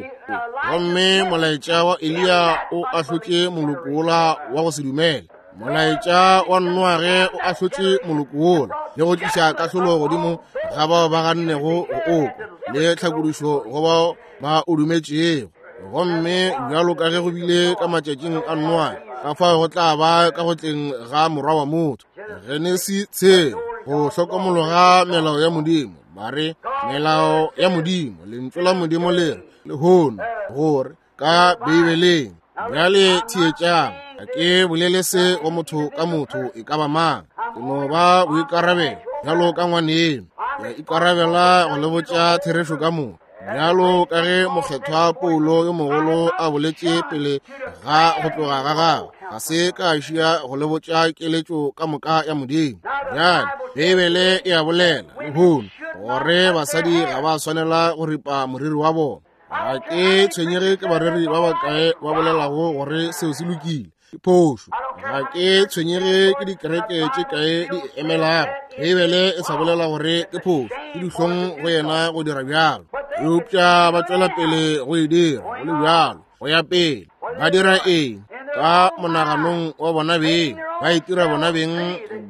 A: gomme molaetša wa Eliya o ahlotše moloko wola wa go se dumele. Molaetša wa Noage o ahlotše moloko wola le go tliša kahlolo godimo ga bao ba gannego go okwa, le tlhakodišo go bao ba o dumetšego. Gomme bjalo ka ge go bile ka matšatšing a Noage, ka fao go tla ba ka go tleng ga Morwa wa motho. Genesi 6, go hlokomologa melao ya Modimo. Ba re melao ya Modimo, lentšu la Modimo le re lehono gore ka Beibeleng. Bjale theetšang, ga ke bolele se go motho ka motho e ka ba mang, ke no ba boikarabelo bjalo ka ngwaneno. Ke a ikarabela go le botša therešo ka moka. Bjalo ka ge mokgethwa Paulo yo mogolo a boletše pele ga go tloga ga gagwe, ga se ka šia go le botša keletšo ka moka ya Modimo. Bjale, Beibele e a bolela lehono gore basadi ga ba swanela go ripa moriri wa bona. Ga ke tshwenyege ke bareri ba bakae ba bolelago gore seo se lokile. Ke phošo. Ga ke tshwenyege ke dikereke tše kae di emelago. Beibele e sa bolela gore ke phošo. Ke dihlong go yena go dira bjalo. Eupša ba tšwela pele go e dira go le bjalo, go ya pele. Ba dira eng? Ka monaganong wa bona beng, ba itira bona beng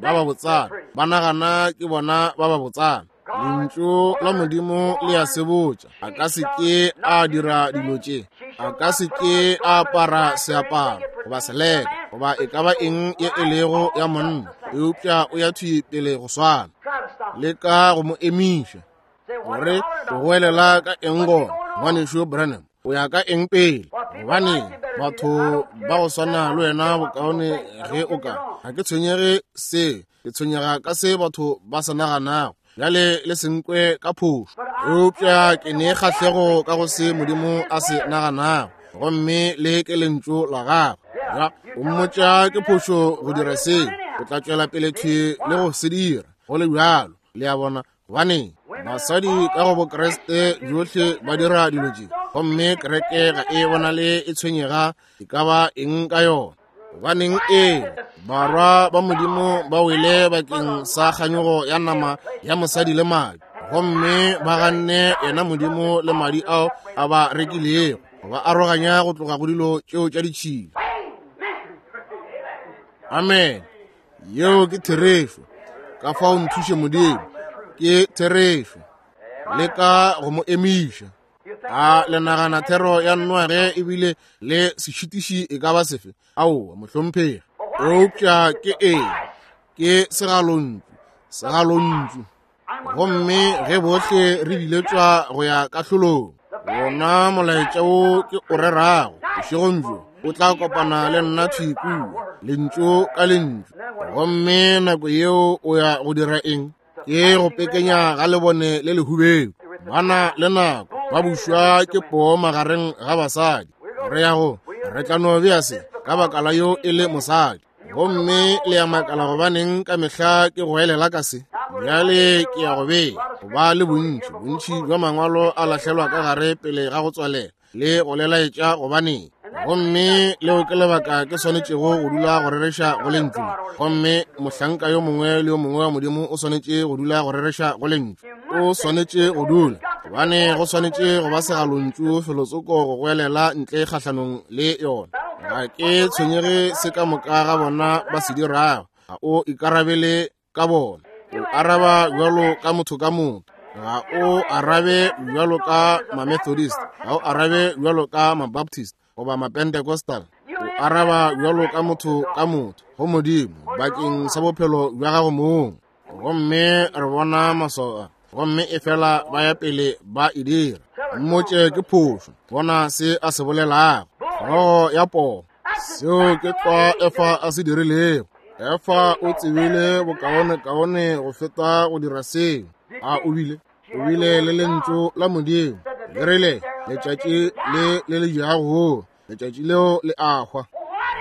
A: ba ba botsana. Ba nagana ke bona ba ba botsana. Lentšu la Modimo le a sebotša. A ka se ke a dira dilo tše. A ka se ke a apara seaparo goba seleka goba e ka ba eng ye e lego ya monna, eupša o ya thwi pele go swana. Leka go mo emiša. Gore o goelela ka eng gona, Ngwanešu Branham? O ya ka eng pele? Gobaneng, batho ba go swana le wena bokaone ge o ka. Ga ke tshwenyege se. Ke tshwenyega ka se batho ba se naganago. Bjale le se nkwe ka phošo, eupša ke ne kgahlego ka go se Modimo a se naganago, gomme le ke lentšu la gagwe. Ya, o mmotša ke phošo go dira seo, o tla tšwela pele thwi le go se dira, go le bjalo. Le a bona? Gobaneng, basadi ka go Bokriste bjohle ba dira dilo tše, gomme kereke ga e bonale e tshwenyega e ka ba eng ka yona. Gobaneng, ee, barwa ba Modimo ba wele bakeng sa kganyogo ya nama ya mosadi le madi, gomme ba ganne yena Modimo le madi ao a ba rekilego, ba aroganya go tloga go dilo tšeo tša ditšhila. Amen. Yeo ke therešo. Ka fao nthuše Modimo. Ke therešo. Leka go mo emiša. A le nagana thero ya Noage ebile le sešitiši e ka ba sefe? Aowa, mohlomphegi. Eupša ke eng? Ke segalontšu. Segalontšu. Gomme ge bohle re biletšwa go ya kahlolong, wona molaetša wo ke o rerago bošegong bjo o tla kopana le nna thwi kua, lentšu ka lentšu. Gomme nako yeo o ya go dira eng? Ke go pekenya ga lebone le lehubedu. Ba na le nako, ba bušwa ke poo magareng ga basadi. Re ya go, re tla no bea se ka baka la yo e le mosadi. Gomme le ya makala gobaneng ka mehla ke goelela ka se. Bjale ke ya go bea go ba le bontši, bontši bja mangwalo a lahlelwa ka gare pele ga go tswalela le go lelaetša gobaneng. Gomme leo ke lebaka ke swanetšego go dula go rereša go lentšu. Gomme mohlanka yo mongwe le yo mongwe wa Modimo o swanetše go dula go rereša go lentšu. O swanetše go dula, gobane go swanetše go ba segalontšu felotsoko go goelela ntle kgahlanong le yona. Ga ke tshwenyege se ka moka ga bona ba se dirago. Ga o ikarabele ka bona. O araba bjalo ka motho ka motho. Ga o arabe bjalo ka ma-Methodist. Ga o arabe bjalo ka ma-Baptist goba ma-Pentecostal. O araba bjalo ka motho ka motho go Modimo bakeng sa bophelo bja gago mong. Gomme re bona maswao a, gomme efela ba ya pele ba e dira. Mmotše ke phošo. Bona se a se bolelago. Hlogo ya poo. Seo ke tlwa Efa a se dirilego. Efa o tsebile bokaonekaone go feta go dira seo. A o bile? O bile le lentšu la Modimo. Le rile, letšatši le le le jago, letšatši leo le a hwa.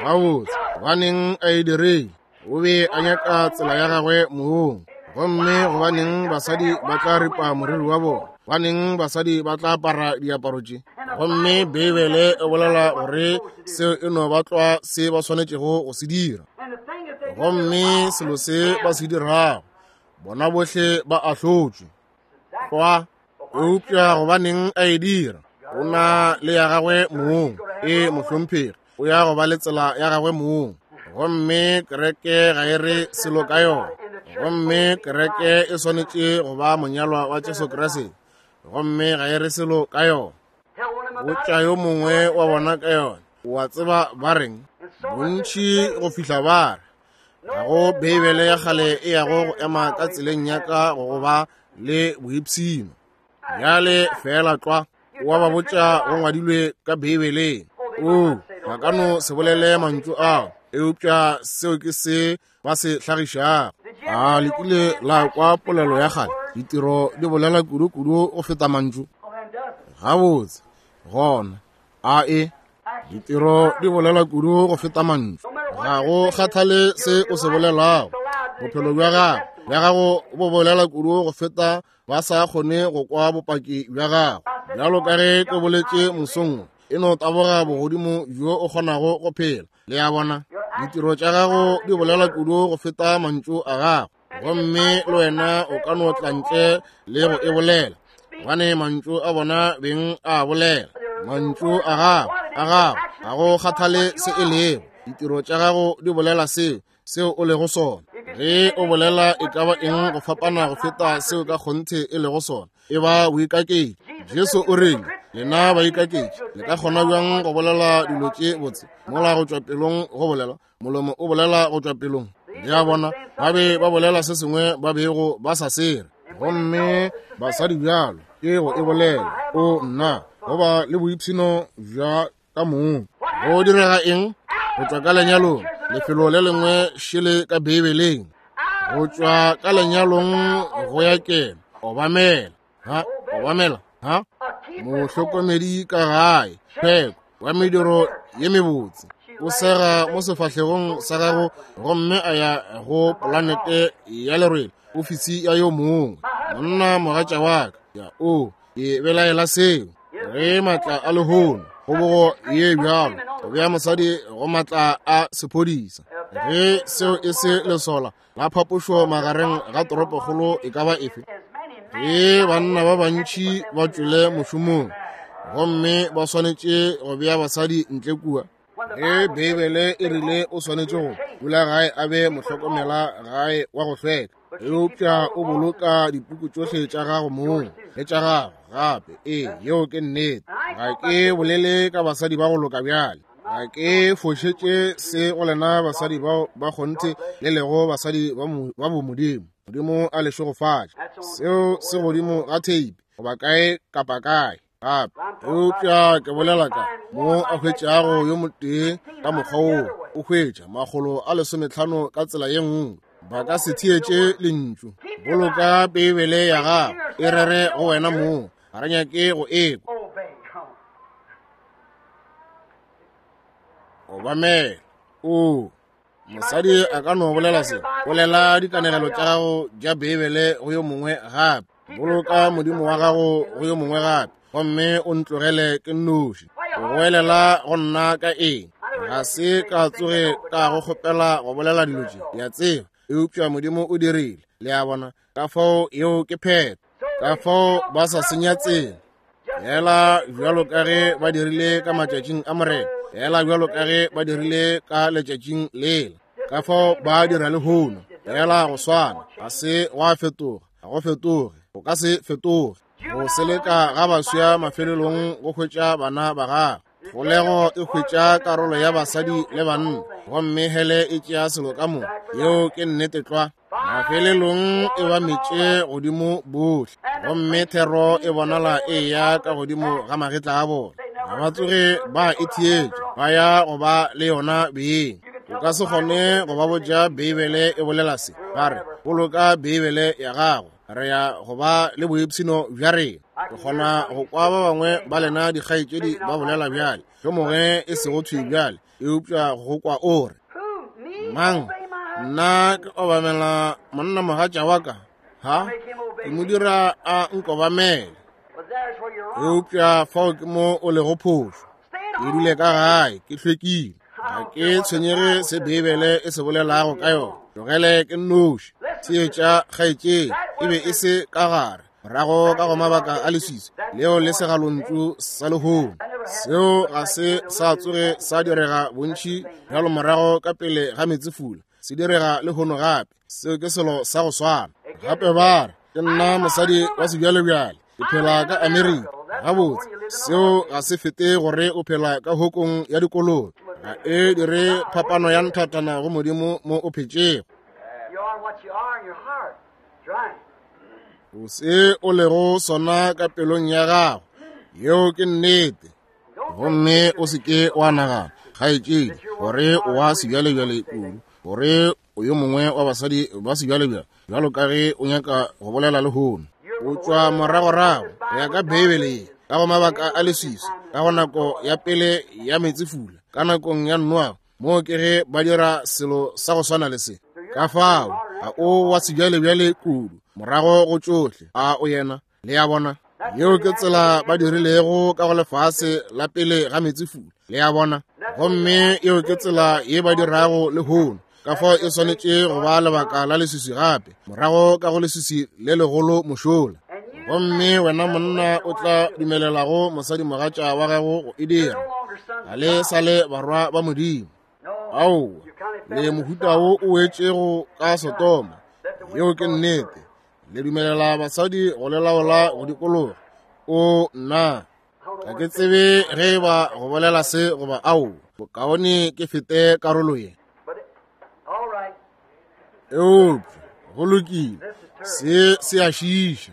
A: Gabotse, gobaneng a e dirile? O be a nyaka tsela ya gagwe mong. Gomme gobaneng basadi ba tla ripa moriri wa bona? Gobaneng basadi ba tla apara diaparo tše? Gomme Beibele e bolela gore seo e no ba tlwa se ba swanetšego go se dira. Gomme selo se ba se dirago, bona bohle ba ahlotšwe. Tlwa. Eupša gobaneng a e dira? O na le ya gagwe mong. Ee, mohlomphegi, o ya go ba le tsela ya gagwe mong. Gomme kereke ga e re selo ka yona. Gomme kereke e swanetše go ba monyalwa wa Jesu Kriste. Gomme ga e re selo ka yona. Botša yo mongwe wa bona ka yona. O a tseba ba reng? Bontši go fihla ba re, ga go Beibele ya kgale e yago go ema ka tseleng ya ka go go ba le boipshino. Bjale feela tlwa, o a ba botša go ngwadilwe ka Beibeleng. Oo, ba ka no se bolele mantšu ao, eupša seo ke se ba se hlagišago. A le kile la kwa polelo ya kgale, ditiro di bolela kudu-kudu go feta mantšu? Gabotse, gona, a e ditiro di bolela kudu go feta mantšu. Ga go kgathale se o se bolelago, bophelo bja gago bja gago bo bolela kudu go feta ba sa kgone go kwa bopaki bja gago. Bjalo ka ge ke boletše mosong, e no taboga bogodimo bjo o kgonago go phela. Le a bona, ditiro tša gago di bolela kudu go feta mantšu a gago, gomme le wena o ka no tla ntle le go e bolela, gobane mantšu a bona beng a bolela. Mantšu a gago a gago ga go kgathale se e lego, ditiro tša gago di bolela seo seo o lego sona. Ge o bolela e ka ba eng go fapana go feta seo ka kgonthe e lego sona, e ba boikaketši. Jesu o rile, lena baikaketši, le ka kgona bjang go bolela dilo tše botse mola go tšwa pelong go bolela? Molomo o bolela go tšwa pelong. Le a bona, ba be ba bolela se sengwe ba bego ba sa se re. Gomme basadi bjalo ke go e bolela, o nna, go ba le boipshino bja ka mong. Go direga eng? Go tšwa ka lenyalong, lefelo le lengwe šele ka Beibeleng. Go tšwa ka lenyalong go ya keno, obamela, ha, obamela, ha, mohlokomedi ka gae, pheko wa mediro ye mebotse, o sega mo sefahlegong sa gago gomme a ya go polanete ya lerwele, ofisi ya yo mongwe, monna mogatša wa ka, ya o ke belaela seo. Ge matla a lehono, kgobogo ye bjalo, go bea mosadi go matla a sephodisa, ge seo e se lesola la phapošo magareng ga toropokgolo e ka ba efe, ge banna ba bantši ba tšwele mošomong gomme ba swanetše go bea basadi ntle kua, ge Beibele e rile o swanetše go dula gae a be mohlokomela gae wa go hlweka, eupša o boloka dipuku tšohle tša gago mong le tša gago gape. Ee, yeo ke nnete. Ga ke bolele ka basadi ba go loka bjale, ga ke fošetše se go lena basadi bao ba kgonthe le lego basadi ba bomodimo. Modimo a le šegofatše. Seo se godimo ga theipi goba kae kapa kae gape, eupša ke bolela ka mo a hwetšago yo motee ka mokgwa woo, o hwetša 150 ka tsela ye nngwe. Ba ka se theetše lentšu. Boloka Beibele ya gago e rere go wena mong, ga re nyake go ekwa. Obamela. O mosadi a ka no bolela se, bolela dikanegelo tša gago tša Beibele go yo mongwe gape, boloka Modimo wa gago go yo mongwe gape, gomme o ntlogele ke nnoši. O goelela go nna ka eng? Ga se ka tsoge ka go kgopela go bolela dilo tše, le a tseba, eupša Modimo o dirile. Le a bona? Ka fao yeo ke phetho. Ka fao ba sa senya tsela, fela bjalo ka ge ba dirile ka matšatšing a Morena, fela bjalo ka ge ba dirile ka letšatšing lela, ka fao ba dira lehono, fela go swana. Ga se gwa fetoga, ga go fetoge, go ka se fetoge. Go seleka ga baswa mafelelong go hwetša bana ba gagwe. Kgolego e hwetša karolo ya basadi le banna, gomme hele e tšea selo ka moka. Yeo ke nnete tlwa. Mafelelong e ba metše godimo bohle, gomme thero e bonala e ya ka godimo ga magetla a bona. Ga ba tsoge ba e theetša, ba ya go ba le yona beng. O ka se kgone go ba botša Beibele e bolela se, ba re, boloka Beibele ya gago, re ya go ba le boipshino bja rena. Ke kgona go kwa ba bangwe ba lena dikgaetšedi ba bolela bjale, yo mongwe e sego thwi bjale, eupša go kwa o re, mang, nna ke obamela monna mogatša wa ka, ha ke mo dira a nkobamele. Eupša fao ke mo o lego phošo. Ke dule ka gae ke hlwekile, ga ke tshwenyege se Beibele e se bolelago ka yona. Tlogele ke nnoši. Theetša kgaetšedi, e be e se ka gare morago ka go mabaka a leswiswi leo le segalontšu sa lehono. Seo ga se sa tsoge sa direga bontši bjalo morago ka pele ga meetsefula, se direga lehono gape. Seo ke selo sa go swana. Gape ba re, ke nna mosadi wa sebjalebjale, ke phela ka Amerika. Gabotse, seo ga se fete gore o phela ka hokong ya dikolobe. Ga e dire phapano ya nthatana go Modimo mo o phetšego. O se o lego sona ka pelong ya gago, yeo ke nnete. Gomme o se ke wa nagana, kgaetšedi, gore o wa sebjalebjale kudu, gore o yo mongwe wa basadi ba sebjalebjale, bjalo ka ge o nyaka go bolela lehono. O tšwa moragorago go ya ka Beibele ye, ka go mabaka a leswiswi, ka go nako ya pele ya meetsefula, ka nakong ya Noa, moo ke ge ba dira selo sa go swana le se. Ka fao, ga o wa sebjalebjale kudu, morago go tšohle, a o yena? Le a bona? Yeo ke tsela ba dirilego ka go lefase la pele ga meetsefula. Le a bona? Gomme yeo ke tsela ye ba dirago lehono. Ka fao e swanetše go ba lebaka la leswiswi gape, morago ka go leswiswi le legolo mošola. Gomme wena monna o tla dumelelago mosadimogatša wa gago go e dira, ga le sa le barwa ba Modimo. Aowa, le mohuta wo o wetšego ka Sodoma. Yeo ke nnete. Le dumelela basadi go le laola go dikologa. O nna, ga ke tsebe ge e ba go bolela se goba ao, bokaone ke fete karolo ye. Eupša go lokile, se se a šiiša.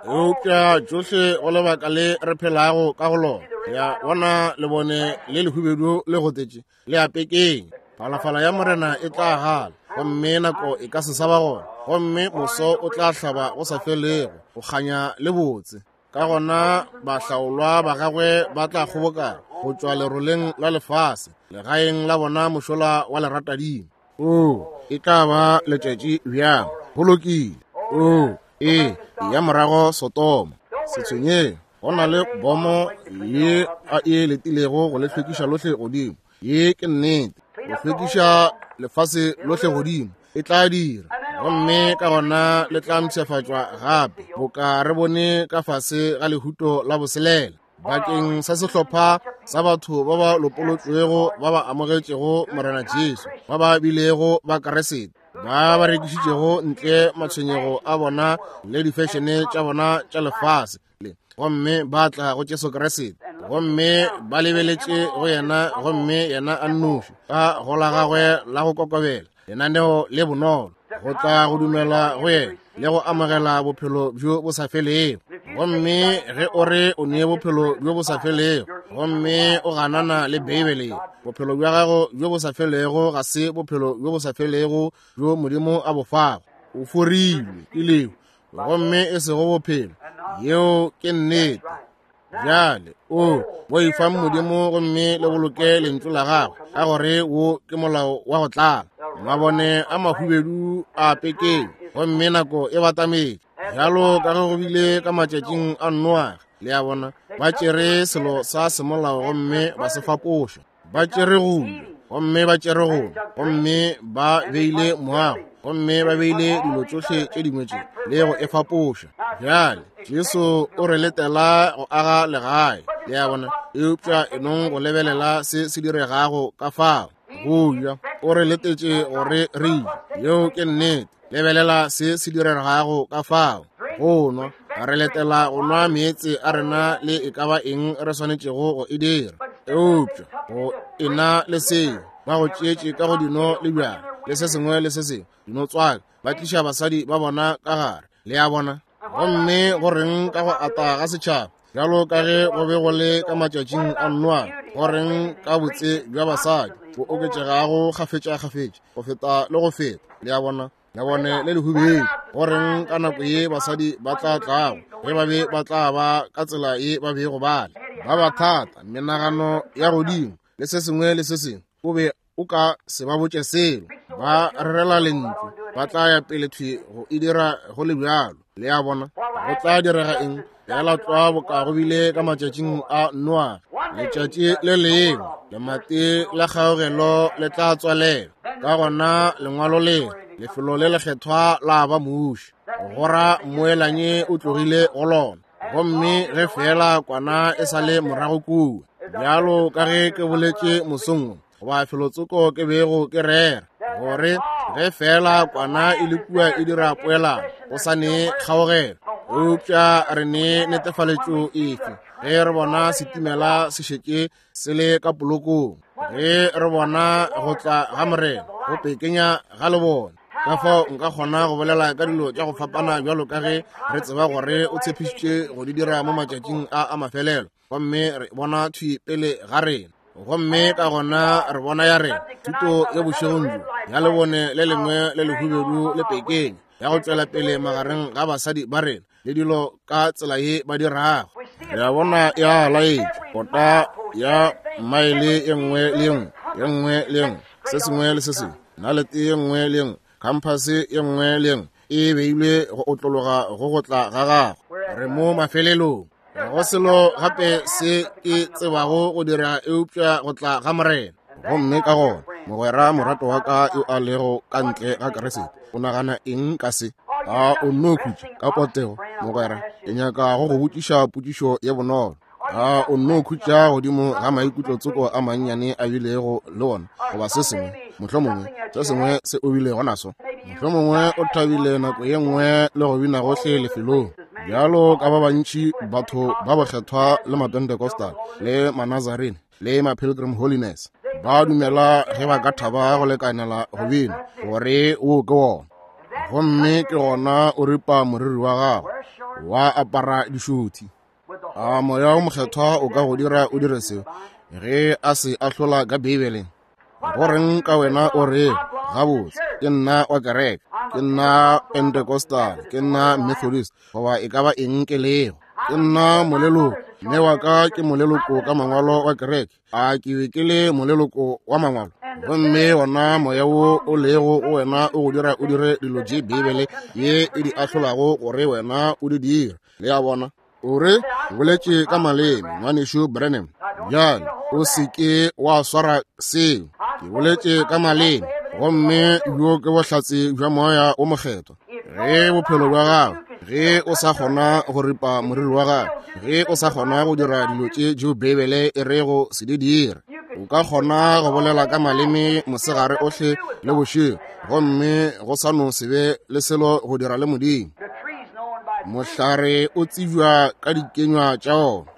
A: Eupša tšohle go lebaka le re phelago ka go lona, ya bona lebone le lehubedu le gotetše le a pekeng. Phalafala ya Morena e tla gala, gomme nako e ka se sa ba gona, gomme moso o tla hlaba go sa felego, go kganya le botse. Ka gona bahlaolwa ba gagwe ba tla kgobokana go tšwa leroleng la lefase, legaeng la bona mošola wa leratadima. Oo, e tla ba letšatši bjang! Go lokile. Oo, ee, ya morago Sodoma. Se tshwenyeng, go na le bomo ye a e letilego go le hlwekiša lohle godimo. Ye ke nnete, go hlwekiša lefase lohle godimo e tla dira, gomme ka gona le tla mpshafatšwa gape, boka re bone ka fase ga lehuto la boselela, bakeng sa sehlopha sa batho ba ba lopolotšwego ba ba amogetšego Morena Jesu, ba ba bilego ba Keresete, ba ba rekišitšego ntle matshwenyego a bona le difešene tša bona tša lefase le, gomme ba tla go Jesu Kriste, gomme ba lebeletše go yena, gomme yena a nnoši ka go la gagwe la go kokobela, lenaneo le bonolo, go tla go dumela go yena le go amogela bophelo bjo bo sa felego. Gomme ge o re o nee bophelo bjo bo sa felego, gomme o ganana le Beibele, bophelo bja gago bjo bo sa felego ga se bophelo bjo bo sa felego bjo Modimo a bo fago. O forilwe ke lehu, gomme e sego bophelo. Yeo ke nnete. Bjale, o boifang Modimo gomme le boloke lentšu la gagwe, ka gore wo ke molao wa go tlala. Mabone a mahubedu a pekeng, gomme nako e batametše, bjalo ka ge go bile ka matšatšing a Noage. Le a bona, ba tšere selo sa semolao gomme ba se fapoša. Ba tšere go ja, gomme ba tšere go nwa, gomme ba beile moago, gomme ba beile dilo tšohle tše dingwe tše, le go e fapoša. Bjale, Jesu o re letela go aga legae, le a bona, eupša e nong go lebelela se se diregago ka fao. Go ja, o re letetše gore re je, yeo ke nnete. Lebelela se se diregago ka fao. Go nwa, re letela go nwa meetse a rena le e ka ba eng re swanetšego go e dira, eupša go ena le seo, ba go tšeetše ka go dino le bjala le se sengwe le se sengwe, dino tswaka, ba tliša basadi ba bona ka gare, le a bona. Gomme go reng ka go ata ga setšhaba, bjalo ka ge go be go le ka matšatšing a Noa? Go reng ka botse bja basadi bo oketšegago kgafetša-kgafetša go feta le go feta, le a bona, lebone le lehubedu? Go reng ka nako ye basadi ba tla tlago, ge ba be ba tla ba ka tsela ye ba bego ba le, ba ba thata, menagano ya godimo le se sengwe le se sengwe? O be o ka se ba botše selo. Ba rerela lentšu, ba tla ya pele thwi go e dira go le bjalo. Le a bona? Go tla direga eng? Fela tlwa boka go bile ka matšatšing a Noa, letšatši le lengwe lemati la kgaogelo le tla tswalela. Ka gona lengwalo le, lefelo le lekgethwa la ba muši, go ra mmoelanyi o tlogile go lona. Gomme ge feela kwana e sa le morago kua, bjalo ka ge ke boletše mosong wo, goba felotsoko ke bego ke rera, gore ge feela kwana e le kua e dira poelano, go sa ne kgaogelo. Eupša re ne netefaletšo efe ge re bona setimela se šetše se le ka polokong, ge re bona go tla ga Morena go pekenya ga lebone? Ka fao nka kgona go bolela ka dilo tša go fapana bjalo ka ge re tseba gore o tshepišitše go di dira mo matšatšing a a mafelelo, gomme re bona thwi pele ga rena. Gomme ka gona re bona ya rena thuto ya bošegong bjo ya lebone le lengwe le lehubedu le pekeng ya go tšwela pele magareng ga basadi ba rena le dilo ka tsela ye ba dirago. Re a bona ya laetša kota ya maele ye nngwe le ye nngwe, ye nngwe le ye nngwe, se sengwe le se sengwe, nalete ye nngwe le ye nngwe, khamphase ye nngwe le ye nngwe e beilwe go otlologa go go tla ga gagwe. Re mo mafelelong. Ga go selo gape se ke tsebago go dira eupša go tla ga Morena. Gomme ka gona, mogwera morato wa ka yo a lego ka ntle ga Keresete, o nagana eng ka se? A o nno khutša ka potego, mogwera? Ke nyaka go go botšiša potšišo ye bonolo. A o nno khutša godimo ga maikutlo tsoko a mannyane a bilego le ona, goba se sengwe, mohlomongwe se sengwe se o bilego naso? Mohlomongwe o thabile nako ye nngwe le go bina gohle lefelong, bjalo ka ba bantši batho ba bokgethwa le Mapentecostal le Manazarene le ma-Pilgrim Holiness ba dumela ge ba ka thaba go lekanela go bina gore wo ke wona. Gomme ke gona o ripa moriri wa gago wa apara dišothi. A Moya wo Mokgethwa o ka go dira o dire seo ge a se ahlola ka Beibeleng? Go reng ka wena o re, Gabotse, ke nna wa kereke, ke nna Pentecostal, ke nna Methodist, goba e ka ba eng ke lego. Ke nna moleloko, mme wa ka ke moleloko ka mangwalo wa kereke. A ke be ke le moleloko wa mangwalo? Gomme wona moya wo o lego go wena o go dira o dire dilo tše Beibele ye e di ahlolago gore wena o di dire. Le a bona? O re boletše ka maleme, Ngwanešu Branham. Bjale, o se ke wa swara seo. Ke boletše ka maleme, gomme bjo ke bohlatse bja Moya wo Mokgethwa. Ge bophelo bja gago, ge o sa kgona go ripa moriri wa gago, ge o sa kgona go dira dilo tše tšeo Beibele e rego se di dire, o ka kgona go bolela ka maleme mosegare ohle le bošego, gomme go sa no se be le selo go dira le Modimo. Mohlare o tsebja ka dikenywa tša ona.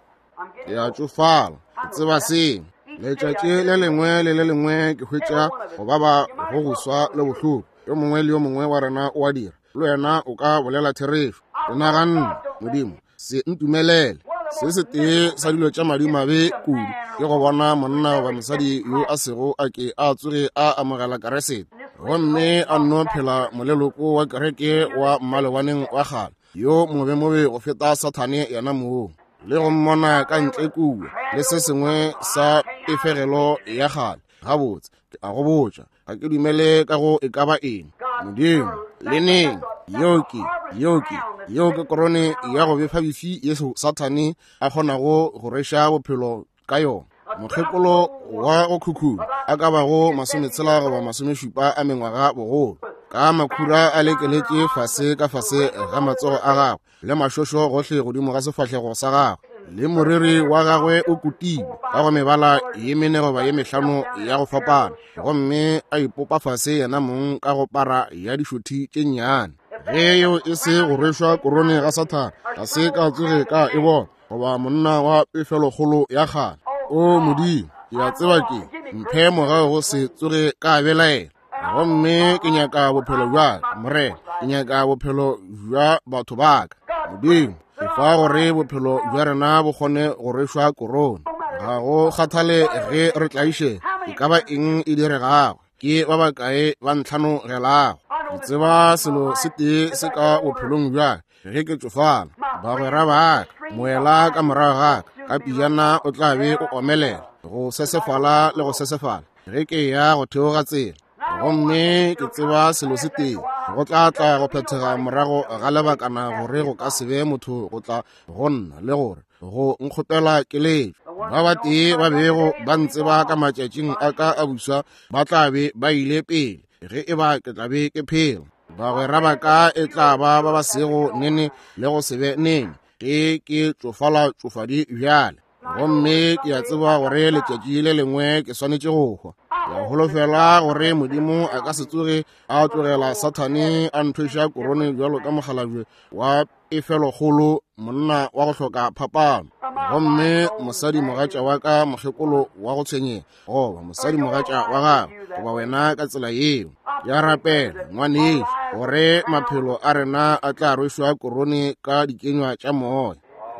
A: Ke a tšofala, ke tseba seo. Letšatši le lengwe le le lengwe ke hwetša go baba go go swa le bohloko. Yo mongwe le yo mongwe wa rena o a dira. Le wena o ka bolela therešo. Ke naganne, Modimo, se ntumelele. Se setee sa dilo tša madimabe kudu ke go bona monna goba mosadi yo a sego a ke a tsoge a amogela Keresete, gomme a nno phela moleloko wa kereke wa mmalewaneng wa kgale, yo mobemobe go feta Sathane yena mong, le go mmona ka ntle kua le se sengwe sa pefegelo ya kgale. Gabotse, ke a go botša, ga ke dumele ka go e ka ba eng. Modimo, le neng, yeo ke, yeo ke, yeo ke korone ya go befa bifi ye Sathane a kgonago go rweša bophelo ka yona. Mokgekolo wa go khukhuna a ka bago 60 goba 70 a mengwaga bogolo, ka makhura a lekeletše fase ka fase ga matsogo a gagwe, le mašošo gohle godimo ga sefahlego sa gagwe, le moriri wa gagwe o kutilwe ka go mebala ye mene goba ye mehlano ya go fapana, gomme a ipopa fase yena mong ka go para ya dišothi tše nnyane. Ge yeo e se go rwešwa korone ga Sathane, ga se ka tsoge ka e bona, goba monna wa pefelokgolo ya kgale. O Modimo, ke a tseba ke mphe mogau go se tsoge ka belaela. Gomme ke nyaka bophelo bja ka, Morena. Ke nyaka bophelo bja batho ba ka. Modimo, ke fa gore bophelo bja rena bo kgone go rwešwa korone. Ga go kgathale ge re tlaišega, e ka ba eng e diregago, ke ba bakae ba ntlhanogelago. Ke tseba selo se tee se ka bophelong bja ka, ge ke tšofala, bagwera ba ka, moela ka morago ga ka, ka pijana o tla be o omelela, go sesefala le go sesefala, ge ke ya go theoga tsela. Gomme ke tseba selo se tee, go tla tla go phethega morago ga lebakana gore go ka se be motho go tla go nna le gore go nkgopela keletšo. Ba batee ba bego ba ntseba ka matšatšing a ka a buswa ba tla be ba ile pele ge e ba ke tla be ke phela. Bagwera ba ka e tla ba ba ba sego nene le go se be nene ge ke tšofala tšofadi bjale. Gomme ke a tseba gore letšatši le lengwe ke swanetše go hwa. Ke a holofela gore Modimo a ka se tsoge a tlogela Sathane a nthweša korone bjalo ka mokgalabje wa pefelokgolo, monna wa go hloka phapano. Gomme mosadi mogatša wa ka mokgekolo wa go tshwenyega, goba mosadi mogatša wa gago, goba wena ka tsela yeo. Ke a rapela, ngwanešu, gore maphelo a rena a tla rwešwa korone ka dikenywa tša moya,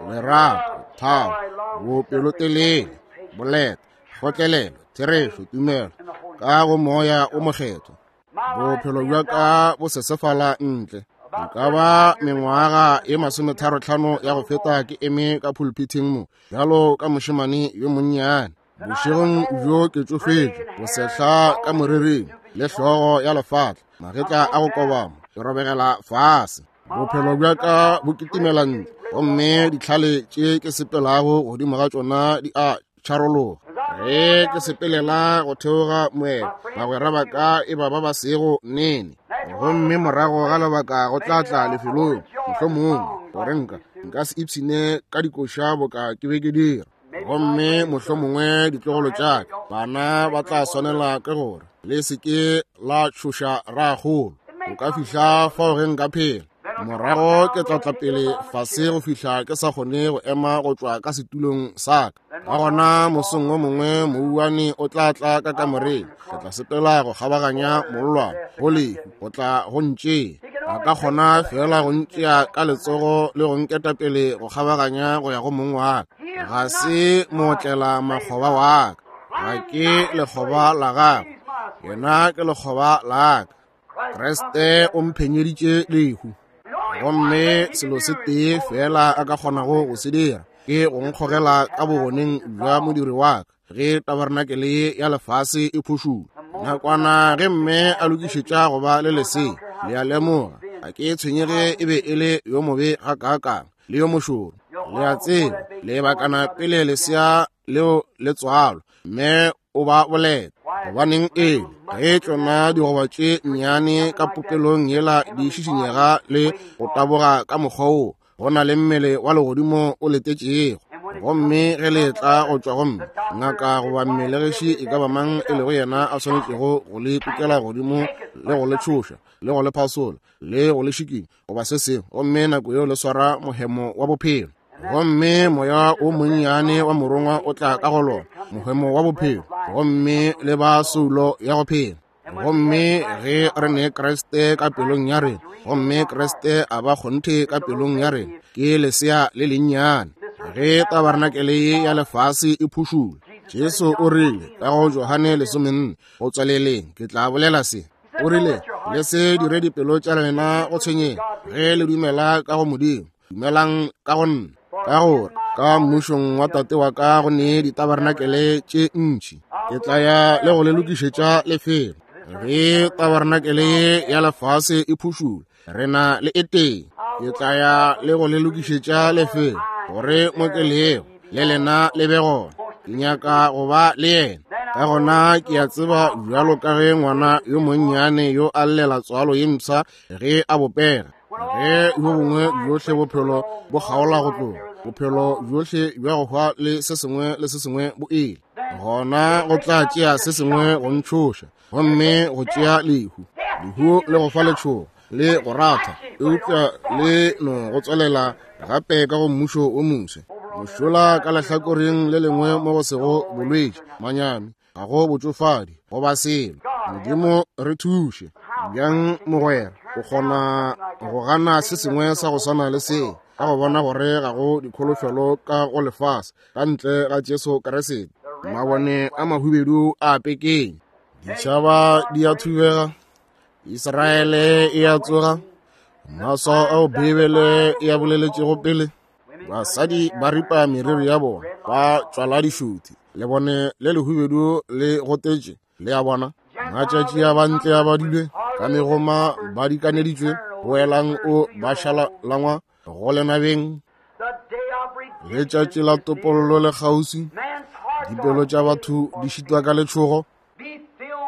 A: lerato, thabo, bopelotelele, boleta, Kgotlelelo, therešo, tumelo, ka go Moya o Mokgethwa. Bophelo bja ka bo sesefala ntle. E ka ba mengwaga ye 35 ya go feta ke eme ka pulpithing mo, bjalo ka mošemane yo monnyane. Bošegong bjo ke tšofetše, bosehla ka moriring, le hlogo ya lefatla, magetla a go kobama, ke robegela fase. Bophelo bja ka bo kitimela ntle, gomme ditlhale tše ke sepelago godimo ga tšona di a tšharologa. Ge ke sepelela go theoga moela, bagwera ba ka e ba ba ba sego nene. Gomme morago ga lebaka go tla tla lefelong, mohlomongwe, gore nka se ipshine ka dikoša boka ke be ke dira. Gomme mohlomongwe ditlogolo tša ka, bana ba tla swanela ke gore le se ke la tšhoša ragolo. O ka fihla fao ge nka phela. Morago ke tla tla pele fase go fihla ke sa kgone go ema go tšwa ka setulong sa ka. Ka gona mosong o mongwe mouwane o tla tla ka kamoreng. Ke tla sepela go kgabaganya mollwane go lehu go tla go ntšea. A ka kgona fela go ntšea ka letsogo le go nketa pele go kgabaganya go ya go mong wa ka. Ga se mootlela makgoba wa ka. Ga ke lekgoba la gagwe. Yena ke lekgoba la ka. Kriste o mphenyeditše lehu. Gomme selo se tee fela a ka kgonago go se dira ke go nkgogela ka bogoneng bja modiri wa ka ge tabarenakele ye ya lefase e phošula. Nakwana ge mme a lokišetša go ba le lesea, le a lemoga, ga ke tshwenyege e be e le yo mobe gakaakang le yo mošoro. Le a tseba, lebakana pele lesea leo le tswalwa, mme o ba boleta. Gobaneng e ge tšona digoba tše nnyane ka popelong yela di šišinyega le go taboga ka mokgwa wo, go na le mmele wa legodimo o letetšego. Gomme ge le etla go tšwa go mme, ngaka goba mmelegiši e ka ba mang e lego yena a swanetšego go le kukela godimo le go le tšhoša le go le phasola le go le šikinya goba se sengwe, gomme nako yeo le swara mohemo wa bophelo. Gomme moya o monnyane wa morongwa o tla ka go lona, mohemo wa bophelo, gomme le ba soulo ya go phela. Gomme ge re ne Kriste ka pelong ya rena, gomme Kriste a ba kgonthe ka pelong ya rena, ke lesea le lennyane. Ge tabarenakele ye ya lefase e phušula, Jesu o rile ka go Johane 14, go tswaleleng ke tla bolela se. O rile, le se dire dipelo tša lena go tshwenyega ge le dumela ka go Modimo, dumelang ka go nna. Ka gore ka mmušong wa Tate wa ka go ne ditabarenakele tše ntši, ke tla ya le go le lokišetša lefelo. Ge tabarenakele ye ya lefase e phušula, re na le e tee. Ke tla ya le go le lokišetša lefelo, gore mo ke lego le lena le be gona. Ke nyaka go ba le yena. Ka gona ke a tseba bjalo ka ge ngwana yo monnyane yo a llela tswalo ye mpsha ge a bopega, ge yo bongwe bjohle bophelo bo kgaola go tloga, bophelo bjohle bja go hwa le se sengwe le se sengwe bo ile, gona go tla tšea se sengwe go ntšhoša, gomme go tšea lehu. Lehu le go fa letšhogo le go ratha, eupša le no go tswelela gape ka go mmušo wo moswe. Mošola ka lehlakoreng le lengwe mo go sego bolwetši, manyami, ga go botšofadi goba selo. Modimo re thuše bjang mogwera, o kgona go gana se sengwe sa go swana le se, ka go bona gore ga go dikholofelo ka go lefase ka ntle ga Jesu Kriste. Mabone a mahubedu a pekeng, ditšhaba di a thubega, Israele e a tsoga, maswao ao Beibele e a boleletšego pele. Basadi ba ripa meriri ya bona, ba tšwala dišuthi, lebone le lehubedu le gotetše, le a bona. Matšatši a bantle a badilwe, ka megoma ba dikaneditšwe, boelang o ba šalalangwa go lenabeng. Letšatši la topollo le kgauswi, dipelo tša batho di šitwa ka letšhogo.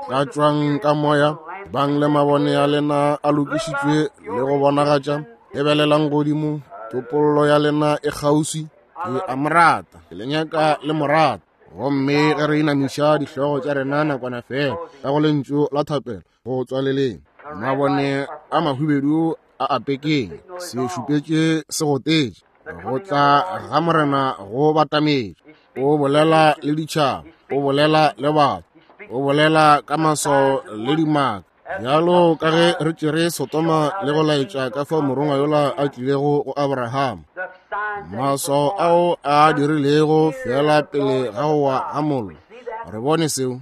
A: Tlatšwang ka moya, bang le mabone a lena a lokišitšwe le go bonagatša. Lebelelang godimo, topollo ya lena e kgauswi. Ke a mo rata, ke le nyaka le mo rata. Gomme ge re inamiša dihlogo tša rena nakwana fela ka go lentšu la thapelo go tswaleleng, mabone a mahubedu a apekeng, se šupetše se gotetše, go tla ga Morena go batametše. O bolela le ditšhaba, o bolela le batho, o bolela ka maswao le dimaka. Bjalo ka ge re tšere Sodoma le go laetša ka fao morongwa yola a tlilego go Abraham, maswao ao a dirilego fela pele ga go wa ga mollo. Re bone seo.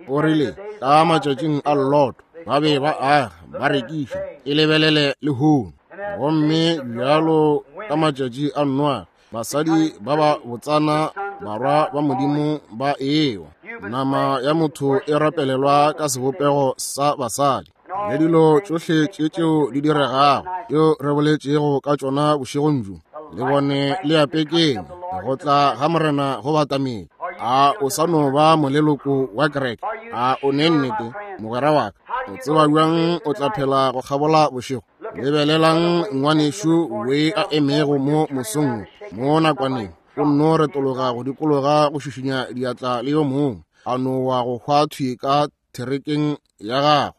A: O rile, ka matšatšing a Lot, ba be ba aga, ba rekiša, e lebelele lehono. Gomme bjalo ka matšatši a Noa, basadi ba ba botsana barwa ba Modimo ba ewa. Nama ya motho e rapelelwa ka sebopego sa basadi. Le dilo tšohle tše tšeo di diregago, tšeo re boletšego ka tšona bošegong bjo, le bone le a pekeng, go tla ga Morena go batamile. A o sa no ba moleloko wa kereke? A o ne nnete, mogwera wa ka? O tseba bjang o tla phela go kgabola bošego? Lebelelang ngwanešu we a emego mo mosong mo nakwaneng, o nno retologa go dikologa go šišinya diatla le yo mongwe, a no wa go hwa thwi ka therekeng ya gagwe.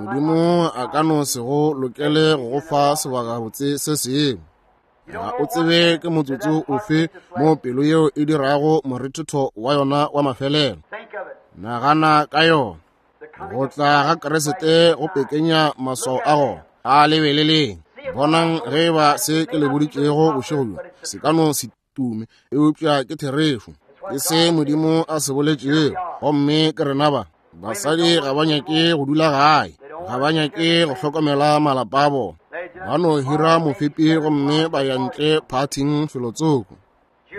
A: Modimo a ka no se go lokele go go fa sebakabotse se sengwe. Ga o tsebe ke motsotso ofe mo pelo yeo e dirago morethetho wa yona wa mafelelo. Nagana ka yona. Go tla ga Kriste go pekenya maswao a gona. A lebeleleng. Bonang ge ba se ke le boditšego bošego bjo se ka no se tume, eupša ke therešo. Ke se Modimo a se boletšego, gomme ke rena ba. Basadi ga ba nyake go dula gae, ga ba nyake go hlokomela malapa a bona. Ba no hira mofepi gomme ba ya ntle phathing felotsoko.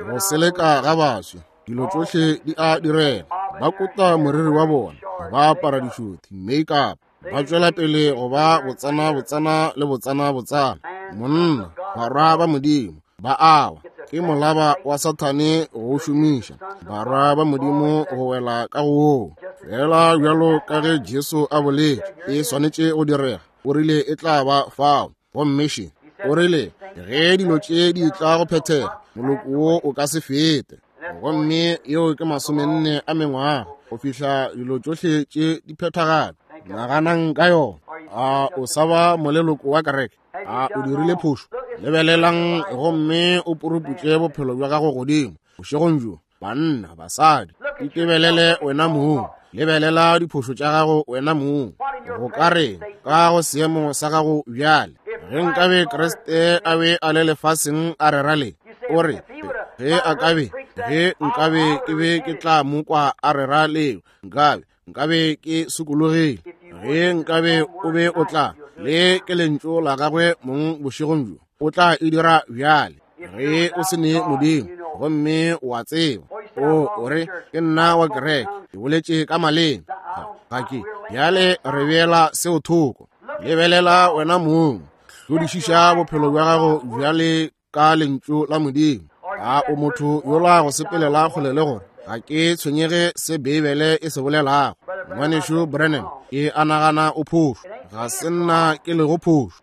A: Go seleka ga baswi, dilo tšohle di a direga. Ba kota moriri wa bona, ba apara dišothi, make-up, ba tšwela pele go ba botsana botsana le botsana botsana. Monna, barwa ba Modimo ba awa, ke molaba wa Sathane go šomiša barwa ba Modimo go wela ka go woo. Fela bjalo ka ge Jesu a boletše e swanetše go direga, o rile e tla ba fao. Gomme še, o rile ge dilo tše di tla go phethega, moloko wo o ka se fete. Gomme yeo ke 40 a mengwaga go fihla dilo tšohle tše di phethagala. Naganang ka yona. A o sa ba moleloko wa kereke? A o dirile phošo? Lebelelang gomme o puruputše bophelo bja gago godimo bošegong bjo. Banna, basadi, itebelele wena mong. Lebelela diphošo tša gago wena mong. Go ka reng ka go seemo sa gago bjale? Ge nkabe Kriste a be a le lefaseng a rera le, o re, ge a ka be, ge nkabe ke be ke tla mo kwa a rera leo, nkabe ke sokologile. Ge nkabe o be o tla, le ke lentšu la gagwe mong bošegong bjo, o tla e dira bjale. Ge o se ne Modimo, gomme o a tseba, o re, ke nna wa kereke, ke boletše ka maleme, ga ke bjale re beela seo thoko. Lebelela wena mong, hlodišiša bophelo bja gago bjale ka lentšu la Modimo. A o motho yola go sepelela kgole le gore ga ke tshwenyege se Beibele e se bolelago? Ngwanešu Branham, ke a nagana o phošo. Ga se nna ke lego phošo.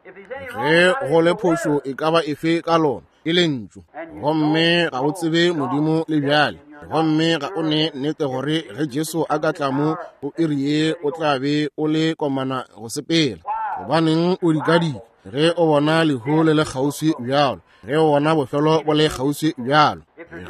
A: Ge go le phošo e ka ba efe ka lona, ke lentšu. Gomme ga o tsebe Modimo le bjale. Gomme ga o ne nnete gore ge Jesu a ka tla mo go iri ye o tla be o le komana go sepela. Gobaneng o dikadika ge o bona lehu le le kgauswi bjalo, ge o bona bofelo bo le kgauswi bjalo?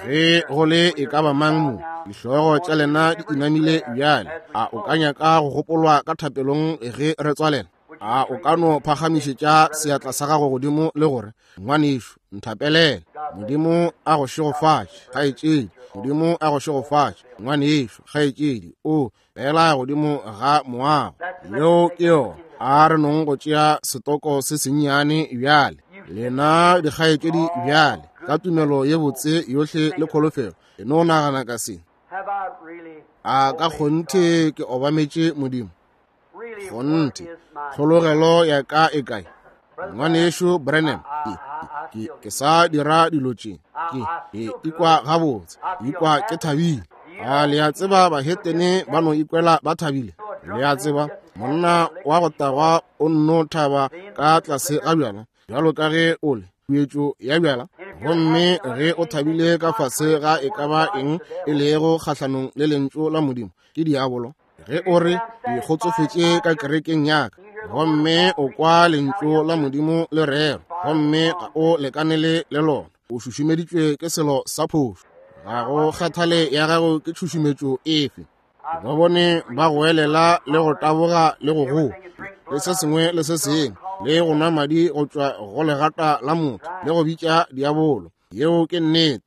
A: Ge go le e ka ba mang mo, dihlogo tša lena di inamile bjale, a o ka nyaka go gopolwa ka thapelong ge re tswalela? A o ka no phagamišetša seatla sa gago godimo le gore, ngwanešu, nthapelele. Modimo a go šegofatše, kgaetšedi. Modimo a go šegofatše, ngwanešu, kgaetšedi. O fela godimo ga moago. Yeo ke yona. A re nong go tšea setoko se sennyane bjale. Lena dikgaetšedi bjale, ka tumelo ye botse yohle le kholofelo, e no nagana ka se. A ka kgonthe ke obametše Modimo? Kgonthe, tlhologelo ya ka e kae? Ngwanešu Branham, ke sa dira dilo tše, ke ikwa gabotse, ikwa ke thabile. A le a tseba bahetene ba no ikwela ba thabile? Le a tseba monna wa go tagwa o nno thaba ka tlase ga bjala, bjalo ka ge o le khuetšo ya bjala. Gomme ge o thabile ka fase ga e ka ba eng e lego kgahlanong le lentšu la Modimo, ke diabolo. Ge o re, ke kgotsofetše ka kerekeng ya ka, gomme o kwa lentšu la Modimo le rero, gomme ga o lekanele le lona, o šušumeditšwe ke selo sa phošo. Ga go kgathale ya gago ke tšhušumetšo efe. Ba bone ba goelela le go taboga le go goa le se sengwe le se sengwe, le go nwa madi go tšwa go legata la motho, le go bitša diabolo. Yeo ke nnete.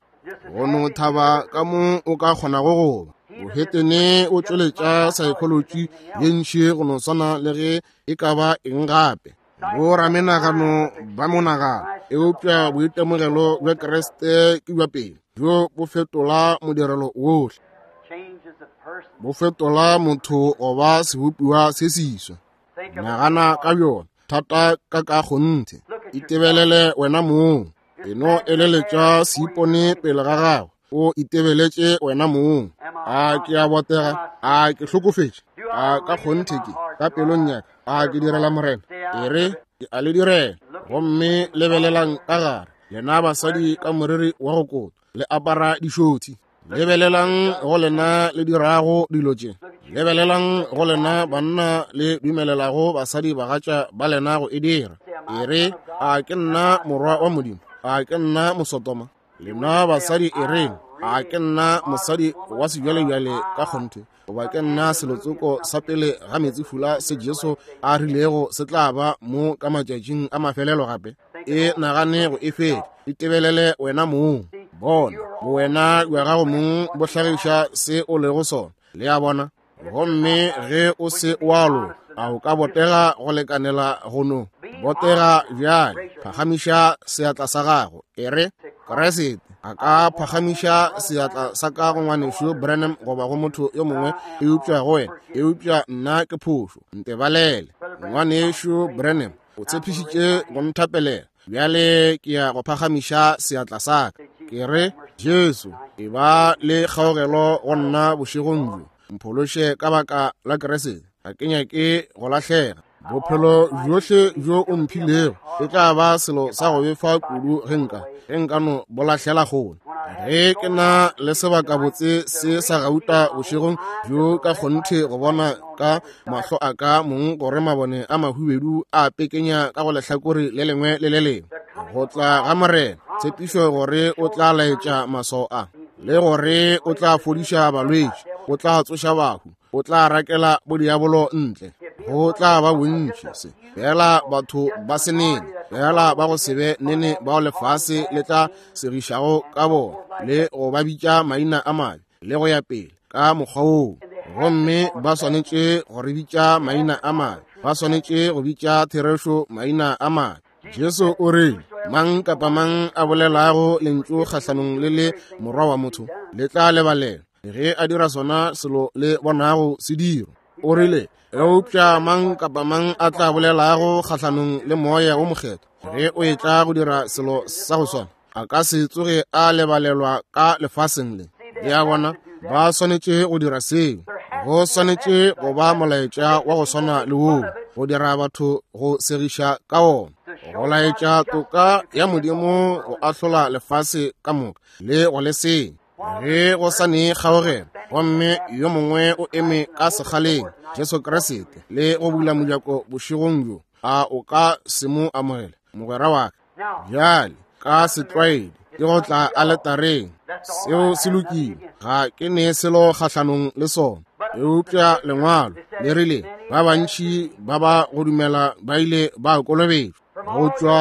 A: Go no thaba ka mo o ka kgonago go ba. Bohetene o tšweletša saekholotši ye ntši go no swana le ge e ka ba eng gape. Boramenagano ba monagano, eupša boitemogelo bja Kriste ke bja pele, bjo bo fetola modirelo wohle, bo fetola motho go ba sebopiwa se seswa. Nagana ka bjona thata ka ka kgonthe, itebelele wena mong, e no eleletša seipone pele ga gago, o itebeletše wena mong. A ke a botega? A ke hlokofetše? A ka kgonthe ke ka pelong ya ka? A ke direla Morena? E re ke a le direla. Gomme lebelelang ka gare, lena basadi ka moriri wa go kotwa, le apara dišothi. Lebelelang go lena le dirago dilo tše. Lebelelang go lena banna le dumelelago basadi bagatša ba lena go e dira. E re, a ke nna morwa wa Modimo? A ke nna Mosotoma? Lena basadi e reng, a ke nna mosadi wa sebjalebjale ka kgonthe, goba ke nna selotsoko sa pele ga meetsefula se Jesu a rilego se tla ba mo ka matšatšing a mafelelo gape? E nagane go e fetša, itebelele wena mong. Bona, bowena bja gago mong bo hlagiša se o lego sona. Le a bona? Gomme ge o se wa loka, a o ka botega go lekanela go no botega bjale? Phagamiša seatla sa gago, e re, Kriste, a ka phagamiša seatla sa ka go ngwanešu Branham goba go motho yo mongwe eupša go wena, eupša nna ke phošo, ntebalele. Ngwanešu Branham o tshepišitše go nthapelela, bjale ke ya go phagamiša seatla sa ka, ke re, Jesu, e ba le kgaogelo go nna bošegong bjo, mphološe ka baka la Kriste, ga ke nyake go lahlega. Bophelo bjohle bjo o mphilego e tla ba selo sa go befa kudu ge nka no bo lahlela kgole. Ge ke na le sebakabotse se sa gauta bošegong bjo ka kgonthe go bona ka mahlo a ka mong gore mabone a mahubedu a pekenya ka go lehlakore le lengwe le le lengwe, go tla ga Morena, tshepišo gore o tla laetša maswao a, le gore o tla fodiša balwetši, o tla tsoša bahu, o tla rakela bodiabolo ntle. Go tla ba bontši se fela batho ba se nene, fela ba go se be nene bao lefase le tla segišago ka bona le go ba bitša maina a mabe le go ya pele ka mokgwa woo. Gomme ba swanetše go re bitša maina a mabe, ba swanetše go bitša therešo maina a mabe. Jesu o re, mang kapa mang a bolelago lentšu kgahlanong le le morwa wa motho, le tla lebalelwa ge a dira sona selo le bonago se diro. O rile, eupša mang kapa mang a tla bolelago kgahlanong le moya wo mokgethwa ge o etla go dira selo sa go swana, a ka se tsoge a lebalelwa ka lefaseng le. Le a bona, ba swanetše go dira seo. Go swanetše go ba molaetša wa go swana le woo, go dira batho go segiša ka wona, go laetša toka ya Modimo go ahlola lefase ka moka le go le senya. Ge go sa ne kgaogelo, gomme yo mongwe o eme ka sekgaleng, Jesu Kriste, le go bula mojako bošegong bjo, a o ka se mo amogele, mogwera wa ka? Bjale ka setlwaedi ke go tla aletareng, seo se lokile, ga ke ne selo kgahlanong le sona, eupša lengwalo le rile ba bantši ba ba go dumela ba ile ba kolobetšwa. Go tšwa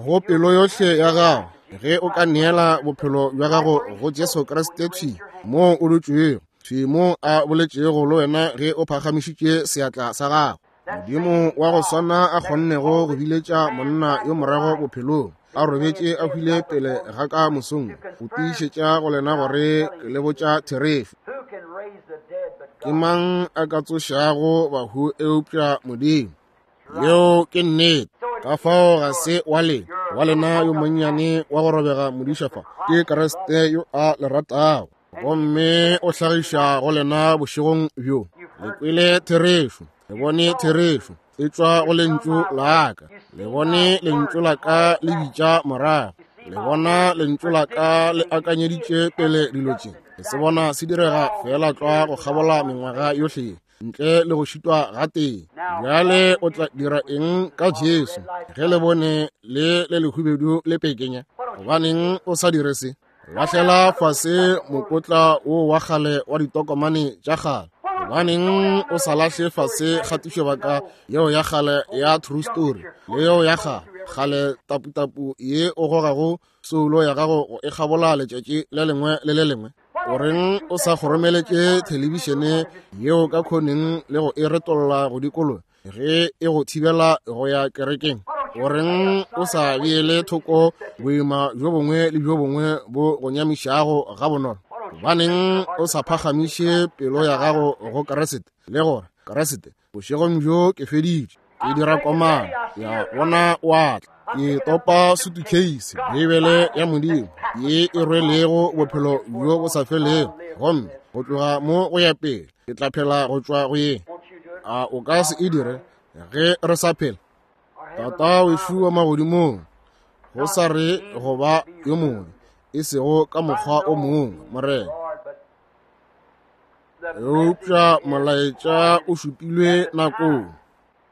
A: go pelo yohle ya gago, ge o ka neela bophelo bja gago go Jesu Kriste thwi moo o dutšego, thwi moo a boletšego le wena ge o phagamišitše seatla sa gago. Modimo wa go swana a kgonnego go biletša monna yo morago bophelong, a robetše a hwile pele ga ka mosong, go tiišetša go lena gore ke le botša therešo. Ke mang a ka tsošago bahu eupša Modimo? Yeo ke nnete. Ka fao ga se wa lena, wa lena yo monnyane wa go robega modiša fa, ke Kriste yo a le ratago, gomme o hlagiša go lena bošegong bjo. Le kwele therešo, le bone therešo e tšwa go lentšu la ka, le bone lentšu la ka le bitša morago, le bona lentšu la ka le akanyeditše pele dilo tše. Le se bona se direga feela tlwa go kgabola mengwaga yohle ye, ntle le go šitwa gatee. Bjale o tla dira eng ka Jesu ge le bone le le lehubedu le pekenya? Gobaneng o sa dire se? Lahlela fase mokotla wo wa kgale wa ditokomane tša kgale. Gobaneng o sa lahle fase kgatišobaka yeo ya kgale ya True Story le yeo ya kgale kgale taputapu ye o gogago soulo ya gago go e kgabola letšatši le lengwe le le lengwe? O reng o sa kgoromeletše thelebišene yeo ka khoneng le go e retolla go dikologa ge e go thibela go ya kerekeng? O reng o sa beele thoko boima bjo bongwe le bjo bongwe bo go nyamišago gabonolo? Gobaneng o sa phagamiše pelo ya gago go Kriste le gore, Kriste, bošegong bjo ke feditše, ke dira komano ya bona wa tla, ke topa sutukheisi, Beibele ya Modimo ye e rwelego bophelo bjo bo sa felego, gomme go tloga mo go ya pele ke tla phela go tšwa go ye. A o ka se e dire ge re sa phela? Tata wešu wa magodimong, go sa re go ba yo mongwe, e sego ka mokgwa o mongwe, Morena. Eupša molaetša o šupilwe nakong,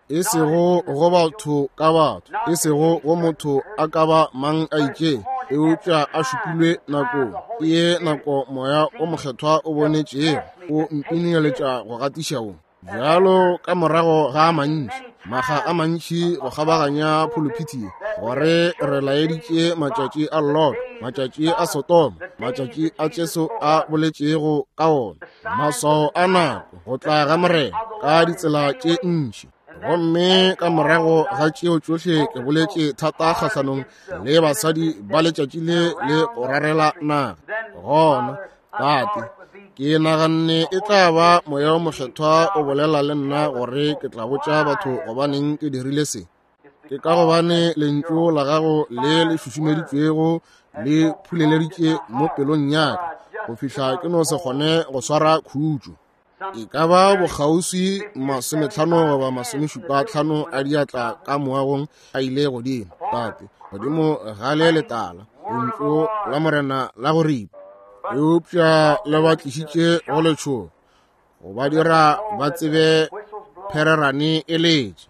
A: e sego go batho ka batho, e sego go motho a ka ba mang a itšeng, eupša a šupilwe nakong. Ke ye nako Moya o Mokgethwa o bonetšego o mpineletša go gatiša wo. Bjalo ka morago ga a mantši, makga a mantši go kgabaganya phuluphithi ye, gore re laeditše matšatši a Lot, matšatši a Sodoma, matšatši a Jesu a boletšego ka ona, maswao a nako, go tla ga Morena ka ditsela tše ntši. Gomme ka morago ga tšeo tšohle ke boletše thata kgahlanong le basadi ba letšatši le le go rarela naga. Gona, Tate, ke naganne e tla ba Moya o Mokgethwa o bolela le nna gore ke tla botša batho gobaneng ke dirile se. Ke ka gobane lentšu la gago le le šušumeditšwego le phuleleditše mo pelong ya ka go fihla ke no se kgone go swara khutšo. E ka ba bokgauswi 50 goba 75 a diatla ka moagong a ile godimo, Tate, godimo ga le letala, lentšu la Morena la go ripa. Eupša le ba tlišitše go letšhogo, go ba dira ba tsebe phererane e letše.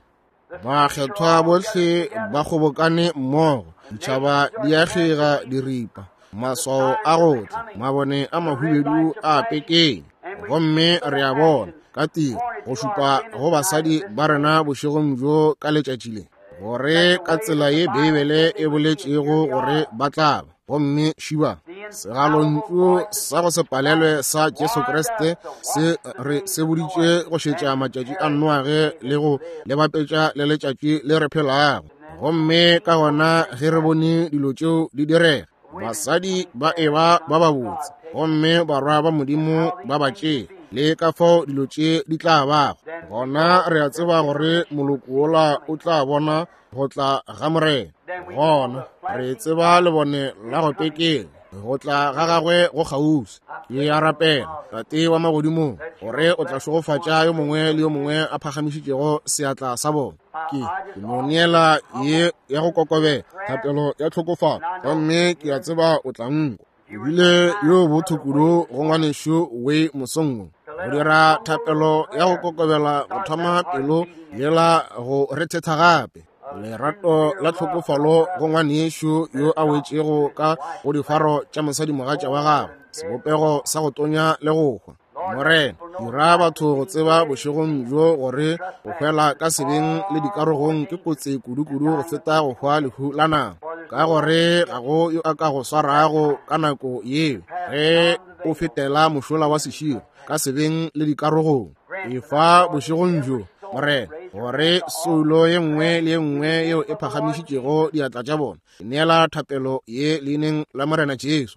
A: Bakgethwa bohle ba kgobokane mmogo, ditšhaba di a kgega diripa, maswao a go tla, mabone a mahubedu a pekeng. Gomme re a bona ka tiro go šupa go basadi ba rena bošegong bjo ka letšatši le, gore ka tsela ye Beibele e boletšego gore ba tla ba. Gomme šiba segalontšu sa go se palelwe sa Jesu Kriste se re seboditše go šetša matšatši a Noage le go le bapetša le letšatši le re phelago. Gomme ka gona ge re bone dilo tšeo di direga, basadi ba eba ba babotse, gomme barwa ba Modimo ba ba tšea, le ka fao dilo tše di tla bago, gona re a tseba gore moloko wola o tla bona go tla ga Morena. Gona re tseba lebone la go pekeng, go tla ga gagwe go kgauswi. Ke a rapela, Tate wa magodimong, gore o tla šegofatša yo mongwe le yo mongwe a phagamišitšego seatla sa bona. Ke no neela ye ya go kokobela, thapelo ya tlhokofalo, gomme ke a tseba o tla nkwa. Ebile yo botho kudu go ngwanešu we mosong wo, go dira thapelo ya go kokobela go thoma pelo yela go rethetha gape. Lerato la tlhokofalo go ngwanešu yo a wetšego ka go difaro tša mosadimogatša wa gagwe, sebopego sa go tonya le go hwa. Morena, dira batho go tseba bošegong bjo gore go hwela ka sebeng le dikarogong ke kotsi kudu-kudu go feta go hwa lehu la nama, ka gore ga go yo a ka go swarago ka nako yeo ge o fetela mošola wa seširo ka sebeng le dikarogong. Efa bošegong bjo, Morena, gore soulo ye nngwe le ye nngwe yeo e phagamišitšego diatla tša bona, neela thapelo ye leineng la Morena Jesu,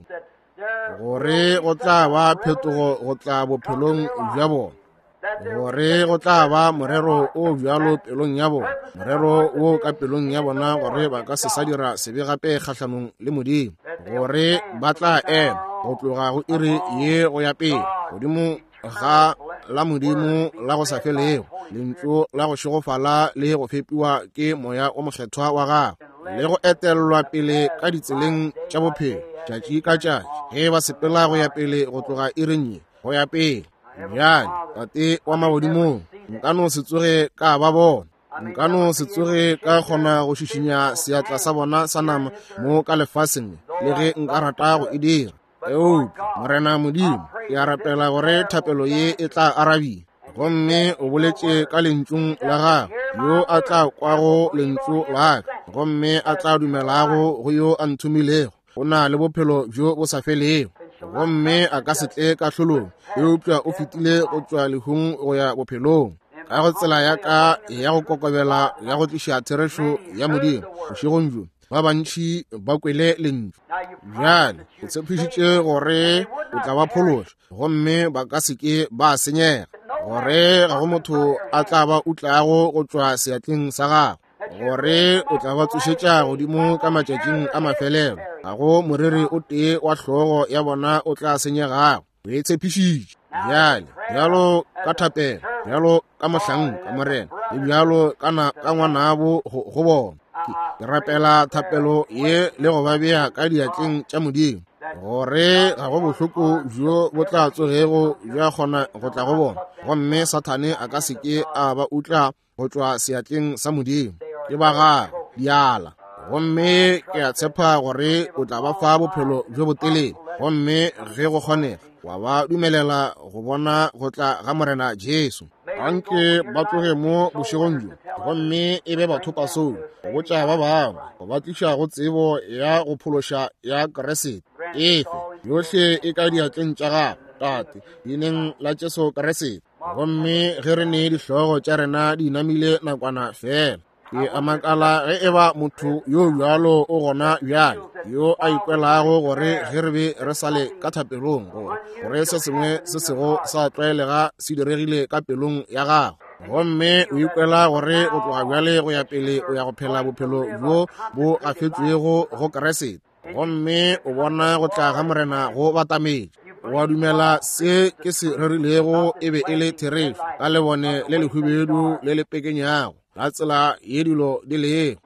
A: gore go tla ba phetogo go tla bophelong bja bona, gore go tla ba morero o bjalo pelong ya bona, morero wo ka pelong ya bona gore ba ka se sa dira sebe gape kgahlanong le Modimo, gore ba tla ema go tloga go iri ye go ya pele godimo ga la Modimo la go sa felego, lentšu la go šegofala le go fepiwa ke Moya o Mokgethwa wa gagwe, le go etellwa pele ka ditseleng tša bophelo tšatši ka tšatši ge ba sepela go ya pele go tloga iring ye go ya pele. Bjale, Tate wa magodimong, nka no se tsoge ka ba bona, nka no se tsoge ka kgona go šišinya seatla sa bona sa nama mo ka lefaseng le ge nka rata go e dira. Eupša, Morena Modimo, ke a rapela gore thapelo ye e tla arabiwa. Gomme o boletše ka lentšung la gagwe, yo a tla kwago lentšu la ka, gomme a tla dumelago go yo a nthomilego, o na le bophelo bjo bo sa felego. Gomme a ka se tle kahlolong, eupša o fetile go tšwa lehung go ya bophelong. Ka go tsela ya ka ya go kokobela ya go tliša therešo ya Modimo bošegong bjo, ba bantši ba kwele lentšu. Bjale o tshepišitše gore o tla ba phološa, gomme ba ka se ke ba senyega, gore ga go motho a tla ba utlago go tšwa seatleng sa gago, gore o tla ba tsošetša godimo ka matšatšing a mafelelo. Ga go moriri o tee wa hlogo ya bona o tla senyegago. O e tshepišitše. Bjale, bjalo ka thapelo, bjalo ka mohlanka, Morena, le bjalo ka na ka ngwanabo go bona, ke rapela thapelo ye le go ba bea ka diatleng tša Modimo, gore ga go bohloko bjo bo tla tsogego bja kgona go tla go bona, gomme Sathane a ka se ke a ba utla go tšwa seatleng sa Modimo. Ke ba gagwe diala, gomme ke a tshepa gore o tla ba fa bophelo bjo botelele, gomme ge go kgonega wa ba dumelela go bona go tla ga Morena Jesu. Anke ba tloge mo bošegong bjo, gomme e be bathopasong go botša ba bangwe, go ba tliša go tsebo ya go phološa ya Kriste. Efe yohle e ka diatleng tša gago, Tate, leineng la Jesu Kriste. Gomme ge re ne dihlogo tša rena di inamile nakwana fela, ke a makala ge e ba motho yo bjalo o gona bjale, yo a ikwelago gore ge re be re sa le ka thapelong, gore se sengwe se sego sa tlwaelega se diregile ka pelong ya gago, gomme o ikwela gore go tloga bjale go ya pele o ya go phela bophelo bjo bo gafetšwego go Kriste, gomme o bona go tla ga Morena go batametše. O a dumela se ke se rerilego e be e le therešo, ka lebone le lehubedu le le pekenyago la tsela ye dilo di lego,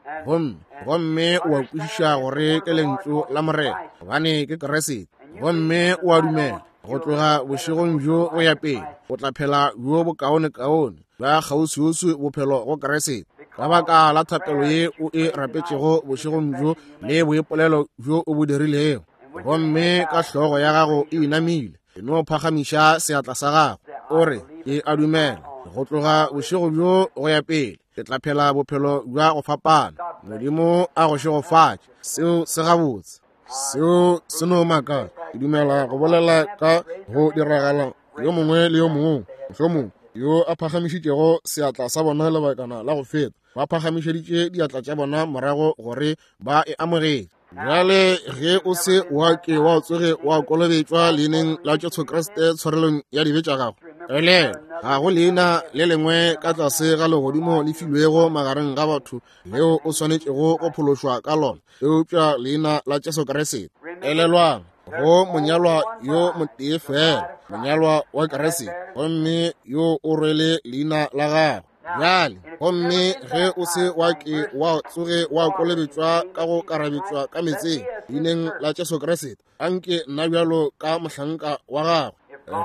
A: gomme o a kwešiša gore ke lentšu la Morena, gobane ke Kriste. Gomme o a dumela go tloga bošegong bjo go ya pele o tla phela bjo bokaonekaone bja kgauswiuswi bophelo go Kriste, ka baka la thapelo ye o e rapetšego bošegong bjo le boipolelo bjo o bo dirilego. Gomme ka hlogo ya gago e inamile, e no phagamiša seatla sa gago, o re, ke a dumela go tloga bošego bjo go ya pele ke tla phela bophelo bja go fapana. Modimo a go šegofatše. Seo se gabotse. Seo se no makatša. Ke dumela go bolela ka go diragala yo mongwe le yo mongwe, mohlomongwe yo a phagamišitšego seatla sa bona lebakana la go feta, ba phagamišeditše diatla tša bona morago gore ba e amogetše. Bjale ge o se wa ke wa tsoge wa kolobetšwa leineng la Jesu Kriste tshwarelong ya dibe tša gago, elelwa, ga go leina le lengwe ka tlase ga legodimo le filwego magareng ga batho leo o swanetšego go phološwa ka lona, eupša leina la Jesu Kriste. Elelwang, go monyalwa yo motee fela, monyalwa wa Kriste, gomme yo o rwele leina la gagwe. Bjale, gomme ge o se wa ke wa tsoge wa kolobetšwa ka go karabetšwa ka meetseng leineng la Jesu Kriste, anke nna bjalo ka mohlanka wa gagwe,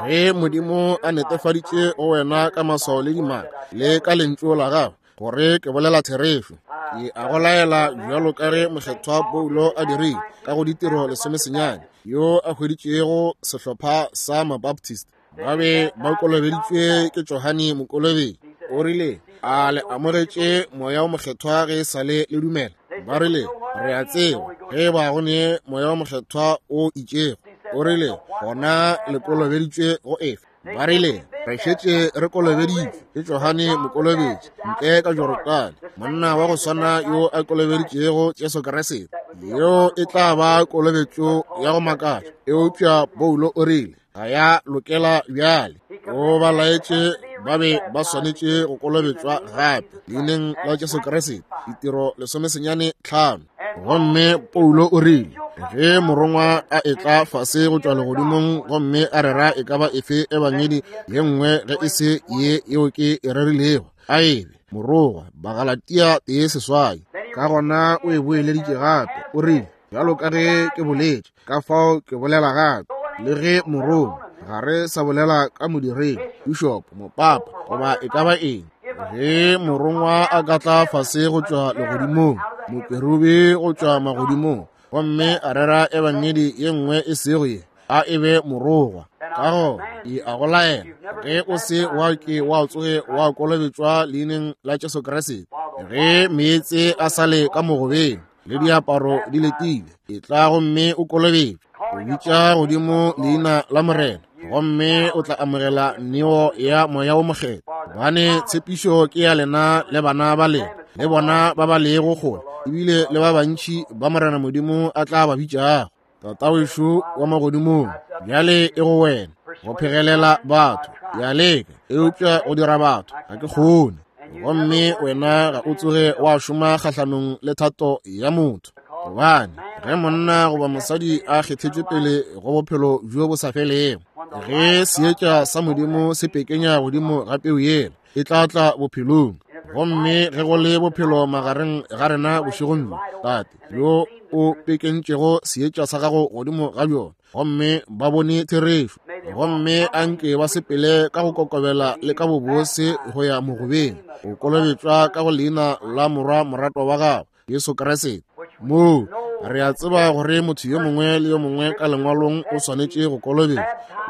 A: ge Modimo a netefaditše go wena ka maswao le dimaka le ka lentšu la gagwe gore ke bolela therešo, ke a go laela bjalo ka ge mokgethwa Paulo a dirile ka go Ditiro 19, yo a hweditšego sehlopha sa Mabaptist ba be ba kolobeditšwe ke Johane Mokolobetši. O rile, a le amogetše moya o mokgethwa ge e sa le le dumela? Ba rile, re a tseba ge ba go ne moya o mokgethwa o itšego. O rile, gona le kolobeditšwe go efe? Ba rile, re šetše re kolobeditšwe ke Johane Mokolobetši ntle ka Jorodane, monna wa go swana yo a kolobeditšego Jesu Kriste. Yeo e tla ba kolobetšo ya go makatša. Eupša Paulo o rile, ga ya lokela bjale. O ba laetše ba be ba swanetše go kolobetšwa gape leineng la Jesu Kriste, Ditiro 15. Gomme Paulo o rile, ge morongwa a etla fase go tšwa legodimong gomme a rera e ka ba efe ebangedi ye nngwe ge e se ye yeo ke e rerilego, a ebe morongwa. Bagalatia 1:8. Ka gona o e boeleditše gape, o rile, bjalo ka ge ke boletše, ka fao ke bolela gape, le ge morongwa, ga re sa bolela ka modiredi, bishop, mopapa, goba e ka ba eng. Ge morongwa a ka tla fase go tšwa legodimong, mokerubi go tšwa magodimong, gomme a rera ebangedi ye nngwe e sego ye, a e be morogwa. Ka gona ke a go laela, ge o se wa ke wa tsoge wa kolobetšwa leineng la Jesu Kriste, ge meetse a sa le ka mogobeng le diaparo di letile, e tla gomme o kolobetšwe. O bitša godimo leina la Morena, gomme o tla amogela neo ya Moya wo Mokgethwa. Gobane tshepišo ke ya lena le bana ba lena, le bona ba ba lego kgole, ebile le ba bantši ba Morena Modimo a tla ba bitšago. Tatawešo wa magodimong, bjale e go wena go phegelela batho. Ke a leka, eupša go dira batho ga ke kgone. Gomme wena ga o tsoge wa šoma kgahlanong le thato ya motho, gobane ge monna goba mosadi a kgethetšwe pele go bophelo bjo bo sa felego, ge seetša sa Modimo se pekenya godimo ga peu yela, e tla tla bophelong. Gomme ge go le bophelo magareng ga rena bošegong bjo, Tate, yo o pekentšego seetša sa gago godimo ga bjona, gomme ba bone therešo, gomme a nke ba sepele ka go kokobela le ka bobose go ya mogobeng, go kolobetšwa ka go leina la Morwa moratwa wa gago, Jesu Kriste. Moo re a tseba gore motho yo mongwe le yo mongwe ka lengwalong o swanetše go kolobetšwa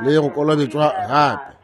A: le go kolobetšwa gape.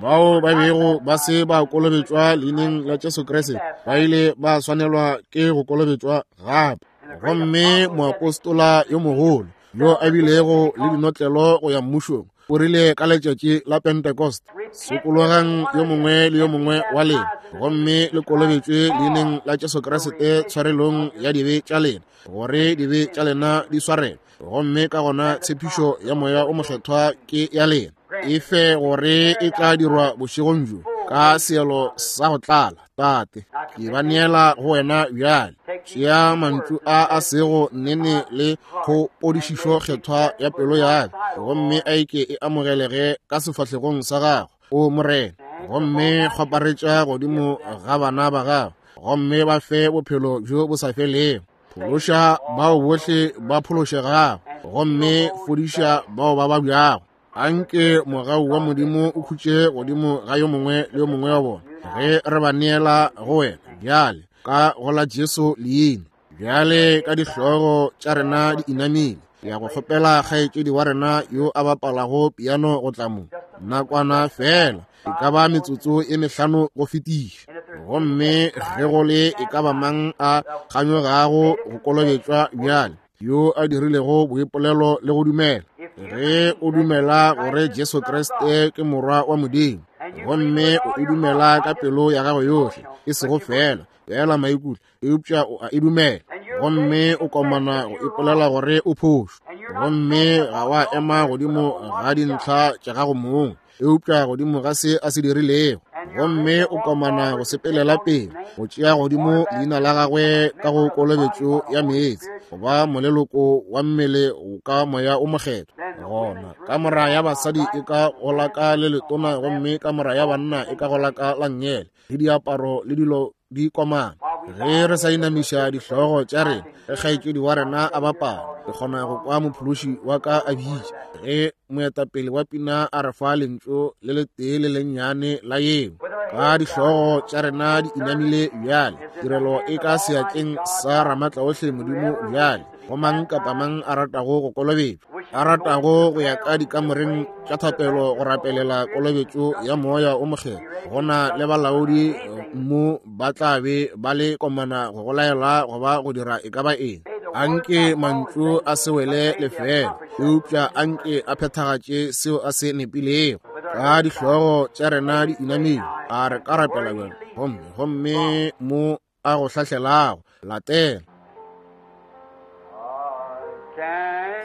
A: Bao ba bego ba se ba kolobetšwa leineng la Jesu Kriste ba ile ba swanelwa ke go kolobetšwa gape. Gomme moapostola yo mogolo yo a bilego le dinotlelo go ya mmušong o rile ka letšatši la Pentecost, sokologang yo mongwe le yo mongwe wa lena gomme le kolobetšwe leineng la Jesu Kriste tshwarelong ya dibe tša lena, gore dibe tša lena di swarelwe, gomme ka gona tshepišo ya Moya o Mokgethwa ke ya lena. E fe gore e tla dirwa bošegong bjo ka seelo sa go tlala. Tate, ke ba neela go wena bjale. Tšea mantšu a a sego nnene le kgopodišišo kgethwa ya pelo ya ka, gomme a eke e amogelege ka sefahlegong sa gago, o Morena. Gomme kgwaparetša godimo ga bana ba gago, gomme ba fe bophelo bjo bo sa felego. Phološa bao bohle ba phološegago, gomme fodiša bao ba babjago. Anke mogau wa Modimo o khutše godimo ga yo mongwe le yo mongwe wa bona ge re ba neela go wena bjale ka go la Jesu leina. Bjale ka dihlogo tša rena di inamile, ke ya go kgopela kgaetšedi wa rena yo a bapalago piano go tla mo nakwana fela, e ka ba metsotso e mehlano go fetiša. Gomme ge go le e ka ba mang a kganyogago go kolobetšwa bjale, yo a dirilego boipolelo le go dumela, ge o dumela gore Jesu Kriste ke Morwa wa Modimo, gomme o e dumela ka pelo ya gago yohle, e sego fela fela maikutlo, eupša o a e dumela, gomme o komana go ipolela gore o phošo, gomme ga wa ema godimo ga dintlha tša gago mong, eupša godimo ga se a se dirilego, gomme o komana go sepelela pele go tšea godimo leina la gagwe ka go kolobetšo ya meetse, go ba moleloko wa mmele ka Moya o Mokgethwa. Gona kamora ya basadi e ka gola ka le letona, gomme kamora ya banna e ka gola ka la nngele, le diaparo le dilo di komana. Ge re sa inamiša dihlogo tša rena, ge kgaetšedi wa rena a bapala, ke kgona go kwa mophološi wa ka a bitša, ge moetapele wa pina a re fa lentšu le letee le lennyane la yeo. Ka dihlogo tša rena di inamile bjale, tirelo e ka seatleng sa Ramatlaohle Modimo bjale, go mang kapa mang a ratago go kolobetšwa, a ratago go ya ka dikamoreng tša thapelo go rapelela kolobetšo ya Moya o Mokgethwa, go na le balaodi mo ba tla be ba le komana go go laela goba go dira e ka ba eng. Anke mantšu a se wele lefeela, eupša anke a phethagatše seo a se nepilego. Ka dihlogo tša rena di inamile, a re ka rapela bjale, gomme gomme mo a go hlahlelago latela.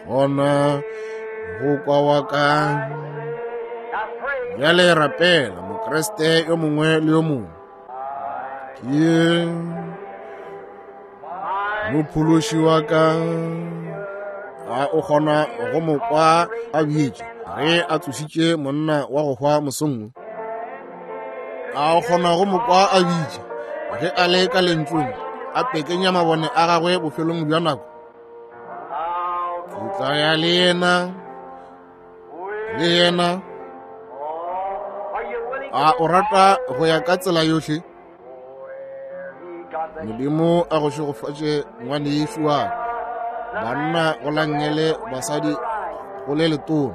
A: Gona go kwa wa ka. Bjale rapela Mokriste yo mongwe le yo mongwe. Ke mophološi wa ka. A o kgona go mo kwa a bitša ge a tsošitše monna wa go hwa mosong wo? A o kgona go mo kwa a bitša ge a le ka lentšung, a pekenya mabone a gagwe bofelong bja nako? Ke tla ya le yena, le yena. A o rata go ya ka tsela yohle? Modimo a go šegofatše ngwanešu wa ka. Banna go la nngele, basadi go le letona.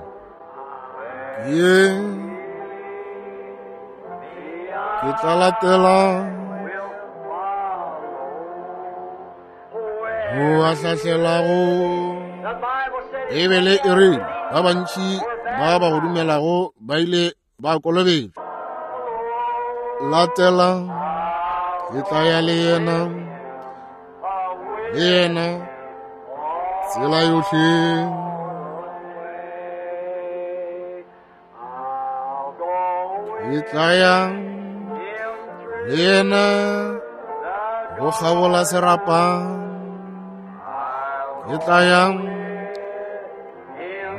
A: Ye ke tla latela go a hlahlelago. Beibele e rile ba bantši ba ba go dumelago ba ile ba kolobetšwa. Latela, ke tla ya le yena, le yena tsela yohle. Ke tla ya le yena go kgabola serapa. Ke tla ya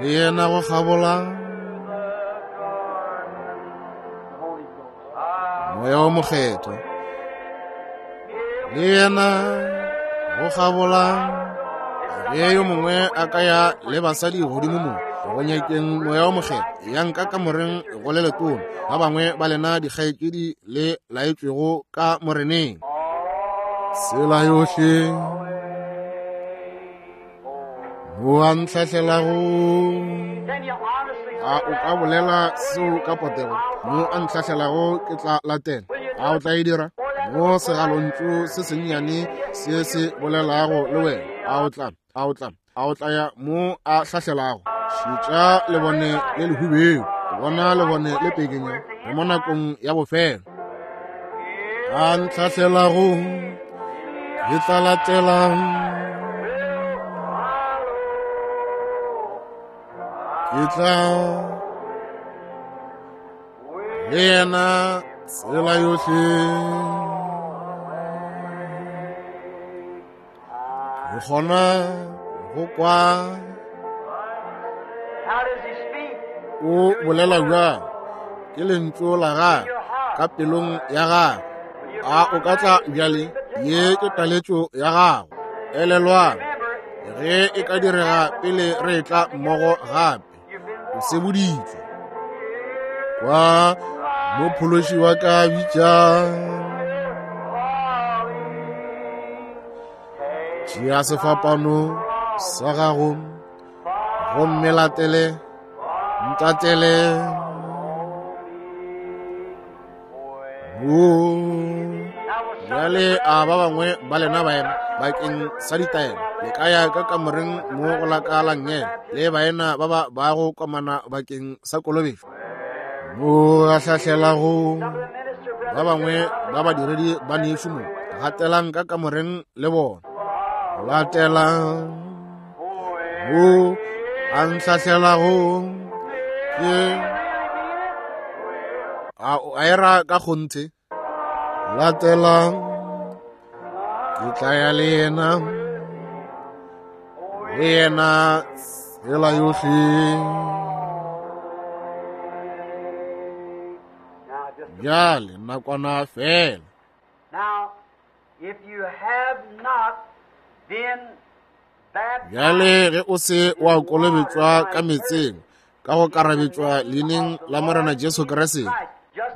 A: le yena go kgabola Moya wo Mokgethwa. Le yena go kgabola. Ge yo mongwe a ka ya le basadi godimo mo go nyakeng Moya wo Mokgethwa, yang ka kamoreng go le letona. Ba bangwe ba lena dikgaetšedi le laetšwego ka Moreneng. Tsela yohle mo a ntlhahlelago. A o ka bolela seo ka potego? Mo a ntlhahlelago ke tla latela. A o tla e dira? Mo segalontšu se sennyane se se bolelago le wena, a o tla, a o tla, a o tla ya mo a hlahlelago? Šetša lebone le lehubedu, bona lebone le pekenya, re mo nakong ya bofelo. A ntlhahlelago ke tla latela. Ke tla le yena tsela yohle. Ke kgona go kwa. O bolela bjang? Ke lentšu la gagwe ka pelong ya gagwe. A o ka tla bjale? Ye ke taletšo ya gago. Elelwang, ge e ka direga pele re etla mmogo gape, o seboditšwe. Kwa mophološi wa ka bitša. Tšea sefapano sa gago gomme latele, ntatele. Bjale a ba bangwe ba lena baena bakeng sa ditaelo le ka ya ka kamoreng mo go la ka la nngele le baena ba ba bago komana bakeng sa kolobetšo. Mo a hlahlelago ba bangwe ba badiredi ba nešu mo, gatelang ka kamoreng le bona. Latelang mo a ntlhahlelago ke a o a era ka kgonthe. Latelang, ke tla ya le yena, le yena tsela yohle. Bjale nakwana fela.
B: Now, if you have not been
A: Bjale ge o se wa kolobetšwa ka meetseng ka go karabetšwa leineng la Morena Jesu Kriste,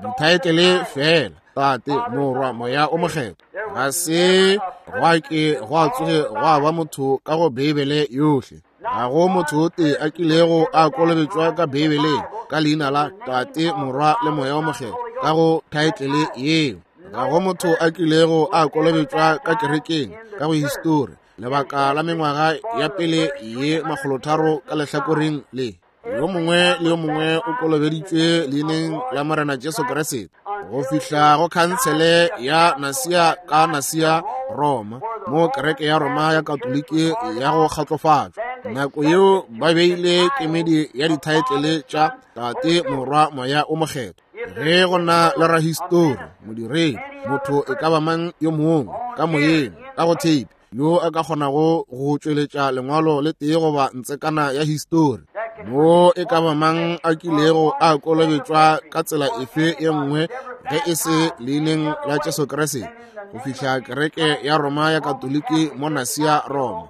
A: dithaetlele fela, Tate, Morwa, Moya o Mokgethwa, ga se gwa ke gwa tsoge gwa ba motho ka go Beibele yohle. Ga go motho o tee a kilego a kolobetšwa ka Beibeleng ka leina la Tate, Morwa le Moya o Mokgethwa ka go thaetlele yeo. Ga go motho a kilego a kolobetšwa ka kerekeng ka go histori lebaka la mengwaga ya pele ye 300 ka lehlakoreng le. Yo mongwe le yo mongwe o kolobeditšwe leineng la Morena Jesu Kriste go fihla go khansele ya Nasia ka Nasia, Roma, mo kereke ya Roma ya Katoliki ya go kgatlofatšwa. Nako yeo ba beile kemedi ya dithaetlele tša Tate, Morwa, Moya o Mokgethwa. Ge go na le rahistori, modiredi, motho e ka ba mang yo mongwe ka moyeng, ka go tape, yo a ka kgonago go tšweletša lengwalo le tee goba ntsekana ya histori, mo e ka ba mang a kilego a kolobetšwa ka tsela efe ye nngwe ge e se leineng la Jesu Kriste, go fihla kereke ya Roma ya Katoliki mo Nasia, Roma.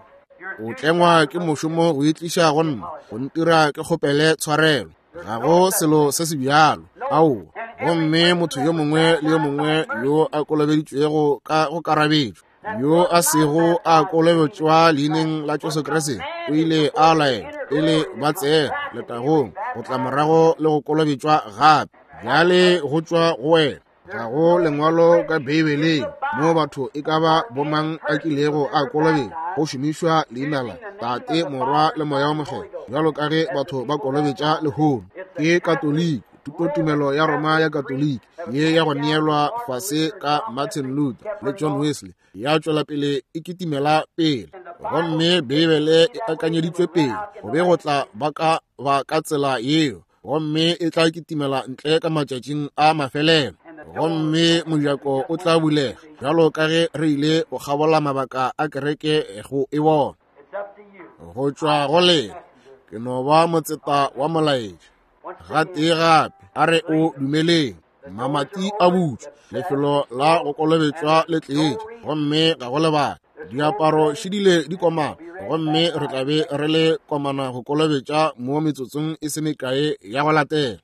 A: O tlengwa ke mošomo go itliša go nna, go ntira ke kgopele tshwarelo. Ga go selo se se bjalo. Aowa. Gomme motho yo mongwe le yo mongwe yo a kolobeditšwego ka go karabetšwa, yo a sego a kolobetšwa leineng la Jesu Kriste, o ile a laelwa pele ba tsena letagong go tla morago le go kolobetšwa gape. Bjale go tšwa go wena. Ga go lengwalo ka Beibeleng mo batho e ka ba bomang a kilego a kolobetšwa go šomišwa leina la Tate, Morwa le Moya wo Mokgethwa bjalo ka ge batho ba kolobetša lehono. Ke Katoliki, thutotumelo ya Roma ya Katoliki ye ya go neelwa fase ka Martin Luther le John Wesley ya tšwela pele e kitimela pele, gomme Beibele e akanyeditšwe pele go be go tla ba ka ba ka tsela yeo, gomme e tla kitimela ntle ka matšatšing a mafelelo, gomme mojako o tla bulega bjalo ka ge re ile go kgabola mabaka a kereke go e bona. Go tšwa go lena, ke no ba motseta wa molaetša. Gatee gape, a re o dumeleng. Mamati a butšwe, lefelo la go kolobetšwa le tletše, gomme ga go lebaka. Diaparo šidile di komana, gomme re tla be re le komana go kolobetša mo metsotsong e se mekae ya go latela.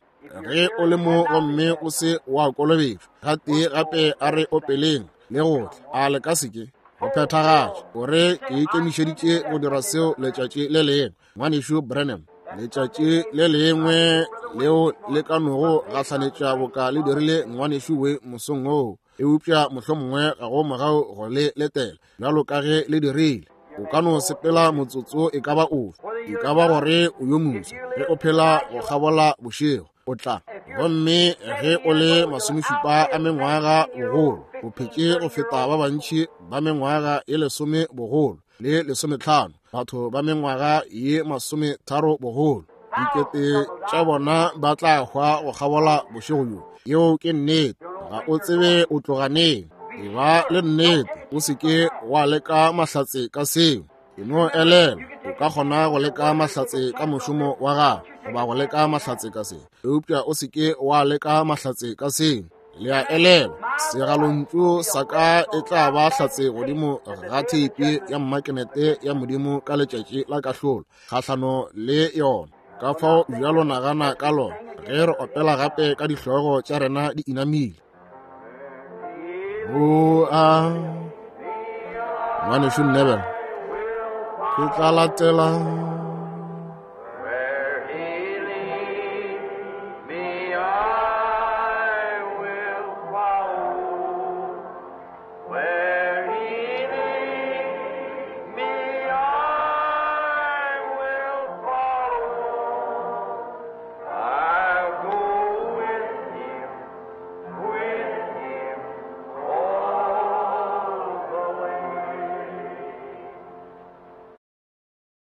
A: Ge o le mo gomme o se wa kolobetšwa, gatee gape a re opeleng le go tla, a le ka se ke go phethagatša gore ke ikemišeditše go dira seo letšatši le lengwe. Ngwanešu Branham, letšatši le lengwe leo le ka nogo gahlanetša boka le dirile ngwanešu we mosong woo, eupša mohlomongwe ga go mogau go le letela bjalo ka ge le dirile. O ka no sepela motsotso e ka ba ofe, e ka ba gore o yo moswa ge o phela go kgabola bošego, o tla. Gomme ge o le masomešupa a mengwaga bogolo, o phetše go feta ba bantši ba mengwaga e lesome bogolo le lesometlhano, batho ba mengwaga ye masometharo bogolo, dikete tša bona ba tla hwa go kgabola bošego bjo. Yeo ke nnete. Ga o tsebe o tloga neng. E ba le nnete, o se ke wa leka mahlatse ka seo. E no elelwa, o ka kgona go leka mahlatse ka mošomo wa gago goba go leka mahlatse ka se, eupša o se ke wa leka mahlatse ka seo. Le a elelwa, segalontšu sa ka e tla ba hlatse godimo ga theipi ya mmakenete ya Modimo ka letšatši la kahlolo kgahlano le yona. Ka fao bjalo nagana ka lona ge re opela gape ka dihlogo tša rena di inamile. O a ngwanešu Neville, ke tla latela.